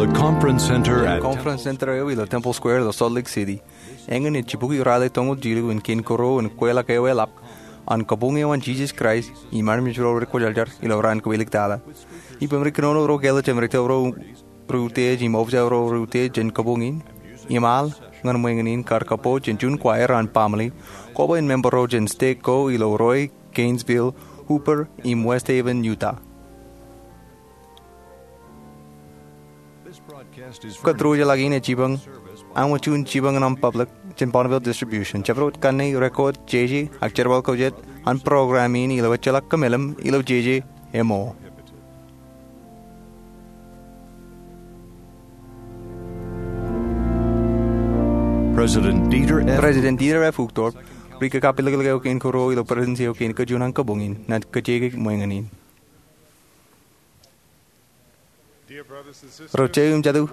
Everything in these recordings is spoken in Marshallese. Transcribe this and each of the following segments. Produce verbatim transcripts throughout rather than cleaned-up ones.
The conference center at Conference Center eo ilo Temple Square ilo Salt Lake City. Eñin ej jibukwi raelep toñoul jilu in kein kōrā in kweilọk eo eḷap an kabuñ eo an Jisōs Kraist im armej ro rekwōjarjar ilo raan kab āliktata. Ippān ri kōnono ro kāālōt im ri tōl ro ri utiej im officer ro ri utiej jān kabuñ in im al ñan ṃweñin in kar kapo jān juon choir an Bamli, koba in member ro jān stek ko ilo Roy, Gainesville, Hooper im West Haven, Utah. Kōtrujeḷọk in ej jipañ, aṃ juon jipañ ñan public jān Bonneville Distribution. Jabdewōt kanne, record, jeje ak jerbal ko jet an program in ilo ejjeḷọk kōmeḷeḷe ilo jeje eo. President Dieter F. President Dieter F. Uchtdorf, ri kakapeḷḷọk eo kein kōrā ilo Presidency eo kein kajuon an kabuñ in, enaaj kajjioñ ṃweñin in. Ro jeje im jatū,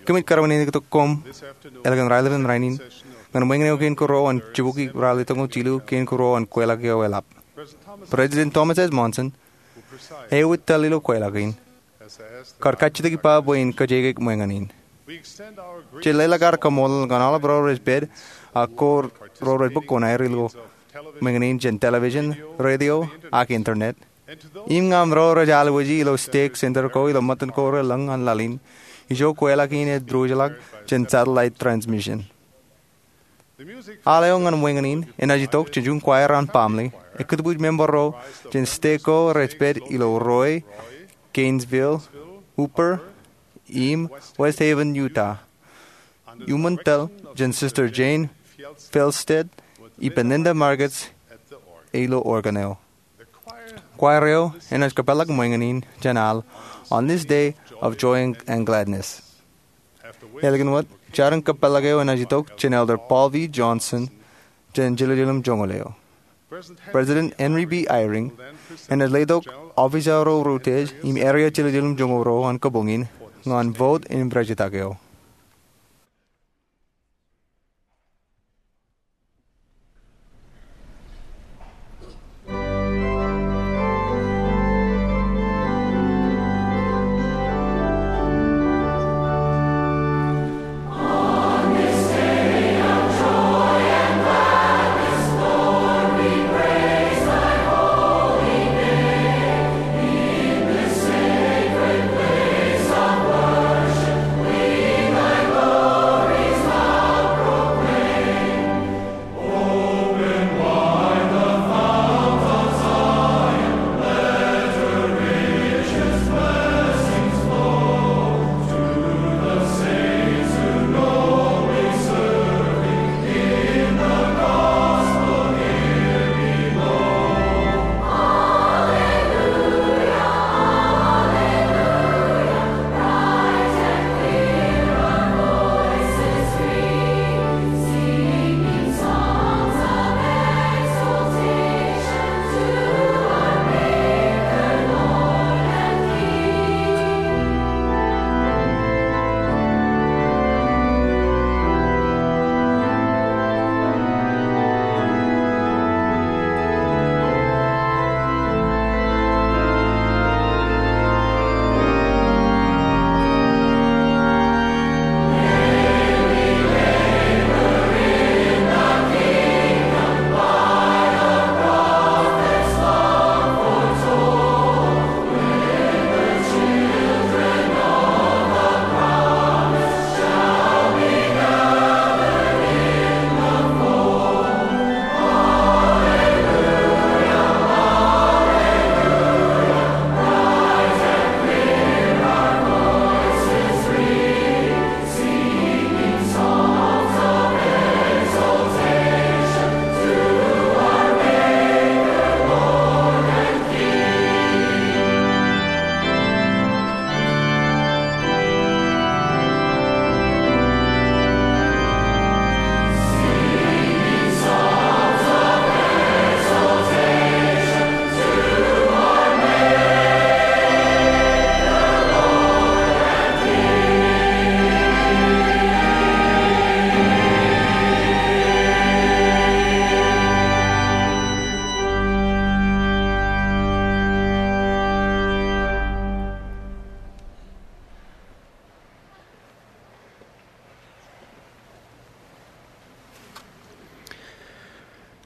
kōmij kōrā in eñin tok koṃ ālikin raelepin rainin ñan ṃweñin eo kein kōrā an jibukwi raelep toñoul jilu kein kōrā an kweilọk eo eḷap. President Thomas S. Monson, eo ej tōl ilo kweilọk in, kar kajjitōk ippa bwe in kajjioñ ṃweñin in. Jej leḷọk ad kaṃṃoolol ñan aolep ro rej pād ak ko ro rej bōk kuṇaer ilo ṃweñin in jān television, radio, ak internet. Im ñan ro rej alwōji ilo stek center ko ilo ṃōttan ko relōñ an laḷ in, ijo kweilọk in ej ruj ḷọk jān satellite transmission. Al eo ñan ṃweñin in enaaj itok jān juon choir an Bamli, ekkūtbuuj member ro jān stek ko rej pād ilo Roy, Gainesville, Hooper, im West Haven, Utah. Iuṃwin tōl jān Sister Jane Fjellstedt ippān Linda Margetts ilo organ eo. Choir eo enaaj kōpeḷḷọk ṃweñin in jān al On This Day of Joy and Gladness. Ālikin wōt, jarin kōpeḷḷọk eo enaaj itok jān Elder Paul V. Johnson jān jiljilimjuonñoul eo. President Henry B. Eyring enaaj letok officer ro ri utiej im area jiljilimjuonñoul ro an kabuñ in ñan vote im rejtak eo.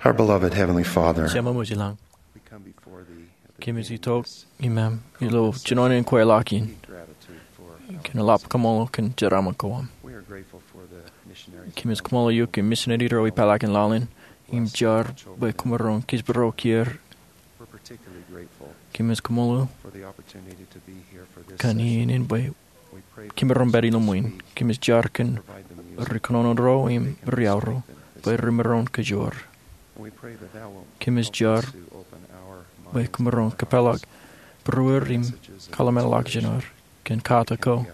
Our beloved Heavenly Father, Jemām eo ej ilañ, we come before thee at the kōmij beginning of itok this iṃōṃ ilo jinoin in kweilọk in, gratitude for our kōn eḷap kaṃṃoolol kōn jeraaṃṃan ko aṃ. We are grateful for the missionaries. Kōmij kaṃṃoolol eok kōn misineri ro ipālọkin laḷ in im jar bwe kōmro kōjparok er. We're particularly grateful Kōmij kaṃṃoolol for the opportunity to be here for this kōn session. Iien in bwe kōmro pād ilo ṃwiin. Kōmij jar kōn ri kōnono ro im ri-au ro bwe remaroñ kōjoor. Kōmij jar bwe kōmro kōpeḷḷọk būruer im kōḷmānḷọkjeṇ er kōn kata ko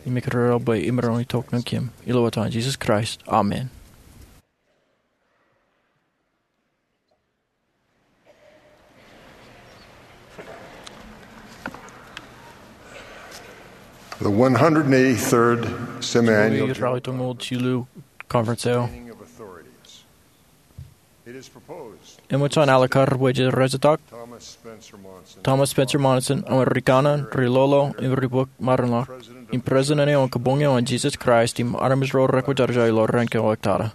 im ekkar bwe imaroñ itok ñan kōm. Ilo etan Jisōs Kraist, amen. The one hundred eighty-third Semiannual Ralitōñoul jilu Conference eo. Eṃōj an alikkar bwe jej rejetak Thomas Spencer Monson, aṃ rikaṇe, ri-lolo, im ri-bōk maroñḷọk, im President eo an Kabuñ eo an Jisōs Kraist im armej ro rekwōjarjar ilo raan ko eo tata.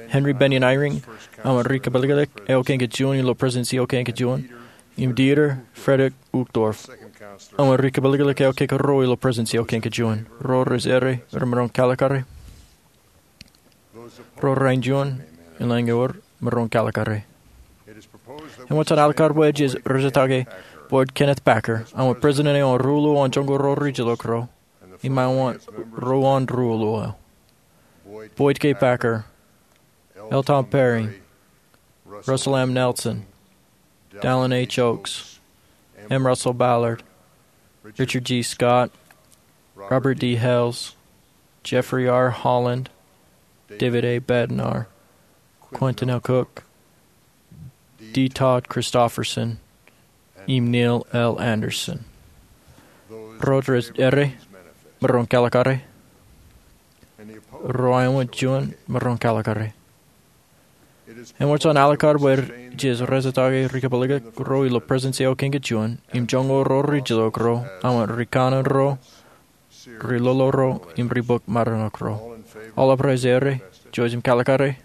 Henry Bennion Eyring, aṃ ri-kapelekek eo kein kajjioñ ilo Presidency eo kein kajjioñ, im Dieter Friedrich Uchtdorf, aṃ ri-kapelekek eo kein karuo ilo Presidency eo kein kajjioñ. Ro rej errā, remaroñ kalikkare. Ro rein juon, ilañ ewōr, maroñ kalikkare. Eṃōj an alikkar bwe jej rejetake Boyd Kenneth Packer, aṃ President eo an ri-ruo an joñoul ruo ri-jilōk ro, im aṃ ruo an ri-ruo eo. Boyd K. Packer, L. Tom Perry, Russell M. Nelson, Dallin H. Oaks, M. Russell Ballard, Richard G. Scott, Robert D. Hales, Jeffrey R. Holland, David A. Bednar, Quentin L. Cook, D. Todd Christofferson, im Neil L. Andersen. Ro rej errā, maroñ kalikkare. Ro rej juon, maroñ kalikkare. Eṃōj an alikkar bwe jej rejetake ri-kapelekek ro ilo Presidency eo kein kajjioñ, im joñoul ruo ri-jilōk ro, aṃ rikaṇe ro, ri-lolo ro, im ri-bōk maroñḷọk ro. Aolep rej errā, jouj im kalikkare.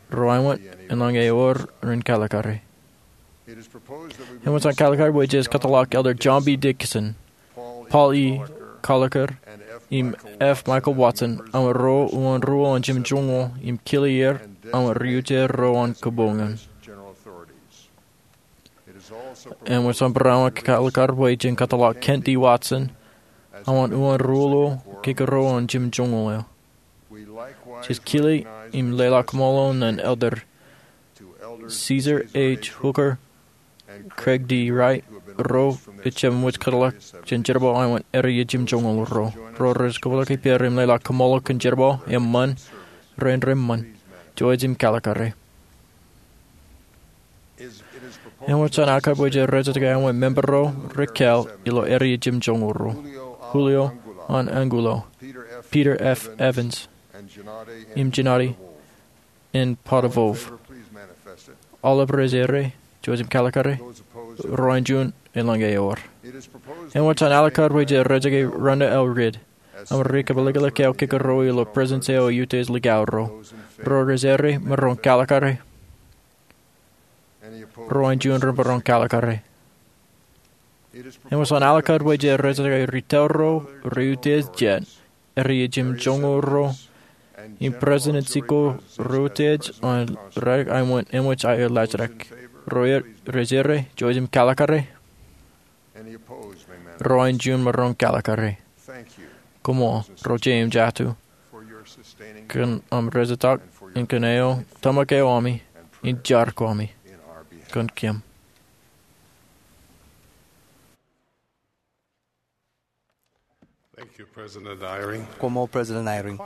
Ro rej juon, ilañ ewōr, ren kalikkare. Eṃōj an kalikkar bwe jej kōtḷọk Elder John B. Dickinson, Paul E. Koelliker, im F. Michael Watson, aṃ ro uwaan ruo an jimjuonñoul, im kile er, aṃ ri-utiej ro an kabuñ in. Eṃōj an barāinwōt kalikkar bwe jen kōtḷọk Kent D. Watson, aṃ uwaan ruo kein karuo an jimjuonñoul eo. Jej kile im leḷọk kaṃṃoolol ñan Elder Caesar H. Hooker, Craig D. Wright, ro rej jab ṃōj kōtḷọk jān jerbal eo an errā jimjuonñoul ro. Ro rej kōpeḷḷọk ippāer im leḷọk kaṃṃoolol kōn jerbal eṃṃan, rein reṃṃan. Jouj im kalikkare. Eṃōj an alikkar bwe jej rejetake aṃ member ro rej kāāl ilo errā jimjuonñoul ro. Julio N. Angulo, Peter F. Evans, im Gennady N. Potovov. Aolep rej errā, jouj im kalikkare. Ro rej juon, ilañ ewōr. Eṃōj an alikkar bwe jej rejetake Rhonda L. Ridd, aṃ ri-kapelekek eo kein karuo ilo Presidency eo an Utiej Likao ro. Ro rej errā, maroñ kalikkare. Ro rej juon, remaroñ kalikkare. Eṃōj an alikkar bwe jej rejetake ri-tōl ro, ri-utiej jet, errā jimjuonñoul ro, im Presidency ko ri-utiej an raelep eo an eṃōj aer laajrak. Ro rej errā, jouj im kalikkare. Ro rej juon, maroñ kalikkare. Koṃṃool, ro jeiū im jatū, kōn aṃ rejetak im kōn eo tōmak eo ami im jar ko ami kōn kōm. Thank you, President Eyring. Koṃṃool, President Eyring.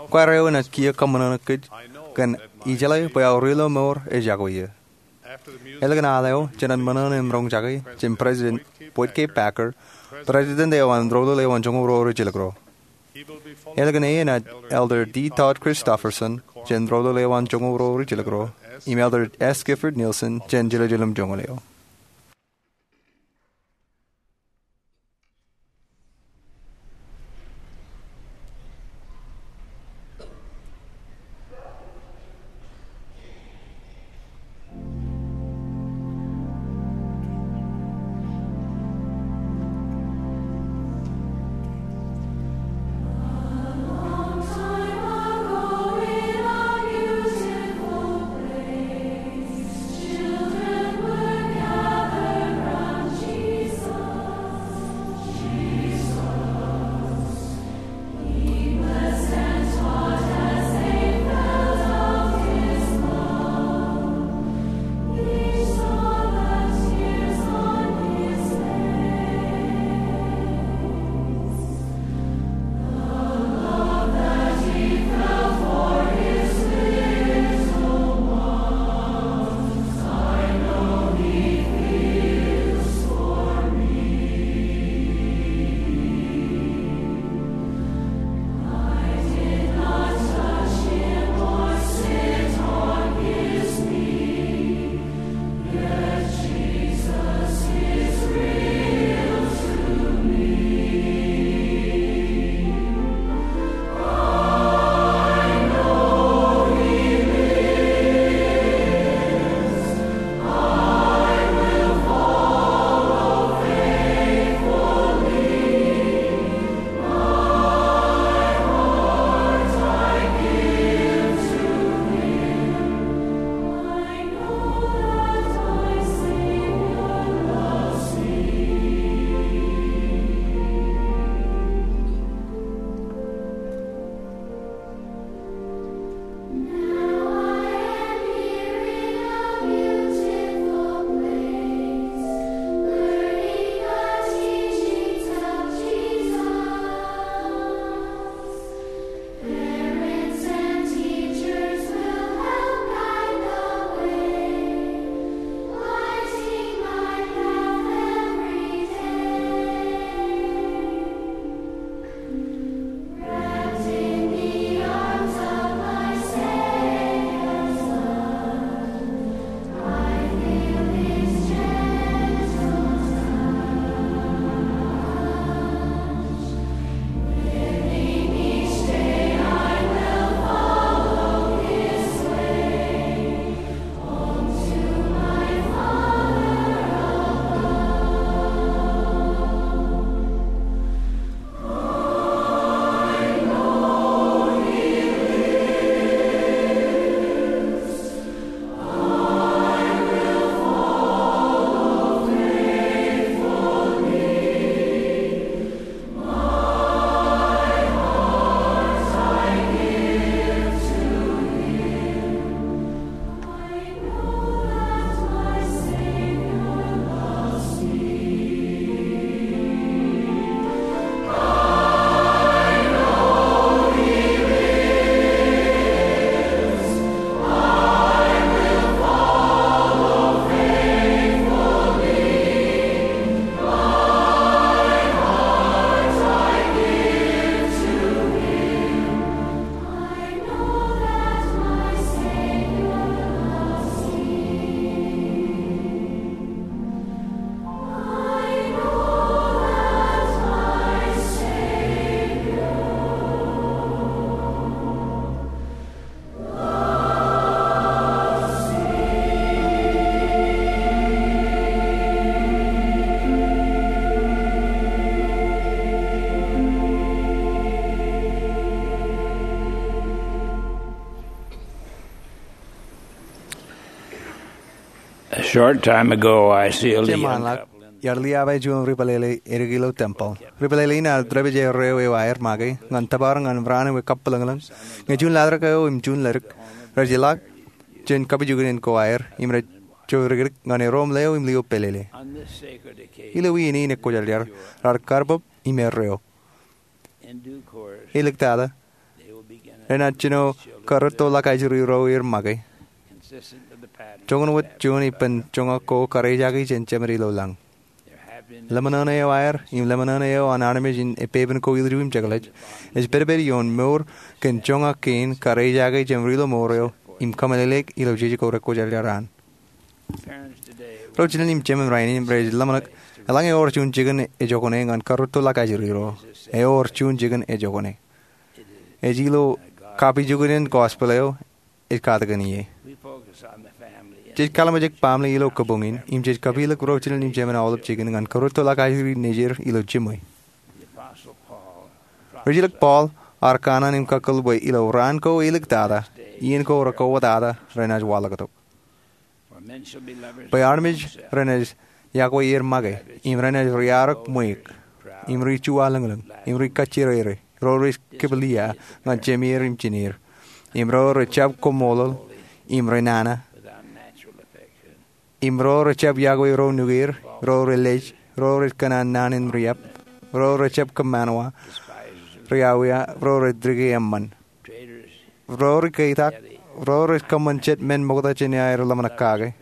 Choir eo enaaj kiiō kōṃṃan kōj kōn ijeḷā bwe aorilo mour ejako ie. Ālikin al eo, jenaaj ṃōṇōṇō im roñjake jān President Boyd K. Packer, President eo an Rūtōl eo an Joñoul Ruo Rijilōk ro. Ālikin e enaaj Elder D. Todd Christofferson jān Rūtōl eo an Joñoul Ruo Rijilōk ro, im Elder S. Gifford Nielsen jān Jiljilimjuonñoul eo. A short time ago, I sealed a young couple in. Iar liaabaj juon ri-pālele edik ilo tempel. Ri-pālele in ear dāpij erreo eo aer make ñan tōpar ñan raan eo ekapḷōñḷōñ. Ñe juon laḷtak eo im juon ledik, rej ilọk jān kapijuknen ko aer im rej jodikdik ñan erom leo im lio pālele. Ilo iien in ekwōjarjar, raar karbōb im erreo. Iliktata, renaaj jino karrūtto ḷọk ajri ro er make, joñan wōt juon ippān joñak ko karejaake jān Jemān ilo lañ. Lemñoṇe eo aer im lemñoṇe eo an armej in epepen ko ilju im jekḷaj ej pedped ioon mour kōn joñak kein karejaake jān rilo mour eo im kōmeḷeḷeik ilo jeje ko rekwōjarjar an. Ro jinen im jemān rainin rej ḷōmṇak eḷaññe ewōr juon jikin ejokane ñan karrūtto ḷọk ajri ro. Ewōr juon jikin ejokane. Ej ilo kapijuknen gospel eo ej katakin ie. Jej kalimjek baaṃle ilo kabuñ in im jej kapilōk ro jinen im jemān aolep jikin ñan karrūtto ḷọk ajri nejier ilo jiṃwe. Rijilōk Paul ear kanaan im kakōl bwe ilo raan ko iliktata, iien ko rekwōtata, renaaj waḷọktok. Bwe armej renaaj yokwe er make, im renaaj riaorōk ṃweiuk, im ri-juwaḷōñḷōñ, im ri-kajjirere, ro rej kiplia ñan jemeer im jineer, im ro rejjab koṃṃoolol, im renana, im ro rejjab yokwe ro nukeer, ro relej, ro rej kōṇaan naan in riab, ro rejjab kōṃṃanwa, riawiawi, ro rej dike eṃṃan, ro ri-ketak, ro rej kōṃṃan jet men ṃokta jān aer ḷōmṇak kake,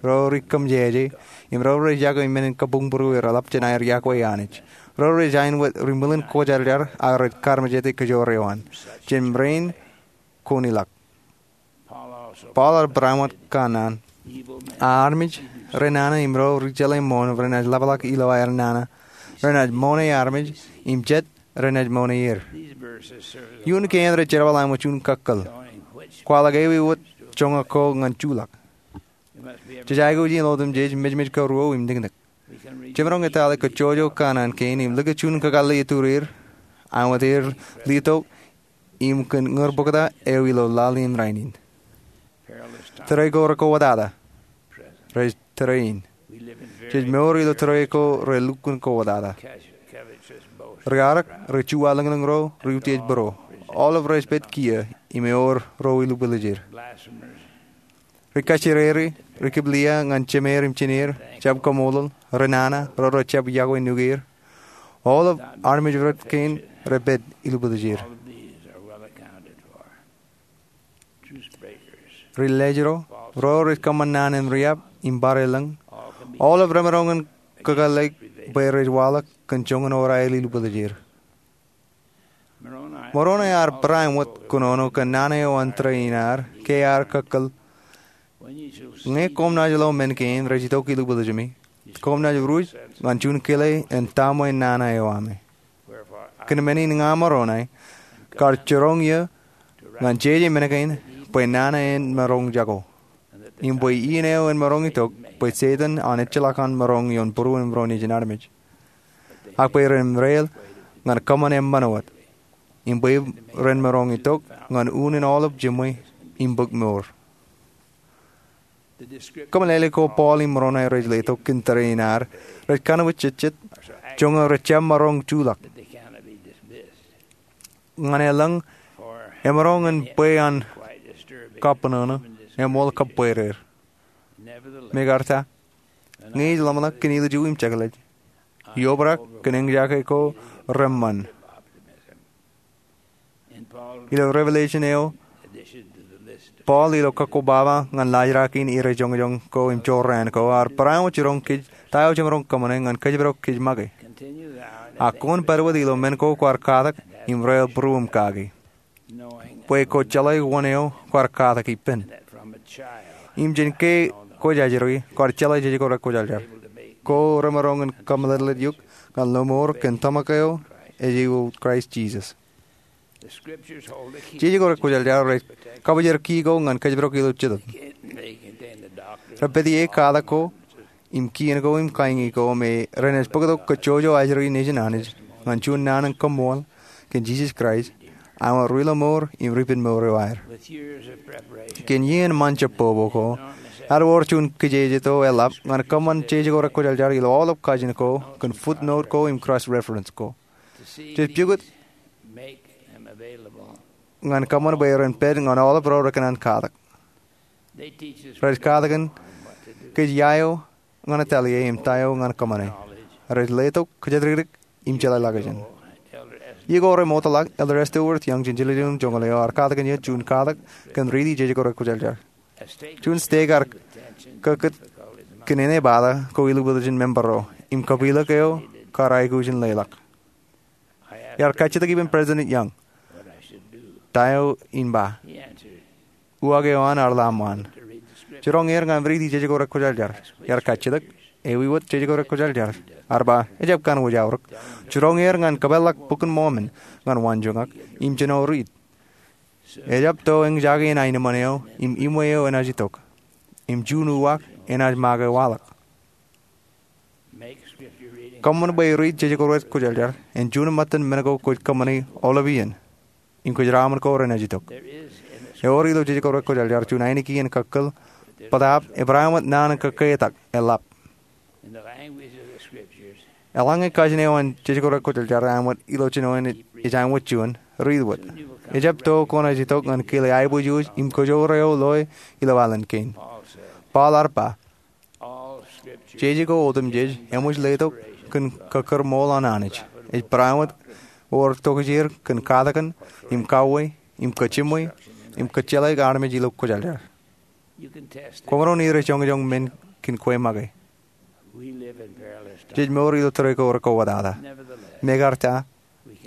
ro ri-kōmjeje, im ro rej yokwe men in kabuñbūruereḷap jān aer yokwe Anij, ro rej ain wōt ri-ṃwilen kwōjarjar ak rej kaarmejāte kōjoor eo an. Jān rein kwōn ilọk. Paul ear bareinwōt kanaan, a armej renana im ro ri-jeḷā ṃool renaaj ḷapḷọk ilo aer nana, renaaj ṃoone armej, im jet renaaj ṃoone er. Iuun kein rej jerbal āinwōt juon kakkōl. Kwaḷọk ewi wōt joñak ko ñan juḷọk. Jej aikuj in otemjej mejmej karuo im niknik. Jemaroñ etale kōjjojo kanaan kein im likūt juon kakōḷḷe itureer, āinwōt er letok im kōn ñūrbōkta eo ilo laḷ in rainin. Tōre ko rekwōtata, rej tōre in. Jej mour ilo tōre ko relukkuun kwōtata. Riaorōk, ri-juwaḷōñḷōñ ro, ri-utiej būro, aolep rej pād kiiō im ewōr ro ilubwilōjir. Ri-kajjirere, ri-kiplia ñan jemeer im jineer, jab koṃṃoolol, renana, ro rejjab yokwe nukeer, aolep armej rot kein rej pād ilubwilōjir. Ri-lej ro, ro rej kōṃṃan naan in riab im barāinlōñ, aolep remaroñ in kakōḷḷe bwe rej waḷọk kōn joñan oraer ilubwilōjir. Moroni ear bareinwōt kōnono kōn nana eo an tōre in ad ke ear kakōl, ñe koṃ naaj lo men kein rej itok ilubwilōjemi, koṃ naaj ruj ñan juon kile in taṃwe nana eo aṃ. Kōn men in ña Moroni kar jiroñ eō ñan jeje men kein bwe nana en maroñ jako, im bwe iien eo en maroñ itok bwe Setan an ejjeḷọk an maroñ ioon būruon im ro nejin armej, ak bwe ren rael ñan kōṃṃan eṃṃan wōt, im bwe ren maroñ itok ñan unin aolep jiṃwe im bōk mour. Kōmeḷeḷe ko Paul im Moroni rej letok kōn tōre in ad rej kanbwijjejjet joñan rejjab maroñ juḷọk. Ñan elōñ, emaroñ in bwe an kabbōnono, eṃool kab bwereer. Mekarta, ñe ij ḷōmṇak kōn ilju im jekḷaj, iobrak kōn eñjake ko reṃṃan. Ilo Revelation eo, Paul ilo kakkobaba ñan laajrak in ire joñjoñ ko im jorrāān ko ear bareinwōt jiroñ kōj ta eo jemaroñ kōṃṃane ñan kōjparok kōj make. Ak kwōn pād wōt ilo men ko kwaar katak im rael būruōm kaki, bwe kwō jeḷā wōn eo kwaar katak ippān, im jān ke kwōj ajri kwaar jeḷā jeje ko rekwōjarjar, ko remaroñ in kōmeḷeḷeik eok ñan lo mour kōn tōmak eo ej ilo Kraist Jisōs. Jeje ko rekwōjarjar rej kabōjrak key ko ñan kōjparok ilo Jetōb. Rej pād ie katak ko im kien ko im kañin ko me renaaj bōktok kōjjojo ajri nejin Anij ñan juon naan in koṃṃool kōn Jisōs Kraist aṃōj ri-lọmọọr im ri-penmour eo aer. Kōn iien ṃōn jab bōkbōk ko, ear wōr juon kijejeto eḷap ñan kōṃṃan jeje ko rekwōjarjar ilo aolep kajin ko kōn footnote ko im cross-reference ko. Jej pukot ñan kōṃṃan bwe ren pād ñan aolep ro rekōṇaan katak. Rej katak kōn kōj ia eo ñan etal ie im ta eo ñan kōṃṃane. Rej letok kōjatdikdik im jeḷā ḷọkjeṇ. Iiō ko remootḷọk, Elder Esther Worth Young jān Jiljilimjuonñoul eo ear katak kōn eō juon katak kōn riiti jeje ko rekwōjarjar. Juon stek ear kōkkūt kōn āne bata ko ilubwiljin member ro im kōpeḷḷọk eo kar aikuj in leḷọk. Iar kajjitōk ippān President Young ta eo in ba. Uwaak eo an ear ḷōmṇak. Jiroñ er ñan riiti jeje ko rekwōjarjar. Iar kajjitōk, ewi wōt jeje ko rekwōjarjar? Ear ba, ejjab kōṇaan wōj aorōk. Jiroñ er ñan kōpeḷḷọk Bok in Mormon ñan waanjoñak im jino riit. Ejjab to eñjake in aenōṃṃan eo im iṃwe eo enaaj itok. Im juon uwaak enaaj make waḷọk. Kōṃṃan bwe riit jeje ko rekwōjarjar en juon ṃōttan men ko kwōj kōṃṃani aolep iien im kwōj raṃṃan ko renaaj itok. Ewōr ilo jeje ko rekwōjarjar juon ainikien kakkōl bōtaab ebar āinwōt naan in kōkketak eḷap. Eḷaññe kajin eo an jeje ko rekwōjarjar āinwōt ilo jinoin ej āinwōt juon, riit wōt. Ejjab to kwōnaaj itok ñan kile aiboojoj im kōjoor eo loe ilo alen kein. Paul ear ba, jeje ko otemjej eṃōj letok kōn kōkkure ṃool an Anij. Ej barāinwōt wōr tokjāer kōn katakin im kauwe im kōjiṃwe im kōjjeḷāik armej ilo kwōjarjar. Kwōmaroñ ire joñjoñ men kōn kwe make. Jej mour ilo tōre ko rekowōtata. Mekarta,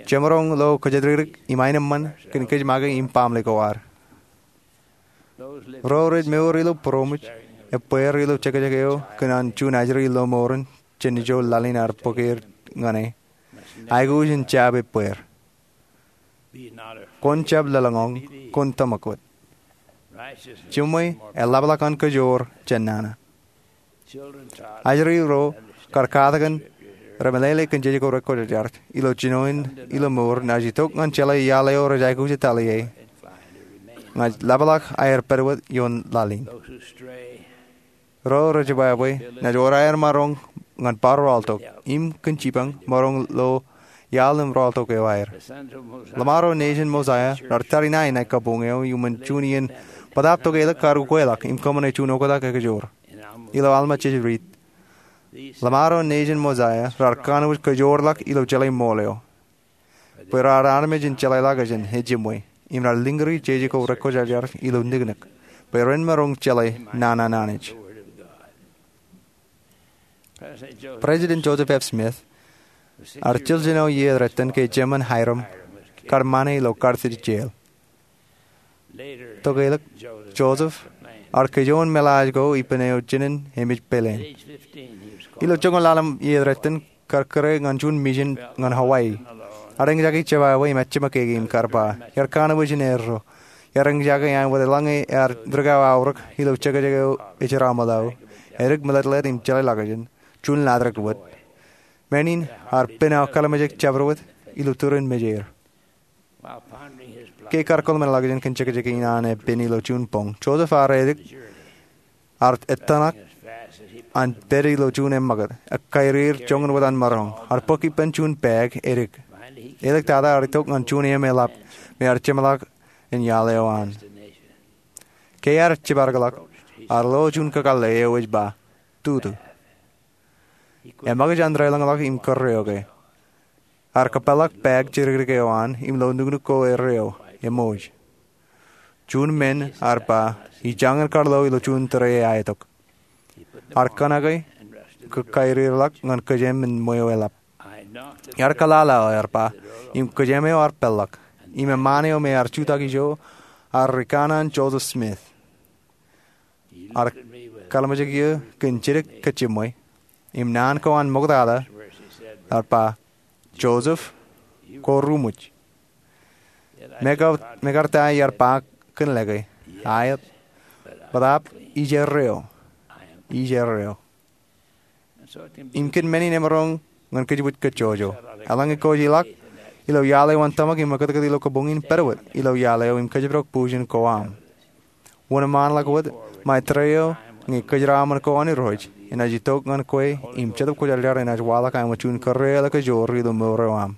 jemaroñ lo kōjatdikdik im aenōṃṃan kōn kōj make im baaṃle ko ad. Ro rej mour ilo būroṃōj ebbeer ilo jekjek eo kōn an juon ajri lọmọọren jān ijo laḷ in ear bōk er ñan e. Aikuj in jab ebbeer. Kwōn jab lōḷñọñ, kwōn tōmak wōt. Jiṃwe eḷapḷọk an kōjoor jān nana. Ajri ro kar katakin remeḷeḷe kōn jeje ko rekwōjarjar ilo jinoin ilo mour naaj itok ñan jeḷā iaḷ eo rej aikuj etal ie. Ña ij ḷapḷọk aer pād wōt ioon laḷ in. Ro rej jebwābwe naaj wōr aer maroñ ñan bar rọọltok im kōn jipañ maroñ lo iaḷ im rọọltok eo aer. Ḷōṃaro nejin Mosaia raar tariṇae ṇae kabuñ eo iuṃwin juon iien bōtaab tokeḷọk kar ukweḷọk im kōṃṃane juon oktak ekajoor. Ilo Alma jej riit, ḷōṃaro nejin Mosaia raar kanooj kōjoorḷọk ilo jeḷā ṃool eo, bwe raar armej in jeḷā ḷọkjeṇ ej jiṃwe, im raar lōñri jeje ko rekwōjarjar ilo niknik, bwe ren maroñ jeḷā nana an Anij. President Joseph F. Smith ear jiljino iiō eo retōn ke Jemān Hyrum kar ṃane ilo Carthage Jail. Tokeḷọk, Joseph ear kōjoon meḷaaj ko ippān eo jinen emej peleen. Ilo joñoul ḷalem iiō eo retōn kar kūr ñan juon mission ñan Hawaii. Ear eñjake jebwābwe im ejjeṃōk kōn e im kar ba, iar kanooj in erro. Iar eñjake āinwōt eḷaññe ear rikao aorōk ilo jekjek eo ej jeraaṃṃan ḷọk, edik meletlet im jeḷā ḷọkjeṇ, juon latrōk wōt. Men in ear pen aō kōḷmānjeḷ jabdewōt ilo turin mejeir. Ke kar kōḷmānḷọkjeṇ kōn jekjek in an epen ilo juon boñ, Joseph ear edik ear ettōṇak an pād ilo juon eṃṃakūt, ekkairir joñan wōt an maroñ. Ear bōk ippān juon bag edik. Āliktata ear itok ñan juon eṃ eḷap me ear jeṃḷọk an iaḷ eo an. Ke ear jiparōkḷọk, ear lo juon kakōḷḷe eo ej ba, tutu. Eṃōkaj an deḷọñḷọk im kōrreoke. Ear kōpeḷḷọk bag jidikdik eo an im lo nuknuk ko erreo, eṃooj. Juon men ear ba, ijañin kar lo ilo juon tōre eaetok. Ear kōṇake, kōkkairirḷọk ñan kōjeṃ in ṃweo eḷap. Iar kōḷḷāḷọk, ear ba, im kōjeṃ eo ear peḷḷọk. Im eṃṃaan eo me ear jutak ijo, ear rikanaan Joseph Smith. Ear kōḷmānjeḷ iiō kōn jidik kōjiṃwe. Im naan ko an ṃoktata, ear ba, Joseph, kwō ruṃwij. Mekarta iar ba kōn lōke, aet, bōtaab ij erreo. Ij erreo. Im kōn men in emaroñ ñan kōjwōj kōjjojo. Eḷaññe kwōj ilọk ilo iaḷ eo an tōmak im ekkōtkōt ilo kabuñ in pād wōt ilo iaḷ eo im kōjparok pujin ko aṃ. Wōnṃaanḷọk wōt ṃae tōre eo ñe kōjeraaṃṃan ko an Irooj enaaj itok ñan kwe im Jetōb Kwōjarjar enaaj waḷọk aṃ juon kōrā eo eḷak ejoor ilo mour eo aṃ.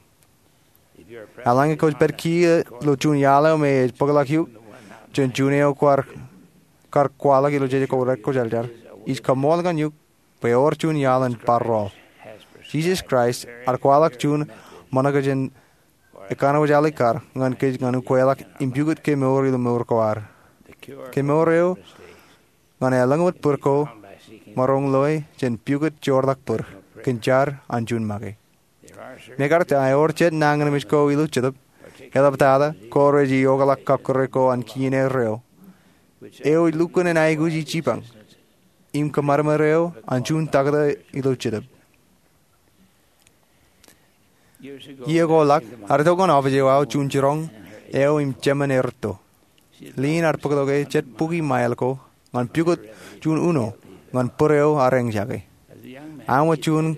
Eḷaññe kwōj pād kiiō ilo juon iaḷ eo me ej bōkḷọk eok jān juon eo kwaar kwaḷọk ilo jeje ko rek kwōjarjar, ij kaṃṃoolol eok bwe ewōr juon iaḷ in bar rool. Jisōs Kraist ear kwaḷọk juon ṃōṇakūt jān ekkanooj alikkar ñan kōj ñan ukweḷọk im pukot kemour ilo mour ko ad. Kemour eo ñan elōñ wōt bōd ko maroñ loe jān pukot joorḷọk bōd kōn jar an juon make. Mekarta ewōr jet nañinmej ko ilo Jetōb, eḷaptata ko rej iokḷọk kọkkure ko an kien erreo, eo ej lukkuun en aikuji jipañ im kōṃadṃōd eo an juon taktō ilo Jetōb. Iiō ko ḷọk ear itok ñan office eo aō juon jiroñ eo im jemān erūtto. Lien ear bōktok e jet bukwi ṃail ko ñan pukot juon uno ñan bōd eo ear eñjake. Aṃ wōt juon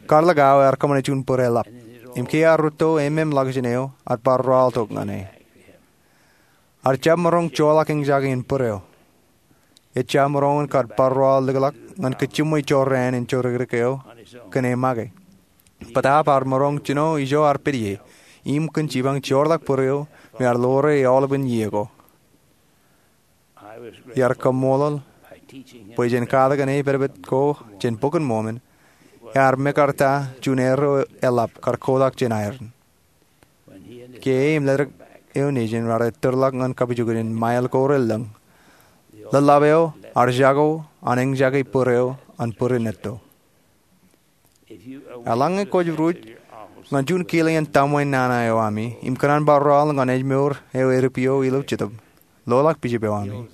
karlik aō ear kōṃṃane juon bōd eḷap, im ke ear rūtto ememḷọkjeṇ eo ear bar rooltok ñan e. Ear jab maroñ joḷọk eñjake in bōd eo. Ejja maroñ in kar bar rool likḷọk ñan kōj jiṃwe jorrāān in jodikdik eo kōn e make. Bōtaab ear maroñ jino ijo ear pād ie im kōn jipañ joorḷọk bōd eo me ear ḷoore aolepān iiō ko. Iar kaṃṃoolol bwe jān katakin e pedped ko jān Bok in Mormon, ear mekarta juon erreo eḷap kar kotak jān iron. Ke e im ledik eo nejin raar ettōrḷọk ñan kapijuknen ṃail ko relōñ, ḷōḷḷap eo ear jako an eñjake bōd eo an bōd in etto. Eḷaññe kwōj ruj ñan juon kile in tōmwe nana eo ami im kōṇaan bar rool ñan ejmour eo edipio ilo Jetōb, loḷọk Bishop eo ami.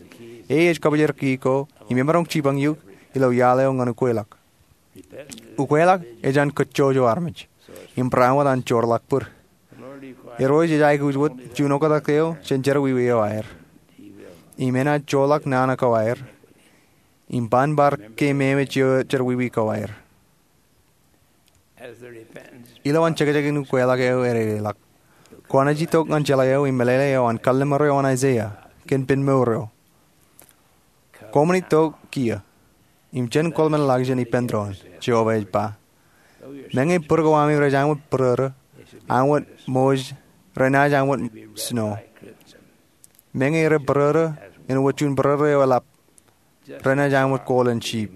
E ej kabōjrak key ko im emaroñ jipañ eok ilo iaḷ eo ñan ukweḷọk. Ukweḷọk ej an kōjjojo armej im barāinwōt an joorḷọk bōd. Irooj ej aikuj wōt juon oktak eo jān jerọwiwi eo aer, im enaaj joorḷọk nana ko aer im ban bar keememej ioon jerọwiwi ko aer. Ilowaan jekjek in ukweḷọk eo ededeḷọk, kwōnaaj itok ñan jeḷā eo im meḷeḷe eo an kalliṃur eo an Aiseia kōn pen mour eo. Koṃwin itok kiiō im jen kōḷmenḷọkjeṇ ippān doon, Jeova ej ba. Meñe bōd ko ami rej aṃ wōt bōrōrō, aṃ wōt moj, renaaj aṃ wōt snow. Meñe rej bōrōrō āinwōt juon bōrōrō eo eḷap, renaaj aṃ wōt golden sheep.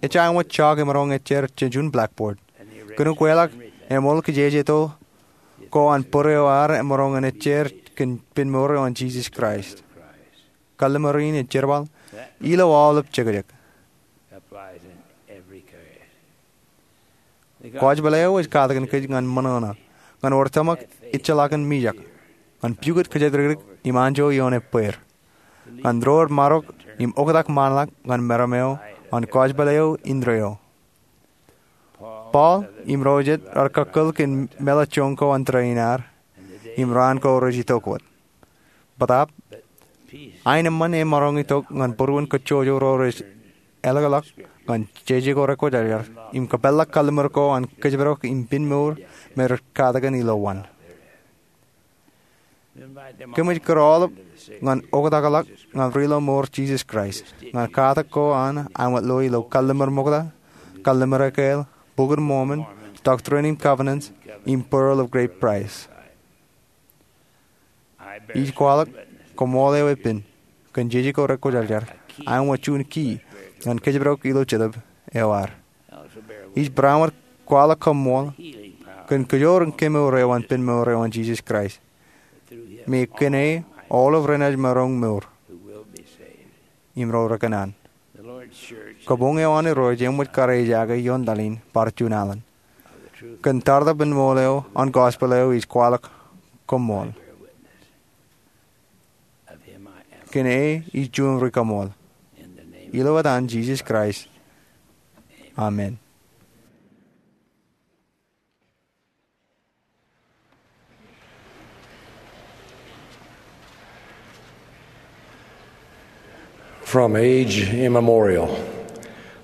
Ejja aṃ wōt chalk emaroñ ejjer jān juon blackboard. Kōn ukweḷọk, eṃool kijejeto ko an bōd eo ad emaroñ in ejjer kōn pen mour eo an Jisōs Kraist. Kalliṃur in ej jerbal ilo aolep jekjek. Kwōj bōle eo ej katakin kōj ñan ṃōṇōṇō, ñan wōr tōmak ejjeḷọkin mijak, ñan pukot kōjatdikdik im anjọ ioon ebbeer, ñan ro remarok im oktak ṃaanḷọk ñan meram eo an kwōj bōle eo indeeo. Paul im ro jet raar kakkōl kōn meḷeḷe joñ ko an tōre in ad im raan ko rej itok wōt. Bōtaab aenōṃṃan emaroñ itok ñan būruon kōjjojo ro rej ālōkḷọk ñan jeje ko rek kwōjarjar im kōpeḷḷọk kalliṃur ko an kōjparok im pen mour me rej katakin ilowaan. Kōmij kūr aolep ñan oktakḷọk ñan ri ilo mour Jisōs Kraist ñan katak ko an aṃ wōt lo ilo kalliṃur ṃokta, kalliṃur ekāāl, Bok in Mormon, Doctrine and Covenants, im Pearl of Great Price. Ij kwaḷọk koṃṃool eo epen kōn jeje ko rek kwōjarjar, aṃ wōt juon key ñan kōjparok ilo jetōb eo ad. Ij barāinwōt kwaḷọk koṃṃool kōn kōjoor in kemour eo an pen mour eo an Jisōs Kraist, me kōn e aolep renaaj maroñ mour im ro rekōṇaan. Kabuñ eo an Irooj eṃōj kar ejaake ioon laḷ in bar juon alen. Kōn tartap in ṃool eo an gospel eo ij kwaḷọk koṃṃool. Kōn e ij juon ri kaṃṃool. Ilo etan Jisōs Kraist, amen. From age immemorial,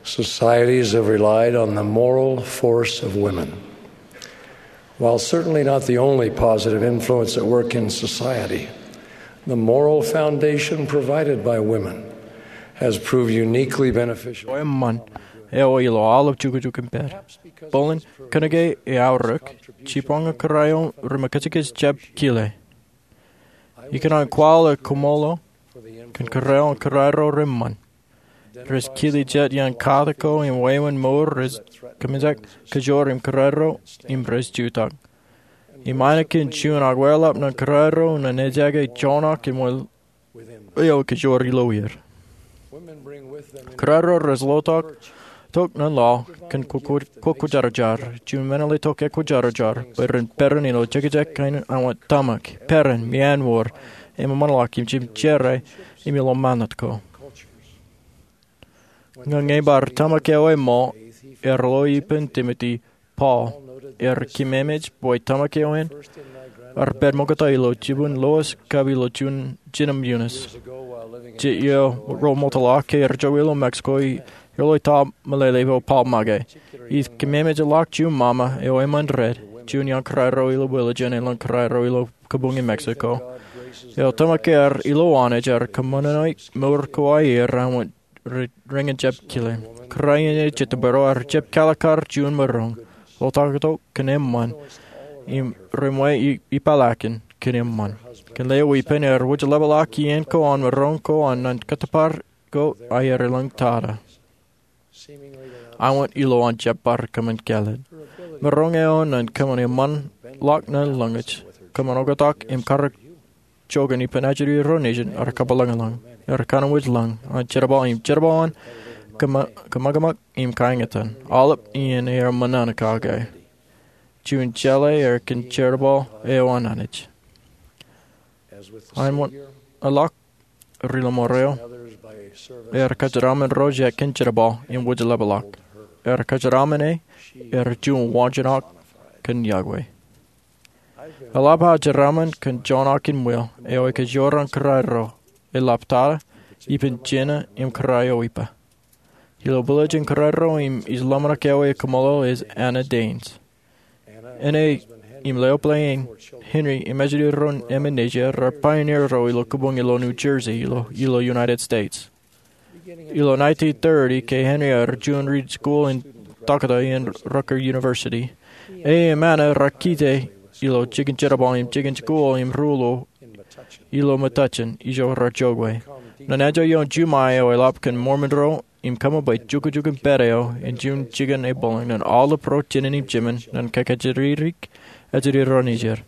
societies have relied on the moral force of women. While certainly not the only positive influence at work in society, the moral foundation provided by women has proved uniquely beneficial. Eo eṃṃan, eo ilo aolep jukjuk im pād. Bōlen, kōnke eaorōk, jibwaan kōrā eo ri mekajekaj jab kile. Ikōṇaan kwaḷọk koṃṃool kōn kōrā eo an kōrā ro reṃṃan. Rej kile jet iaan katak ko im wāween mour rej kōmijak kōjoor im kōrā ro im rej jutak. Im āinwōt kōn juon akwāḷap ñan kōrā ro ñan ejake joñak im wāween eo kōjoor ilo er. Kōrā ro rej lo tok, tok ñan laḷ kōn kwō-, kwō-, kwōjarjar, juon men eḷap tok ekwōjarjar, bwe ren peran ilo jekjek kain an wōt tōmak, peran, meanwōr, im eṃṃanḷọk im jimjera, im ilo ṃanit ko. Ñe bar tōmak eo eṃṃan, ear lo ippān Timote, Paul, ear kememej bwe tōmak eo en, ear pād ṃokta ilo jibwin Lois kab ilo juon jinem Eunice. Jet iiō ro ṃokta ke ear jokwe ilo Mexico, ear lo ta meḷeḷe eo Paul make. Ij kememej ḷọk juon ṃaṃa eo eṃṃan red, juon iaan kōrā ro ilo Willigen elōñ kōrā ro ilo kabuñ in Mexico. Eo tōmak ear ilo Anij ear kōṃṃane mour ko aer an wōt re-, rein jab kile. Kōrā in ej jet tōpar eo ear jab kalikkar juon maroñ. Ḷotak tok kōn eṃṃan. Im reṃwe i-, ipeḷaakin kōn eṃṃan. Kōn lewōj ippān ear wōjḷapḷọk iien ko an maroñ ko an ñan kōttōpar ko aer elōñ tata. An wōt ilo an jab bar kōṃṃan kāālōt. Maroñ eo an kōṃṃan eṃṃanḷọk ñan lōñōj. Kōṃṃan oktak im karōk joñan ippān ajri ro nejin ear kapeḷḷọk. Ear kōnwōj lōñ an jerbal im jerbal an kōṃakōṃak im kaeñtaan. Aolep iien ear ṃōṇōṇō kake. Juon jeḷā ear kōn jerbal eo an Anij. An wōt eḷak ri lọmọọr eo, ear kōjeraaṃṃan ro jet kōn jerbal im wōjḷapḷọk. Ear kōjeraaṃṃan e, ear juon waanjoñak kōn yokwe. Eḷap aō jeraaṃṃan kōn joñak in ṃweo, eo ekwe joor an kōrā ro, eḷap tata, ippān Jena im kōrā eo ippa. Ilo bwilōñ in kōrā ro im ij ḷōmṇak eo ekwe kōṃṃool ej Anna Danes. Āne im leḷọk ḷeeṇ, Henry im ajri ro emān nejā, raar pioneer ro ilo kabuñ ilo New Jersey, ilo, ilo United States. Ilo nineteen thirty, ke Henry ear juon ri-school in taktō in Rutgers University. E im Anna raar kite ilo jikin jerbal im jikin school im ruo ilo Metuchen, ijo raar jokwe. Ñan anjọ ioon Juṃae eo eḷap kōn Mormon ro im kōṃṃan bwe jukjuk in pād eo, en juon jikin ebōḷōñ ñan aolep ro jinen im jemān, ñan kajjitōk ajri ro nejid.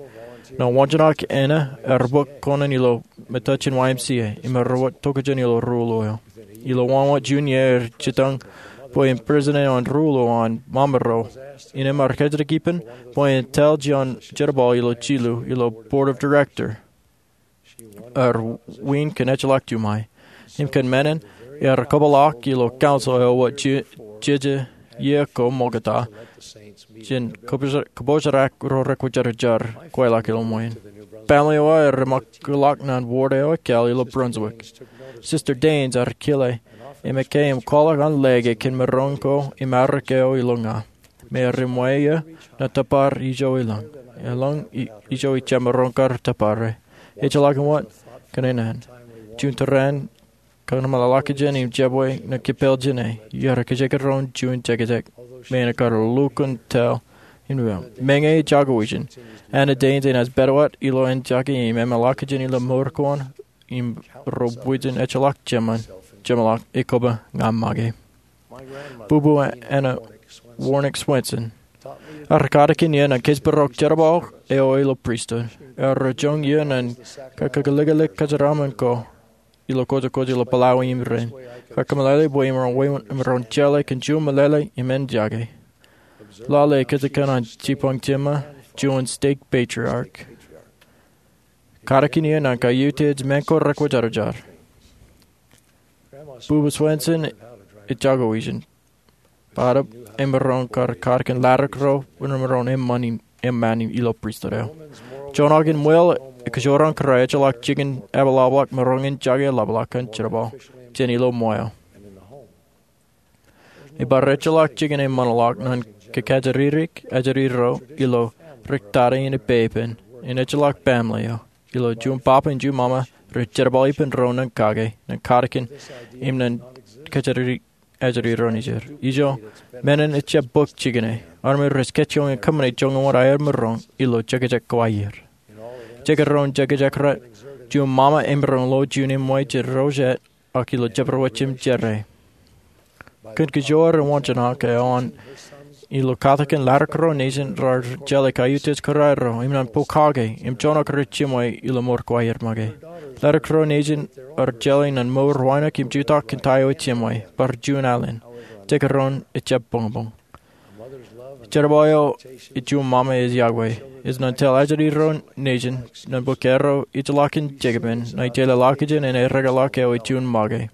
Ñan waanjoñak Anna, ear bōk kōṇaan ilo Metuchen Y M C A, im ear wōt tokjān ilo ruo eo. Ilo wāween juon iiō ear jitōñ bwe en president eo an ruo an ṃaṃa ro. Innām ear kajjitōk ippān bwe en tōl juon jerbal ilo jilu, ilo board of director. Ear win kōn ejjeḷọk Juṃae. Im kōn men in, ear kōpeḷḷọk ilo council eo wōt je-, jeje iiō ko ṃokta, jān kōpoj-, kōpojrak ro rekwōjarjar, kweilọk ilo ṃwiin. Family eo aō ear ṃakūtḷọk ñan ward eo ekāāl ilo Brunswick. Sister Danes ear kile, im ekkā im kwaḷọk an lōke kōn maroñ ko im arōk eo ilo ña. Im ear eṃṃan eō ñan tōpar ijo elōñ. Elōñ i-, ijo ij jab maroñ kar tōpare. Ejjeḷọk wōt kōn naan. Juon tōre in kōṃṃan ḷọkjeṇ im jabdewōt ñan kipel jāne. Ear kajjitōk ro in juon jekjek. Im ear kar lukkuun tōl in wōt. Meñe ej jako ijin, Anna Danes enaaj pād wōt ilo an jake im eṃṃan ḷọkjeṇ ilo mour ko an. Im ro bwijin ejjeḷọk jemān, jeṃḷọk ekōba ña make. Bubu Anna Warnick Swenson ear katakin iien ñan kōjparok jerbal eo ilo pristut. Ear joñan iien ñan kakōlkōllik kōjeraaṃṃan ko ilo kōjkōj ilo Pālawi im rein. Kōmeḷeḷe bwe emaroñ jeḷā kōn juon meḷeḷe im en jake. Lale kōjkan an jibboñ jiṃṃa, juon stake patriarch. Katakin iien ñan kaiutiej men ko rekwōjarjar. Bubu Swenson ej jako ijin. Bōtab emaroñ kar katakin laddik ro, emaroñ eṃṃan in, eṃṃan in ilo pristut eo. Joñak in ṃweo ej kōjro an kōrā ejjeḷọk jikin eḷapḷọk maroñ in jake eḷapḷọk kōn jerbal, jān ilo ṃweo. Ebar ejjeḷọk jikin eṃṃanḷọk ñan kōkajjitōk ajri ro ilo ri tata in epepen, in ejjeḷọk baaṃle eo. Ilo juon papa im juon mama rej jerbal ippān ro ñan kake, ñan katakin, im ñan kōjatdikdik ajri ro nejid. Ijo, men in ejjab bōk jikin e. Armej rej kōjjoñe kōṃṃane joñan wōt aer maroñ ilo jekjek ko aer. Jekdọọn jekjek ro, juon mama emaroñ lo juon eṃṃan jān ro jet, ak ilo jabdewōt jemjerā. Kōn kōjro rej waanjoñak eo an ilo katakin, ḷaddik ro nejin raar jeḷā kaiutiej kōrā ro im ñan pokake im joñak rej jiṃwe ilo mour ko aer make. Ḷaddik ro nejin raar jeḷā ñan mour wānōk im jutak kōn ta eo ejjeṃwe, bar juon alen. Jekdọọn ejjab boñboñ. Jerbal eo an juon mama ej yokwe. Ej ñan jeḷā ajri ro nejin, ñan bōk erro ejjeḷọk in jekpen, ñan jeḷā ḷọkjeṇ in erekeḷọk eo ej juon make.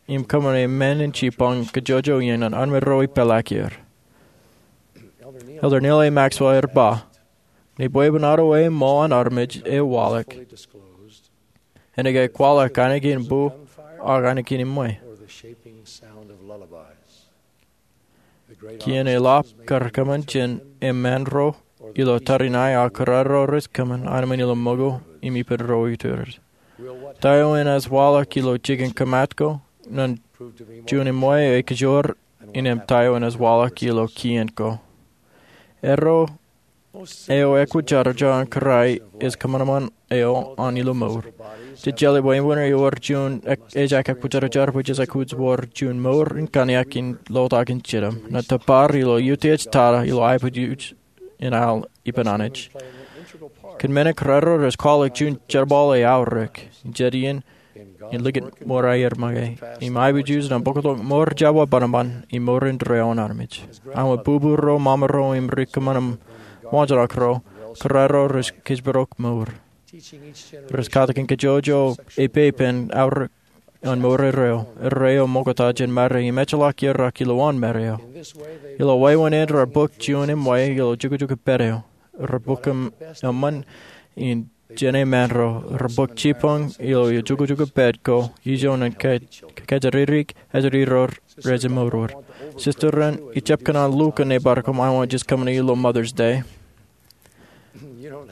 Im kōṃṃane men in jipañ kōjojooḷọk iien an armej ro ej peḷaakier. Elder Neal A. Maxwell ear ba, ñe bwebwenato eo eṃṃan an armej ej waḷọk, enaaj kwaḷọk ainikien bu ak ainikien eṃṃan. Kien eḷap kar kōṃṃan jān eṃṃan ro ilo tariṇae, ak kōrā ro rej kōṃṃan anemān ilo ṃōko im ippān ro itōrōt. Ta eo enaaj waḷọk ilo jikin kōmat ko ñan juon eṃṃan eo ej kōjro, im ta eo enaaj waḷọk ilo kien ko. Erro eo ekwōjarjar an kōrā ej kōṃanṃan eo an ilo mour. Jej jeḷā bwe eṃṃan eo ewōr juon ek-, ejaak ekwōjarjar bwe jej aikuj wōr juon mour in kaniak in lotak in jidim, ñan tōpar ilo utiej tata ilo aiboojoj in al ippān Anij. Kōn men in kōrā ro rej kwaḷọk juon jerbal eaorōk, jet iien in likūt mour aer make, im aiboojoj ñan bōktok mour jab wa bōnbōn im mour indeeo an armej. Aṃ bubur ro, mama ro, im ri kōṃṃan im waanjoñak ro, kōrā ro rej kōjparok mour. Rej katakin kōjojooḷọk epepen aorōk an mour erreo, erreo ṃoktata jān Mari im ejjeḷọk ier ak ilowaan Mari eo. Ilo wāween eṇ raar bōk juon eṃṃan ilo jukjuk pād eo. Raar bōk eṃ-, eṃṃan in jān eṃṃan ro, raar bōk jipañ ilo jukjuk pād ko, ijo ñan ke-, kōjatdikdik ajri ro rej eṃōrwōr. Sister eṇ, ijjab kōṇaan lukkuun bar kōṃṃan, ij kōṃṃane ilo Mother's Day.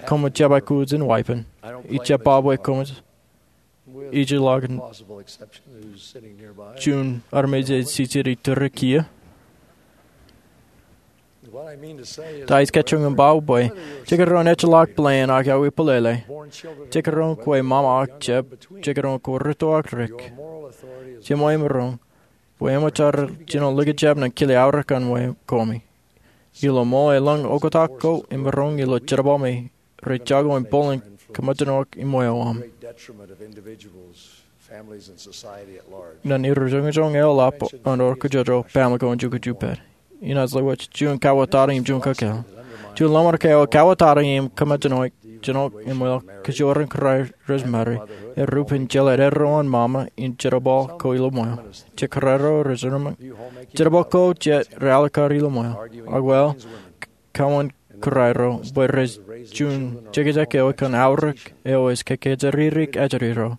Koṃij jab aikuj in wāween. Ijjab ba bwe koṃij ijjeḷọk juon armej ej jijet iturū kiiō. Ta ij kajjioñ in ba bwe, jekdọọn ejjeḷọk plan ak aō bōlele, jekdọọn kwe mama ak jab, jekdọọn kwe rūtto ak dik, jeṃwe im roñ, bwe eṃōj aer jino likjab ñan kile aorōk an ṃōko koṃ. Ilo ṃool elōñ oktak ko im roñ ilo jerbal me rej jako im bōlen kōṃōjṇọ eo aṃ. Ñan iroñjoñ eḷap an wōr kōjojooḷọk baaṃle ko an jukjuk pād. Inaaj lewōj juon kawattata im juon kōkāāl. Juon lọmọọr ke eo kawattata im kōṃōjṇọ eo, jino im eo kōjwōr in kōrā rej mari, erreo pen jeḷā erro an mama in jerbal ko ilo ṃweo. Jet kōrā ro rej eṃṃan jerbal ko jet realikkar ilo ṃweo. Ak wōt, kōṃṃan kōrā ro bwe rej juon jekjek eo kōn aorōk eo ej kōjatdikdik ajri ro.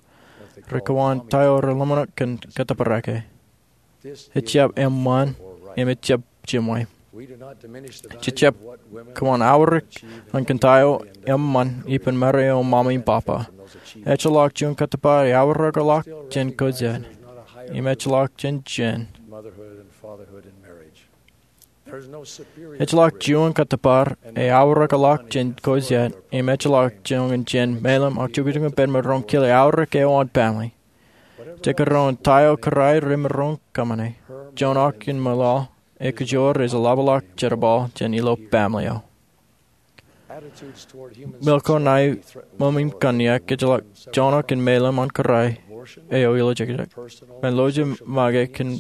Rekwoṇ ta eo relōmṇak kōn kōttōpar eo. Ejjab eṃṃan im ejjab jeṃwe. Jejjab kōṃṃan aorōk ñan kōn ta eo eṃṃan ippān mari eo an mama im papa. Ejjeḷọk juon kōttōpar eaorōkḷọk jān ko jet. Im ejjeḷọk jān jān. Ejjeḷọk juon kōttōpar eaorōkḷọk jān ko jet, im ejjeḷọk juon jān mālōm ak jukjuk in pād maroñ kile aorōk eo an baaṃle. Jekdọọn ta eo kōrā remaroñ kōṃṃane, joñak in ṃwilaḷ, ekjwōr ej eḷapḷọk jerbal jān ilo baaṃle eo. Ṃōko ṇae ṃōṃ in kōnniak ejjeḷọk joñak in mālōm an kōrā eo ilo jekjek. Ṃōn lojet make kōn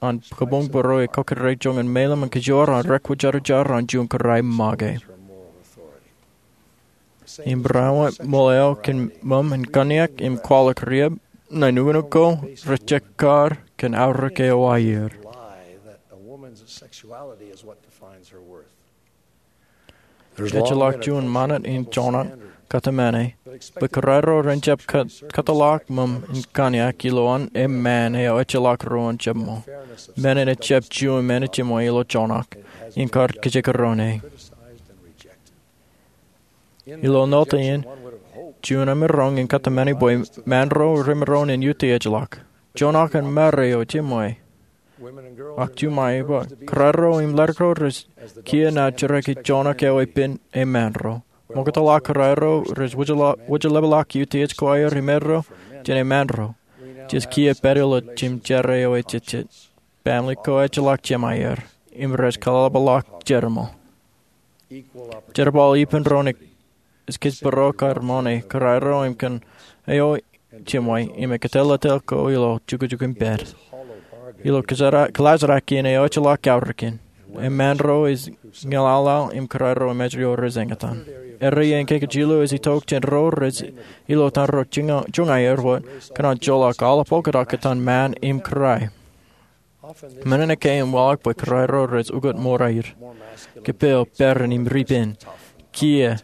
an kabuñ bōro ej kōkkure joñan mālōm im kōjwōr an rekwōjarjar an juon kōrā make. Im barāinwōt ṃool eo kōn ṃōṃ in kōnniak im kwaḷọk riab, ṇae nuknuk ko rej jekar kōn aorōk eo aer. Ejjeḷọk juon ṃanit in joñak kōtmāne bwe kōrā ro ren jab kōt-, kōtḷọk ṃōṃ in kōnniak ilowaan eṃṃan eo ejjeḷọk ro an jab ṃō. Men in ejjab juon men eo jeṃwe ilo joñak, im kar kajekdọọn e. Ilo note in, juon emaroñ in kōtmāne bwe ṃaanro remaroñ in utiejḷọk. Juon aō kōn ṃare eo jiṃwe. Ak juṃae bwe kōrā ro im letok ro rej kiiō naan jerakiiṃ juon ak eo epen e ṃaanro. Ṃoktōḷ aō kōrā ro rej wōjḷọk utiej ko aer imaroñ jān e ṃaanro. Jej kiiō pād ilo jimjera eo ejejjet. Baaṃle ko ejjeḷọk jeṃaer im rej kōḷapḷọk jerbal. Jerbal ippān doon ej kōjparok kar ṃōṇe kōrā ro im kōn eo jiṃwe im ekōtōllọtōl ko ilo jukjuk im pād. Ilo kōḷaajrak in eo ejjeḷọk aorōkin, e ṃaanro ej ñeḷaḷḷaḷ im kōrā ro emān eo rej eñtaan. Area in kōj jilu ej itok jān ro rej ilo etan ro juñaer wōt kōnono joḷọk aolep oktak etan ṃaan im kōrā. Men in ekkā im waḷọk bwe kōrā ro rej ukōt ṃour aer, kōpeḷ, peran im ripen, kiiō.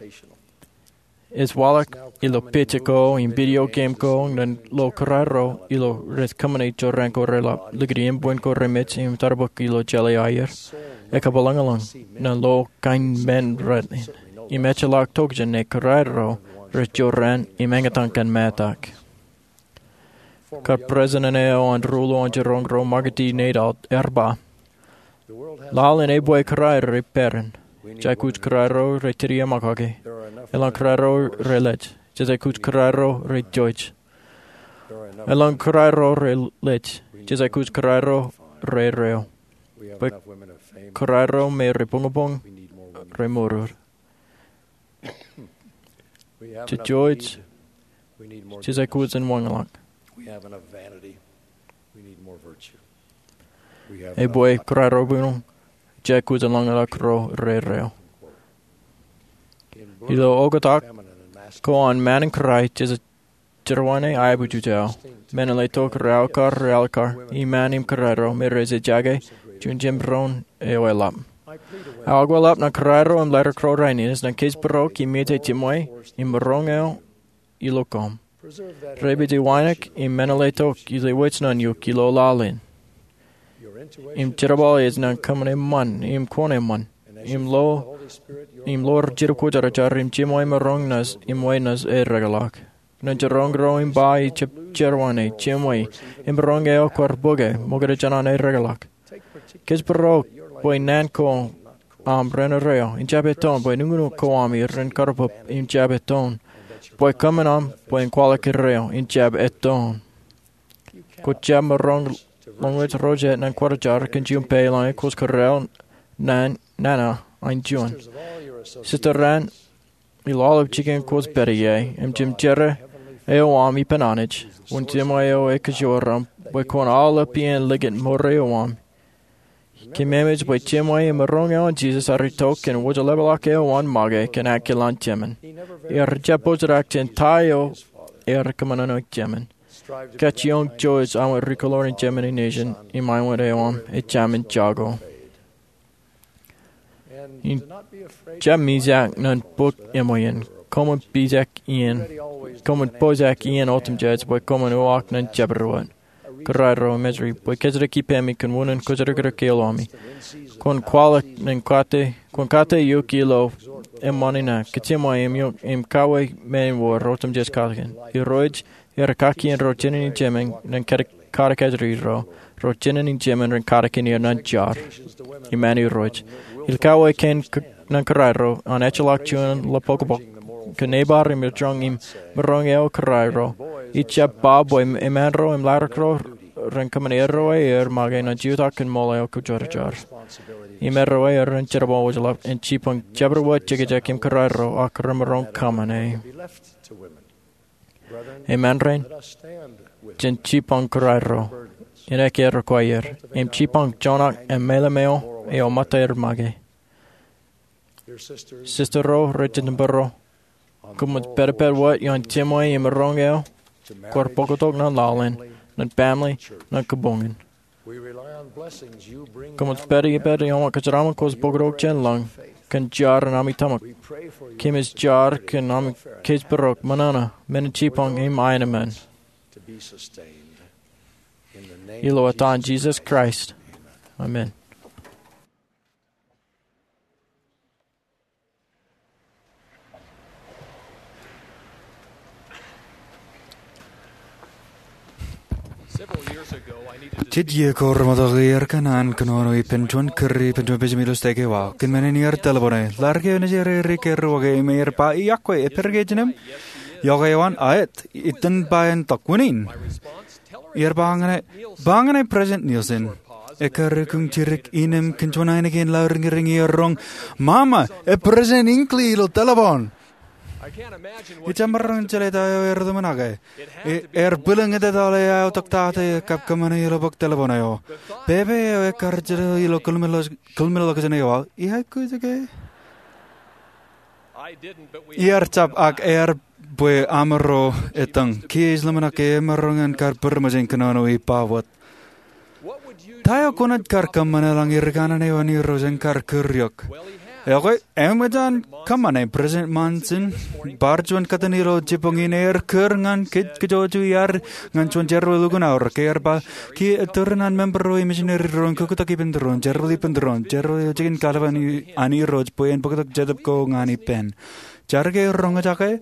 Ej waḷọk ilo picture ko im video game ko ñan lo kōrā ro ilo rej kōṃṃane jorrāān ko reḷap, likūt iien bwin ko remej im tarbōk ilo jeḷā aer. Ekabwilōñlōñ ñan lo kain men raṇ in im ejjeḷọk tokjān ñe kōrā ro rej jorrāān im eñtaan kōn ṃōttan. Kar president eo an ri-uḷōn jiroñ ro, Margaret Dennard, ear ba, laḷ in ebwe kōrā ro rej peran. Jej aikuj kōrā ro rej tūriaṃakake. Eḷaññe kōrā ro rej lej, jej aikuj kōrā ro rej jouj. Eḷaññe kōrā ro rej lej, jej aikuj kōrā ro rej reo. Bwe kōrā ro me rej buñbuñ, rej mour. Jej jouj, jej aikuj in wōnṃaanḷọk. Ebwe kōrā ro buñbuñ, jej aikuj in lañlōñḷọk ro rej reo. Ilo oktak ko an ṃaan in kōrā, jej jerbal in aebujej aō. Men in letok rej aō kar rej al kar, iṃaan im kōrā ro me rej ejjake juon jemdoon eo eḷap. Aō kōḷap ñan kōrā ro im letok ro rainin, ej ñan kōjparok im ej jiṃwe im maroñ eo ilo koṃ. Rej pād iwōj im men in letok ej wōj nōn eok ilo laḷ in. Im jerbal ej ñan kōṃṃan eṃṃan im kwōn eṃṃan im lo, im lo rej jidik kwōjarjar im jiṃwe im maroñ naaj, im wāween naaj erekḷọk. Ñan jiroñ ro im ba ij jab jerbal in jiṃwe im maroñ eo kwaar bōke ṃokta jān an erekḷọk. Kōjparok bwe naan ko aṃ ren erreo in jab ettoon, bwe nuknuk ko aṃ ren karpap in jab ettoon, bwe kōṃṃan aṃ bwe en kwaḷọk erreo in jab ettoon. Kwōj jab maroñ lọñlọñ ro jet ñan kwōjarjar kōn juon peiḷ ñe kwōj kōrā ro nana in juon. Sista raṇ ilo aolep jikin kwōj pād ie, im jemjerā eo aṃ ippān Anij, wōn jiṃwe eo ekajoor aṃ, bwe kwōn aolep iien likūt mour eo aṃ. Kōmemej bwe jiṃwe im maroñ eo an Jisōs ear itok kōn wōjḷapḷọk eo an make kōn aō kilen jemān. Ear jab pojak jān ta eo ear kōṃṃane jemān. Kajjioñ jouj aṃ rikuḷoor in jemān in nejin im aiwōn eo aṃ ejāmin jako. Im jab mijak ñan bōk eṃṃan in. Koṃwin pojak iien, koṃwin pojak iien otemjej bwe koṃwin uwaak ñan jabdewōt. Kōrā ro im ej ri bwe kōjjitōk ippemi kōn unin kōjjitōk ro ke ḷōmi. Kwōn kwaḷọk ñan kate, kwōn kate eok ilo eṃṃan in ak kōjiṃwe im eok im kawōj men in wōr otemjej katakin. Irooj, ear kaki in ro jined in jemān ñan katak, katak kōjjitōk ro, ro jined in jemān ren katakin er ñan jar. Iṃaan Irooj. Ilo kawōj kein ñan kōrā ro an ejjeḷọk juon ḷapokpok kōn neighbor im erjoñ im maroñ eo kōrā ro. Ij jab ba bwe eṃṃaan ro im latok ro ren kōṃṃan erreo aer make ñan jutak kōn ṃool eo kwōjarjar. Im erreo aer ren jerbal wōjḷap in jipañ jabdewōt jekjek im kōrā ro ak remaroñ kōṃṃane. Eṃṃan raṇ, jen jipañ kōrā ro in ekkā rōkwāer im jipañ joñak im mālōmḷọk eo ṃōttaer make. Sista ro rej jitōnbōro, koṃij pād ippād wōt iaan jiṃwe im maroñ eo kwaar bōktok ñan laḷ in, ñan baaṃle, ñan kōbuñ in. Koṃij pād ippād ioon kōjeraṃṃan kwōj bōktok jān lañ kōn jar in ami tōmak. Kōmij jar kōn ami kōjparok ṃōṇōṇō men in jipañ im aenōṃṃan. Ilo etan Jisōs Kraist, amen. Jet iiō ko remootḷọk iar kōṇaan kōnono ippān juon kūr ippān juon pejamān ilo stek eo aō. Kōn men in iar telepon e. Ḷadik eo nejid rej kūr wōt ke im ear ba, iọkwe, epād ke ejinem? Iọkwe eo an, aet, itōn ba en tok. Wūnin? Iar ba ñan e, ba ñan e President Nielsen. Ekkar eo kōn jidik innām kōn juon ainikien lauriñriñ iar roñ, mama, e President Hinckley ilo telepon. Ij jab maroñ in jeḷā ta eo ear ḷōmṇak e. Ear bwilōñ etal e aō tok ta eo kab kōṃṃane ilo bōk telepon eo. Pepe eo ekkar jino ilo kōḷmānḷọkjeṇ eo aō, ia kwōj ke? Iar jab, ak ear bwe aṃro ettōñ. Kiiō ij ḷōmṇak ke emaroñ in kar pād ṃōj in kōnono ippa wōt. Ta eo kwōnaaj kar kōṃṃane eḷaññe ri kanaan eo an Irooj en kar kūr eok? Ekwe, eṃōj an kōṃṃane. President Monson, bar juon kōttan ilo jibboñ in, ear kūr ñan kōj kajjojo iar ñan juon jerbal lukkuun aorōk. Ear ba, kiiō ettōr ñan member ro im misineri ro en kōktak ippān doon, jerbal ippān doon, jerbal eo jikin kallib an Irooj bwe en bōktok jetōb ko ñan ippān. Jar ke roñjake?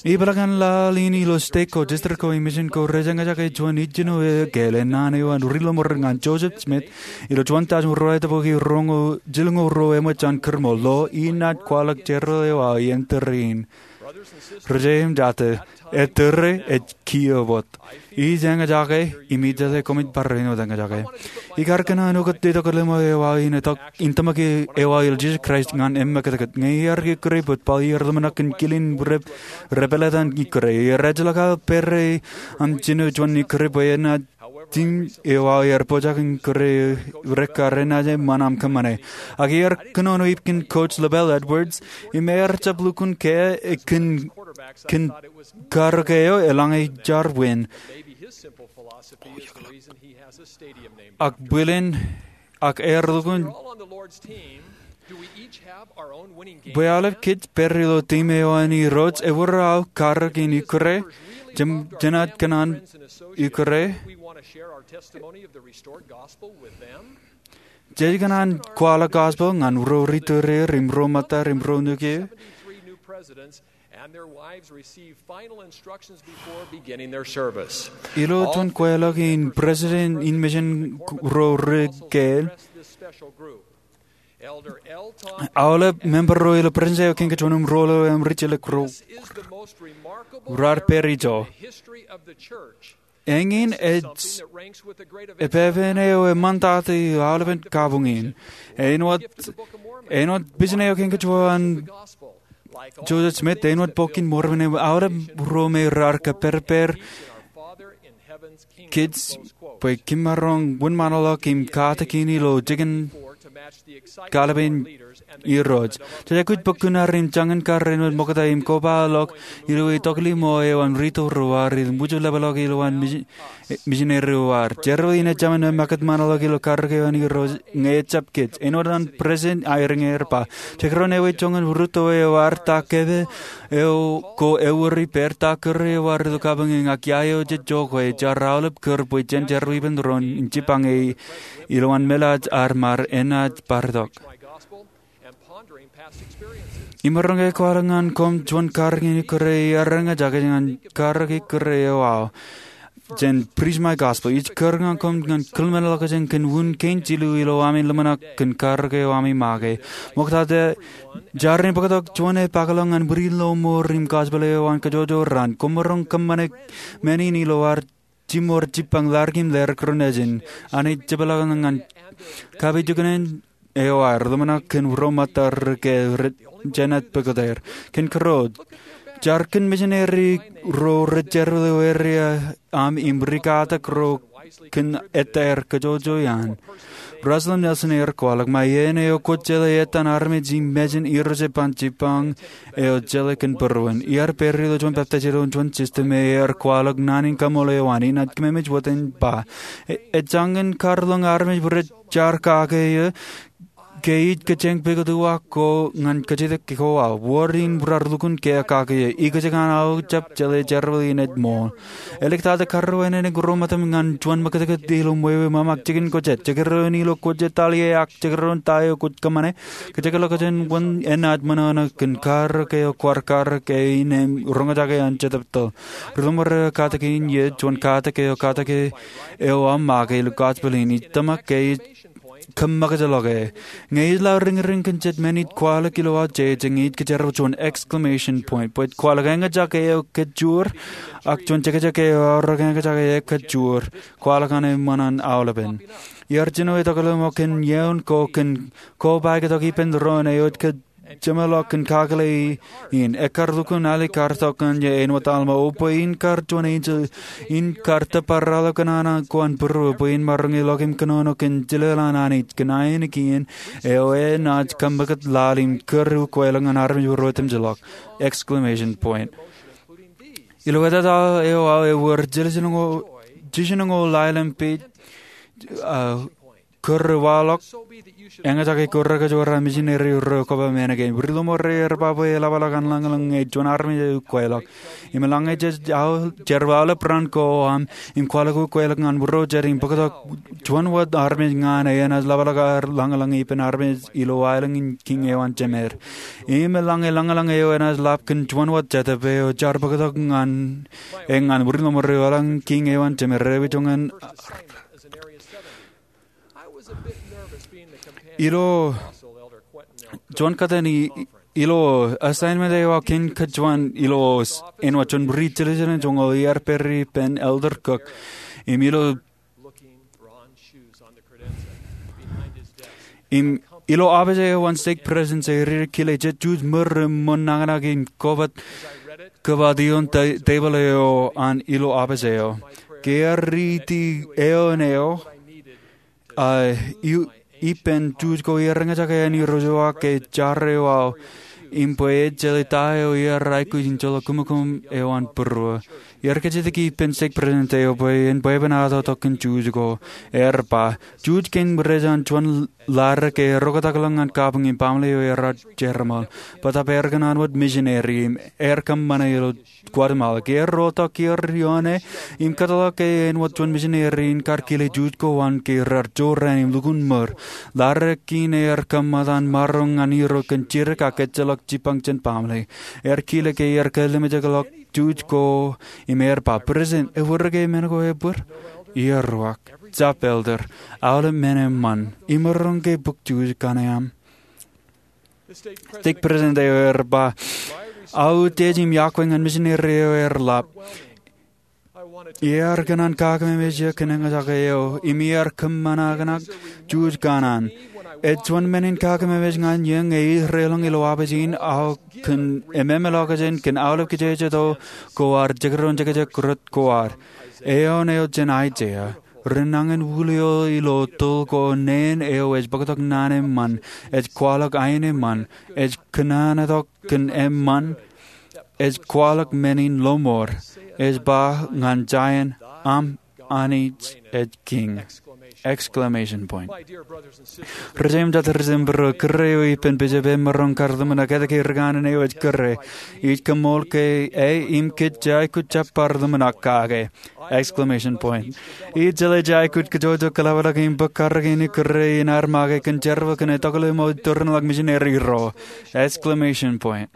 Ipeḷaakin laḷ in ilo stek ko, district ko, im mission ko rej eñjake juon ijjino ekāāl ennaan eo an Riloṃoor ñan Joseph Smith ilo juon tọujin ruwatimjuonñoul jilñoul ruo eṃōj an kūrṃool. Lo, inaaj kwaḷọk jerbal eo aō iien tōre in. Ri-jeje im jatū, ettōr e, ej kiiō wōt. Ij eñjake, im ij jeḷā koṃij bar āinwōt eñjake. Ikar kōṇaan ukōt itok ḷōṃaro eo aō in tōmak eo aō ilo Jisōs Kraist ñan emmekūtkūt. Ñe iar ikkure bōd, bōlen iar ḷōmṇak kōn kilin rej pād ilo etan ikkure. Iar ejjeḷọk aō pere aṃ jino juon ikkure bwe enaaj jino eo aō iar pojak in ikkure rekkar enaaj eṃṃan aṃ kōṃṃane. Ak iar kōnono ipkōn Coach LaBelle Edwards, im ear jab lukkuun ke kōn, kōn karōk eo eḷaññe jar win. Ak bōlen, ak ear lukkuun bwe aolep kōj pād ilo team eo an Irooj, ewōr aō karōk in ikkure, jenaaj kōṇaan ikkure. Jej kōṇaan kwaḷọk gospel ñan ro ri tōre er im ro ṃōtta er im ro nukū. Ilo juon kweilọk in president in mission ro ri keel, aolep member ro ilo president eo kein kōj wōn im ruo ḷeo aṃ ri jelōk ro raar pād ijo. Eñin ej epepen eo eṃṃantata ilo aolepen kabuñ in. Āinwōt, āinwōt pejin eo kein kōj wōn Joseph Smith, āinwōt Bok in Mormon, aolep ro me raar kōpereper kōj bwe kōm maroñ wōnṃaanḷọk im katakin ilo jikin kallib in Irooj. Jej aikuj bōk kuṇaer im jañin kar āinwōt ṃokta im kobaḷọk ilo itokḷimo eo an rito ro ad im wūjlepḷọk ilowaan misineri ro ad. Jerbal in ejāmin emmekūt ṃaanḷọk ilo karōk eo an Irooj ñe ejjab kōj. Āinwōt an president Eyring ear ba, jekdọọn ewi joñan rūtto eo ad ta kōpooḷ eo ko ewōr ippād, ta kūr eo ad ilo kabuñ in, ak ia eo jej jokwe, jaar aolep kūr bwe jen jerbal ippān doon in jibbañe ilowaan meḷaaj ad im enaaj bar itok. Imaroñ ke kwaḷọk ñan koṃ juon karōk in ikkure iar eñjake ñan karōk ikkure eo aō jān Preach My Gospel. Ij kūr ñan koṃ ñan kōḷmānḷọkjeṇ kōn wūn kein jilu ilo ami ḷōmṇak kōn karōk eo ami make. Ṃokta ta, jaar in bōktok juon epaakḷọk ñan bwidin ḷōṃour im gospel eo an kōjwōjwōj raan. Koṃ maroñ kōṃṃane men in ilo ad jiṃor jibbañ ḷadik im ḷadik ro nejin. Anij jepḷaakḷọk ñan kapijuknen eo aer ḷōmṇak kōn ro ṃōttad ri keel rej jenaaj pukot er. Kōn kōrā, jaar kōn misineri ro rej jerbal eo area aṃ im rikatak ro kōn ettā er kōjwōjwōj iaan. Russell M. Nelson ear kwaḷọk, ṃae iien eo kwōj jeḷā etan armej im mejān, Irooj ej ban jibbañ eo jeḷā kōn būruon. Iar pād ilo juon peptaij ilo juon system, ear kwaḷọk naan in kaṃṃoolol eo an, inaaj kōmemej wōt im ba, ejjañin kar ḷōñ armej rej jaar kake eō, ke ij kōjeañ pukot uwaak ko ñan kōjatdikdik ko aō. Wōr in rar lukkuun kiiō kake eō. Ikōjkan aō jab jeḷā jerbal in ej ṃool. Āliktata, karreo āne ṇe ro ṃōttan ñan juon ṃakūtkūt ilo ṃweo ṃōṃak jikin ko jet. Jekdọọn ilo kwōj etal ie ak jekdọọn ta eo kwōj kōṃṃane. Kōjekḷọk jān wōn enaaj ṃōṇōṇō kōn karōk eo kwaar karōk e im roñjake an Jetōb Toḷ. Ri ḷōṃaro, katak in ie juon katak eo, katak eo aō make ilo gospel in, ij tōmak ke ij kōṃṃakūtḷọk e. Ñe ij lale riñriñ kōn jet men ij kwaḷọk ilo aō jeje, ñe ij kōjerbal juon exclamation point, bwe ij kwaḷọk eñjake eo kōjjoor, ak juon jekjek eo aorōk eñjake eo kōjjoor, kwaḷọk an eṃṃan an aolepen. Iar jino etokḷọk ṃōk kōn iioon ko kōn kobaik tok ippān doon eo ej kōj jeṃḷọk kōn kakōḷḷe in. Ekkar lukkuun alikkar tok ñan ie āinwōt Alma, o bwe in kar juon enjeḷ, in kar tōpar aolep kōṇaan ko an būruō, bwe in maroñ ilọk im kōnono kōn jilel an Anij, kōn ainikien eo enaaj kōṃṃakūt laḷ im kūr ukweḷọk ñan armej ro otemjeḷọk. Exclamation point. Ilo etata eo aō ewōr jiljinoñoul, jiljinoñoul aelōñ page, uh, kūr waḷọk, eñjake kūr kōjwōj misineri ro koba men kein. Ri ḷōṃaro, er ba bwe eḷapḷọk an lañlōñ ñe juon armej ej ukweḷọk. Im eḷaññe jej aō, jerbal aolep raan ko aṃ, im kwaḷọk ukweḷọk ñan būruō jet im bōktok juon wōt armej ñan e enaaj ḷapḷọk aer lañlōñ ippān armej ilo aelōñ in Kiiñ eo an Jemed. Im eḷaññe lañlōñ eo enaaj lap kōn juon wōt Jetōb eo jar bōktok ñan e ñan ri ḷōṃaro ilo aelōñ in Kiiñ eo an Jemed, ewi joñan ilo juon kōttan i, ilo assignment eo aō kein kōjwōj ilo s-, āinwōt juon ri jiljilimjuonñoul iar pād ippān Elder Cook. Im ilo, im ilo opiij eo an stake presidency, ri kile jet juj ṃōr im ṃōn nañinmej in kobat, kobat ioon te-, tebōḷ eo an ilo opiij eo. Ke ear riiti eoon eo, a, i-, ippān juj ko iar eñjake an irooj eo ak ke jar eo aō, im bwe ejjeḷọk ta eo iar aikuj in joḷọk kōmōkōm eo an būruō. Iar kōjatdikdik ippān stake president eo bwe en bwebwenato tok kōn juj ko. Er ba, juj kein rej an juon ḷadik ke erro kōtakḷọk ñan kabuñ im baaṃle eo ear jereṃaḷ. Bōtaab er kōṇaan wōt misineri im er kōṃṃane ilo Guatemala. Ke erro tok kiiō ioon e im kōtḷọk e āinwōt juon misineri in kar kile juj ko an ke rar jorrāān im lukkuun ṃōr. Ḷadik kein er kōṃṃan maroñ ñan irooj kōn jidik ak ejjeḷọk jipañ jān baaṃle. Er kile ke er kōlimjekḷọk juj ko im er ba, "Presiden, ewōr ke men ko ebōd?" Iar uwaak, "Jab, Elder. Aolep men eṃṃan. Imaroñ ke bōk juj kaṇe aṃ?" Stake president eo er ba, "Aō utiej im iọkwe ñan misineri eo er ḷap. Iar kōṇaan kakememej eō kōn eñjake eo, im iar kōṃṃan aō kōṇaan juj kaṇaan. Ej juon men in kakememej ñan eō ñe ij deḷọñ ilo opiij in aō kōn ememḷọk jān kōn aolep kijeje to ko ad, jekdọọn jekjek rot ko ad." Eoon eo jān Aiseia. Ren nañinwōt ilo toḷ ko neen eo ej bōktok naan eṃṃan, ej kwaḷọk ain eṃṃan, ej kōnono tok kōn eṃṃan, ej kwaḷọk men in lọmọọr, ej ba ñan Zaion, "Aṃ Anij ej Kiiñ." Exclamation point. Ri jeiū im jatū ri jeiū im būruō, kūr eo ippān bishop emaroñ kar ḷōmṇak etke ri kanaan eo ej kūr e. Ij kōṃṃool ke e im kōj jab aikuj jab bar ḷōmṇak kake. Exclamation point. Ij jeḷā jej aikuj kōjwōj kōḷapḷọk im bōk karōk in kūr e in ad make kōn jerbal kōn etokḷọk ṃōk tūrinḷọk misineri ro. Exclamation point.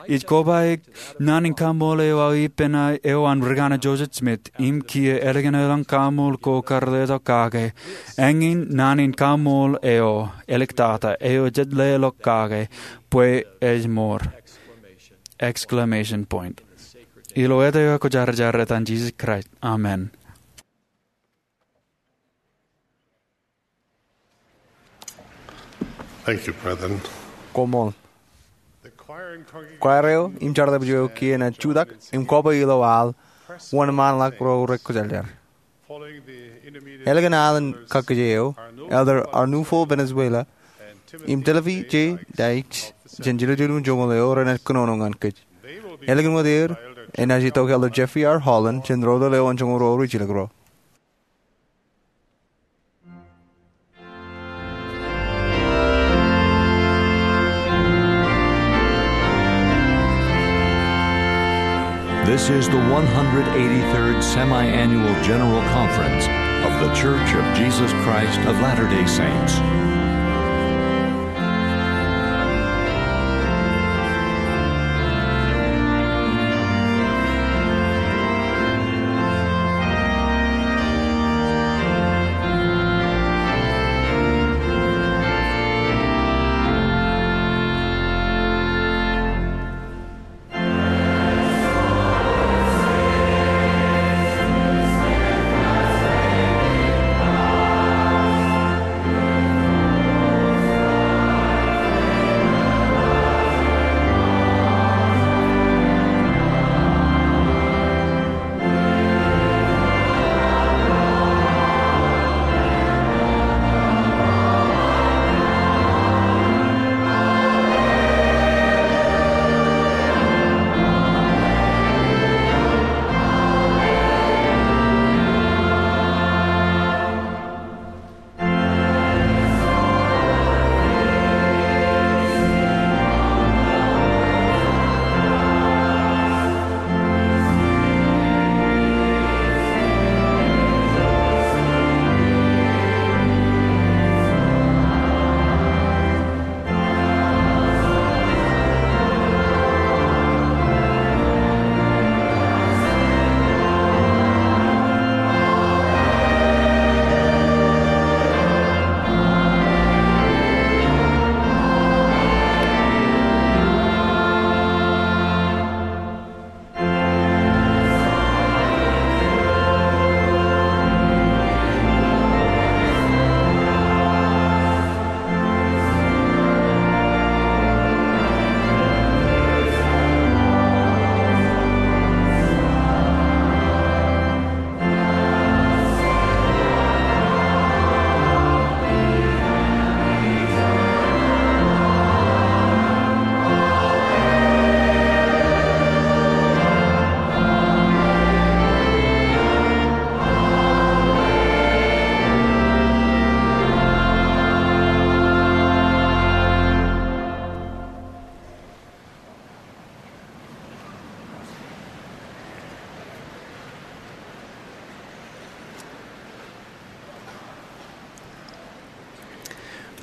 Ij kobaik naan in kaṃṃool eo aō ippān eo an ri kanaan Joseph Smith, im kiiō ālikin elōñ kaṃṃool ko kar letok kake. Eñin naan in kaṃṃool eo, āliktata, eo jej leḷọk kake, bwe ej ṃool. Exclamation point. Ilo etan eo kwōjarjar, etan Jisōs Kraist. Amen. Thank you, brethren. Koṃṃool. Kwaar eo im chartep eo kiiō enaaj jutak im kobwe ilo al wōnṃaanḷọk ro rej kwōjarjar. Ālikin al in kakkije eo, Elder Arnulfo Valenzuela im Timothy J. Dykes jān jiljilimjuonñoul eo renaaj kōnono ñan kōj. Ālikin wōt er, enaaj itok Elder Jeffrey R. Holland jān ro ro eo an joñoul ro rijjilōk ro. This is the one hundred eighty-third Semi-Annual General Conference of The Church of Jesus Christ of Latter-day Saints.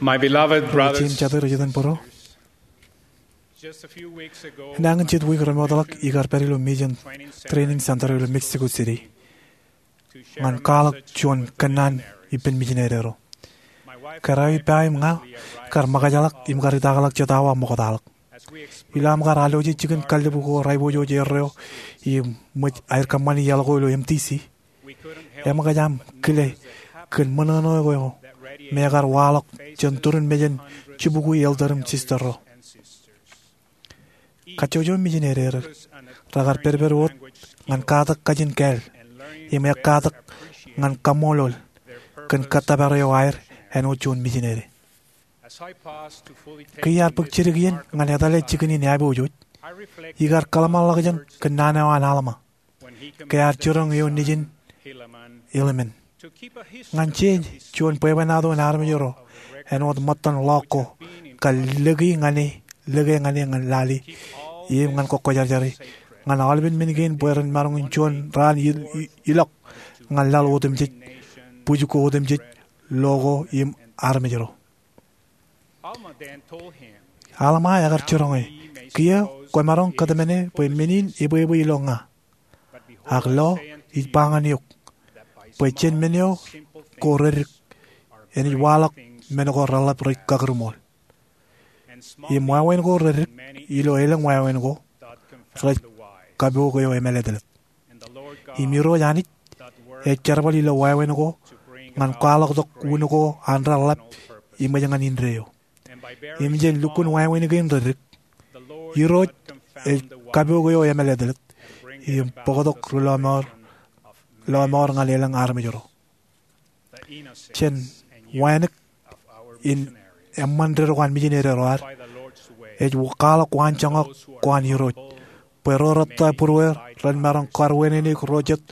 My beloved brothers, Jen jatū rej itōnbōro. Just a few weeks ago, enañin jet wiik remootḷọk ikar pād ilo Mission Training Center ilo Mexico City ñan kwaḷọk juon kōnnaan ippān mijineri ro. Kōrā eo ippa im ña kar ṃōkajḷọk im kar itakḷọk jet awa ṃoktaḷọk. Ilo aṃ kar alwōje jikin kallib ko raipojoj erreo im ṃōj aer kōṃṃani iaḷ ko ilo M T C, eṃōkaj aṃ kile kōn ṃōṇōṇō eo me ekar waḷọk jān turin mejān jibukwi elder im sister ro. Kajjojo mijineri er rekar pedped wōt ñan katak kajin kāāl im ekkatak ñan kaṃṃoolol kōn kōttōpar eo aer āinwōt juon mijineri. Ke iar bōk jidik iien ñan etale jikin in āpojoj, ikar kōḷmānḷọkjeṇ kōn naan eo an Alma ke ear jiroñ eo nejin Helaman. Ñan jeje juon bwebwenato in armej ro āinwōt ṃōttan ḷọk ko kar lōke ñan e, lōke ñan e ñan lale im ñan kōkkwōjarjare ñan aolepen men kein bwe ren maroñ in juon raan i-, i-, ilọk ñan laḷ otemjej, bwij ko otemjej, lo ko im armej ro. Alma ekar jiroñ e, kiiō kwōmaroñ kōtmāne bwe men in ebwebwe ilo ña. Ak lo, ij ba ñan eok bwe jān men eo ko reddik enaaj waḷọk men ko reḷap rej kakūrmool. Im wāween ko reddik ilo elōñ wāween ko rej kapook eo emālōtlōt. Im Irooj Anij ej jerbal ilo wāween ko ñan kwaḷọktok wūn ko an reḷap im ej ñan indeeo. Im jān lukkuun wāween kein reddik, Irooj ej kapook eo emālōtlōt im bōktok ri-lọmọọr, lọmọọr ñan elōñ armej ro. Jān wānōk in eṃṃan dedik eo an mijineri ro ad, ej kwaḷọk waanjoñak ko an Irooj bwe ro rej ettā būrueer ren maroñ kar wānōk ro jet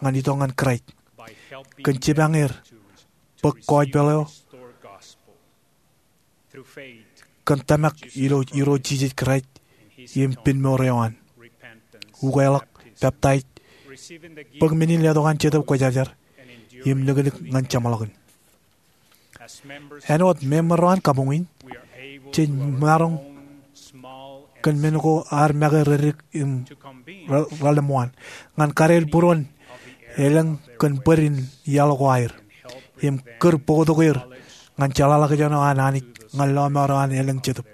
ñan itok ñan Kraist kōn jipañ er bōk gospel eo kōn tōmak ilo Irooj Jisōs Kraist im pinmour eo an, ukeḷọk peptaij, bōk men in letok an Jetōb Kwōjarjar, im liklik ñan jeṃḷọkin. Āinwōt member ro an kabuñ in, jej maroñ kōn men ko ad make redik im reḷḷap wōt ñan kade būruon elōñ kōn bōd in iaḷ ko aer im kūr bōktok er ñan jeḷāḷọkjeṇ eo an Anij ñan lọmọọr eo an elōñ jetōb.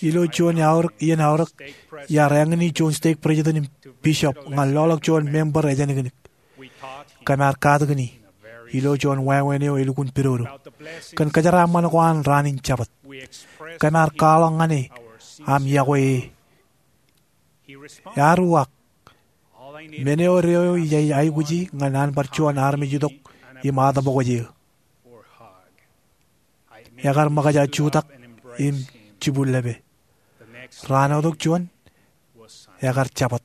Ilo juon aorōk, iien aorōk, iar āñin e juon stake president im bishop ñan loḷọk juon member ejānikinik. Kōm ar katakin e ilo juon wāween eo elukkuun pidodo kōn kōjeraaṃṃan ko an raan in Jabōt. Kōm ar kwaḷọk ñan e aṃ iọkwe e. Ear uwaak, men eo deo ij aikuji ñan an bar juon armej itok im ataṃ bōk eō. Ekar ṃōkaj aō jutak im jibwillepe. Raan eo tok juon, ekar jabōt.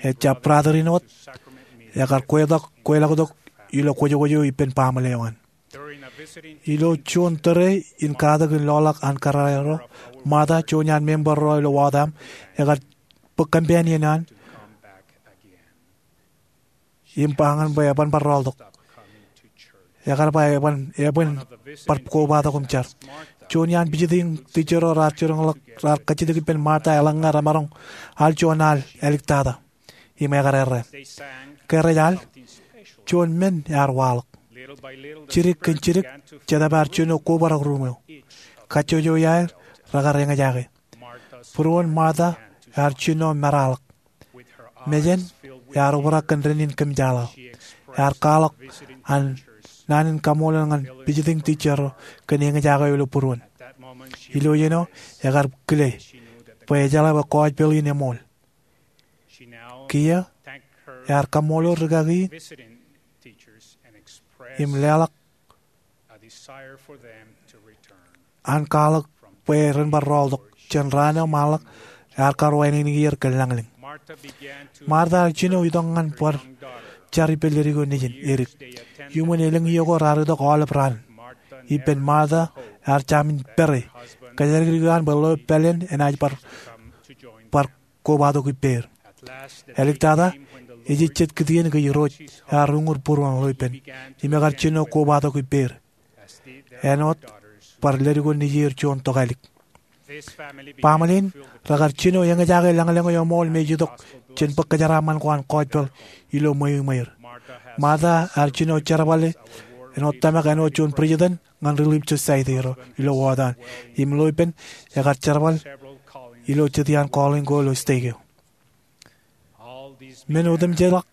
Ejja brother in wōt, ekar kweḷọk, kweḷọktok ilo kwōjkwōj eo ippān baaṃle eo an. Ilo juon tōre in katakin loḷọk an kōrā ro, Martha, juon iaan member ro ilo ward eo aṃ, ekar bōk companion eo an im ba ñan bwe eban bar rọọltok. Ekar ba eban, eban bar kobatok im jar. Juon iaan visiting teacher ro raar jiroñḷọk, raar kajjitōk ippān Martha eḷaññe remaroñ al juon al āliktata im ekar errā. Ke rej al, juon men ear waḷọk. Jidik kōn jidik, Jetōb ear jino kobrak ruum eo. Kajjojo iaer rekar eñjake. Būruon Martha ear jino meraḷọk. Mejān ear obrak kōn dān in kōmjaḷaḷ. Ear kwaḷọk an naan in kaṃṃoolol ñan visiting teacher ro kōn eñjake eo ilo būruon. Ilo iien eo ekar kile bwe ejeḷā bwe gospel in eṃool. Kiiō ear kaṃṃoolol rūkaki in im leḷọk an kwaḷọk bwe ren bar rọọltok jān raan eo ṃaanḷọk ear kar wānōknōk er kōn lañlōñ. Martha ear jino itok ñan bar jar ippān ledik eo nejin edik. Iuṃwin elōñ iiō ko raar itok aolep raan. Ippān Martha ear jamin pere kōjatdikdik eo an bwe ḷeo pāleen enaaj bar, bar kobatok ippāer. Āliktata, ej jet kitien ke Irooj ear uñūr būruon ḷeo ippān im ekar jino kobatok ippāer āinwōt bar ledik eo nejier juon tokālik. Baaṃle in rekar jino eñjake lañlōñ eo eṃool im ej itok jān bōk kōjeraaṃṃan ko an gospel ilo ṃweiṃweir. Martha ear jino jerbale āinwōt tōmak āinwōt juon president ñan Relief Society ro ilo ward eo an. Im ḷeo ippān ekar jerbal ilo jet iaan calling ko ilo stake eo. Men otemjeḷọk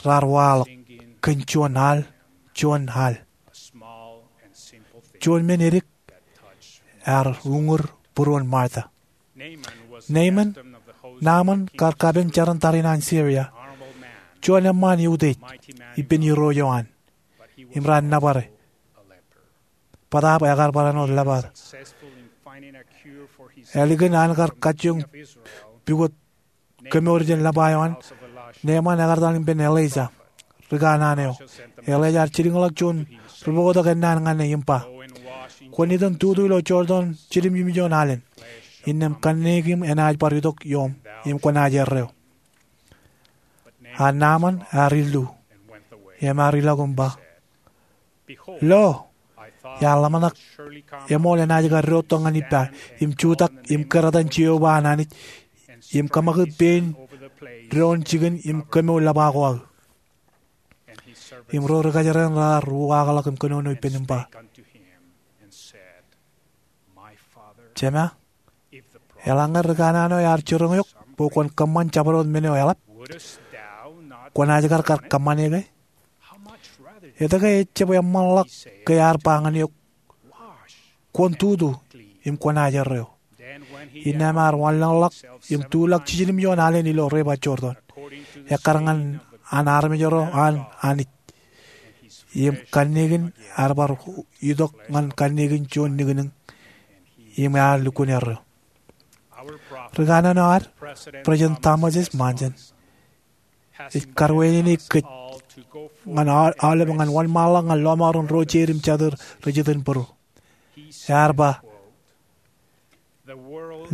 raar waḷọk kōn juon al, juon al. Juon men edik ear uñūr būruon Martha. Naaman, Naaman kar kapen jar in tariṇae an Siria. Juon eṃṃaan eutiej ippān irooj eo an. Im raar nōbare. Bōtaab ekar bar āinwōt leper. Ālikin an kar kajjioñ pukot kemour jān lepa eo an, Naaman ekar etal ippān Elaija, ri kanaan eo. Elaija ear jilkinḷọk juon rūpoktok ennaan ñan e im ba, kwōn itok im tutu ilo Jordan jiljilimjuon alen, innām kanniōk eṇ enaaj bar itok ioṃ im kwōnaaj erreo. A Naaman ear illu im ear ilọk im ba, lo, iar ḷōmṇak eṃool enaaj kar diwōjtok ñan ippa im jutak im kōratan Jeova an Anij im kōṃakūt pein doon jikin im kemour lepa ko aō. Im ro ri kōjeraṇ raar uwaakḷọk im kōnono ippān im ba, Jema, eḷaññe ri kanaan eo ear jiroñ eok bwe kwōn kōṃṃan jabdewōt men eo eḷap, kwōnaaj kar kar kōṃṃane ke? Etke ejjab eṃṃanḷọk ke ear ba ñan eok, kwōn tutu im kwōnaaj erreo? Innām ear wanlōñḷọk im tuḷọk jiljilimjuon alen ilo river Jordan, ekkar ñan an armej ro an Anij. Im kanniōk in ear bar itok ñan kanniōk in juon niknik im ear lukkuun erreo. Ri kanaan eo ad, President Thomas S. Monson, ej karweenini kōj ñan aolep ñan wōnṃaanḷọk ñan lọmọọren ro jeid im jatid rej iten būru. Ear ba,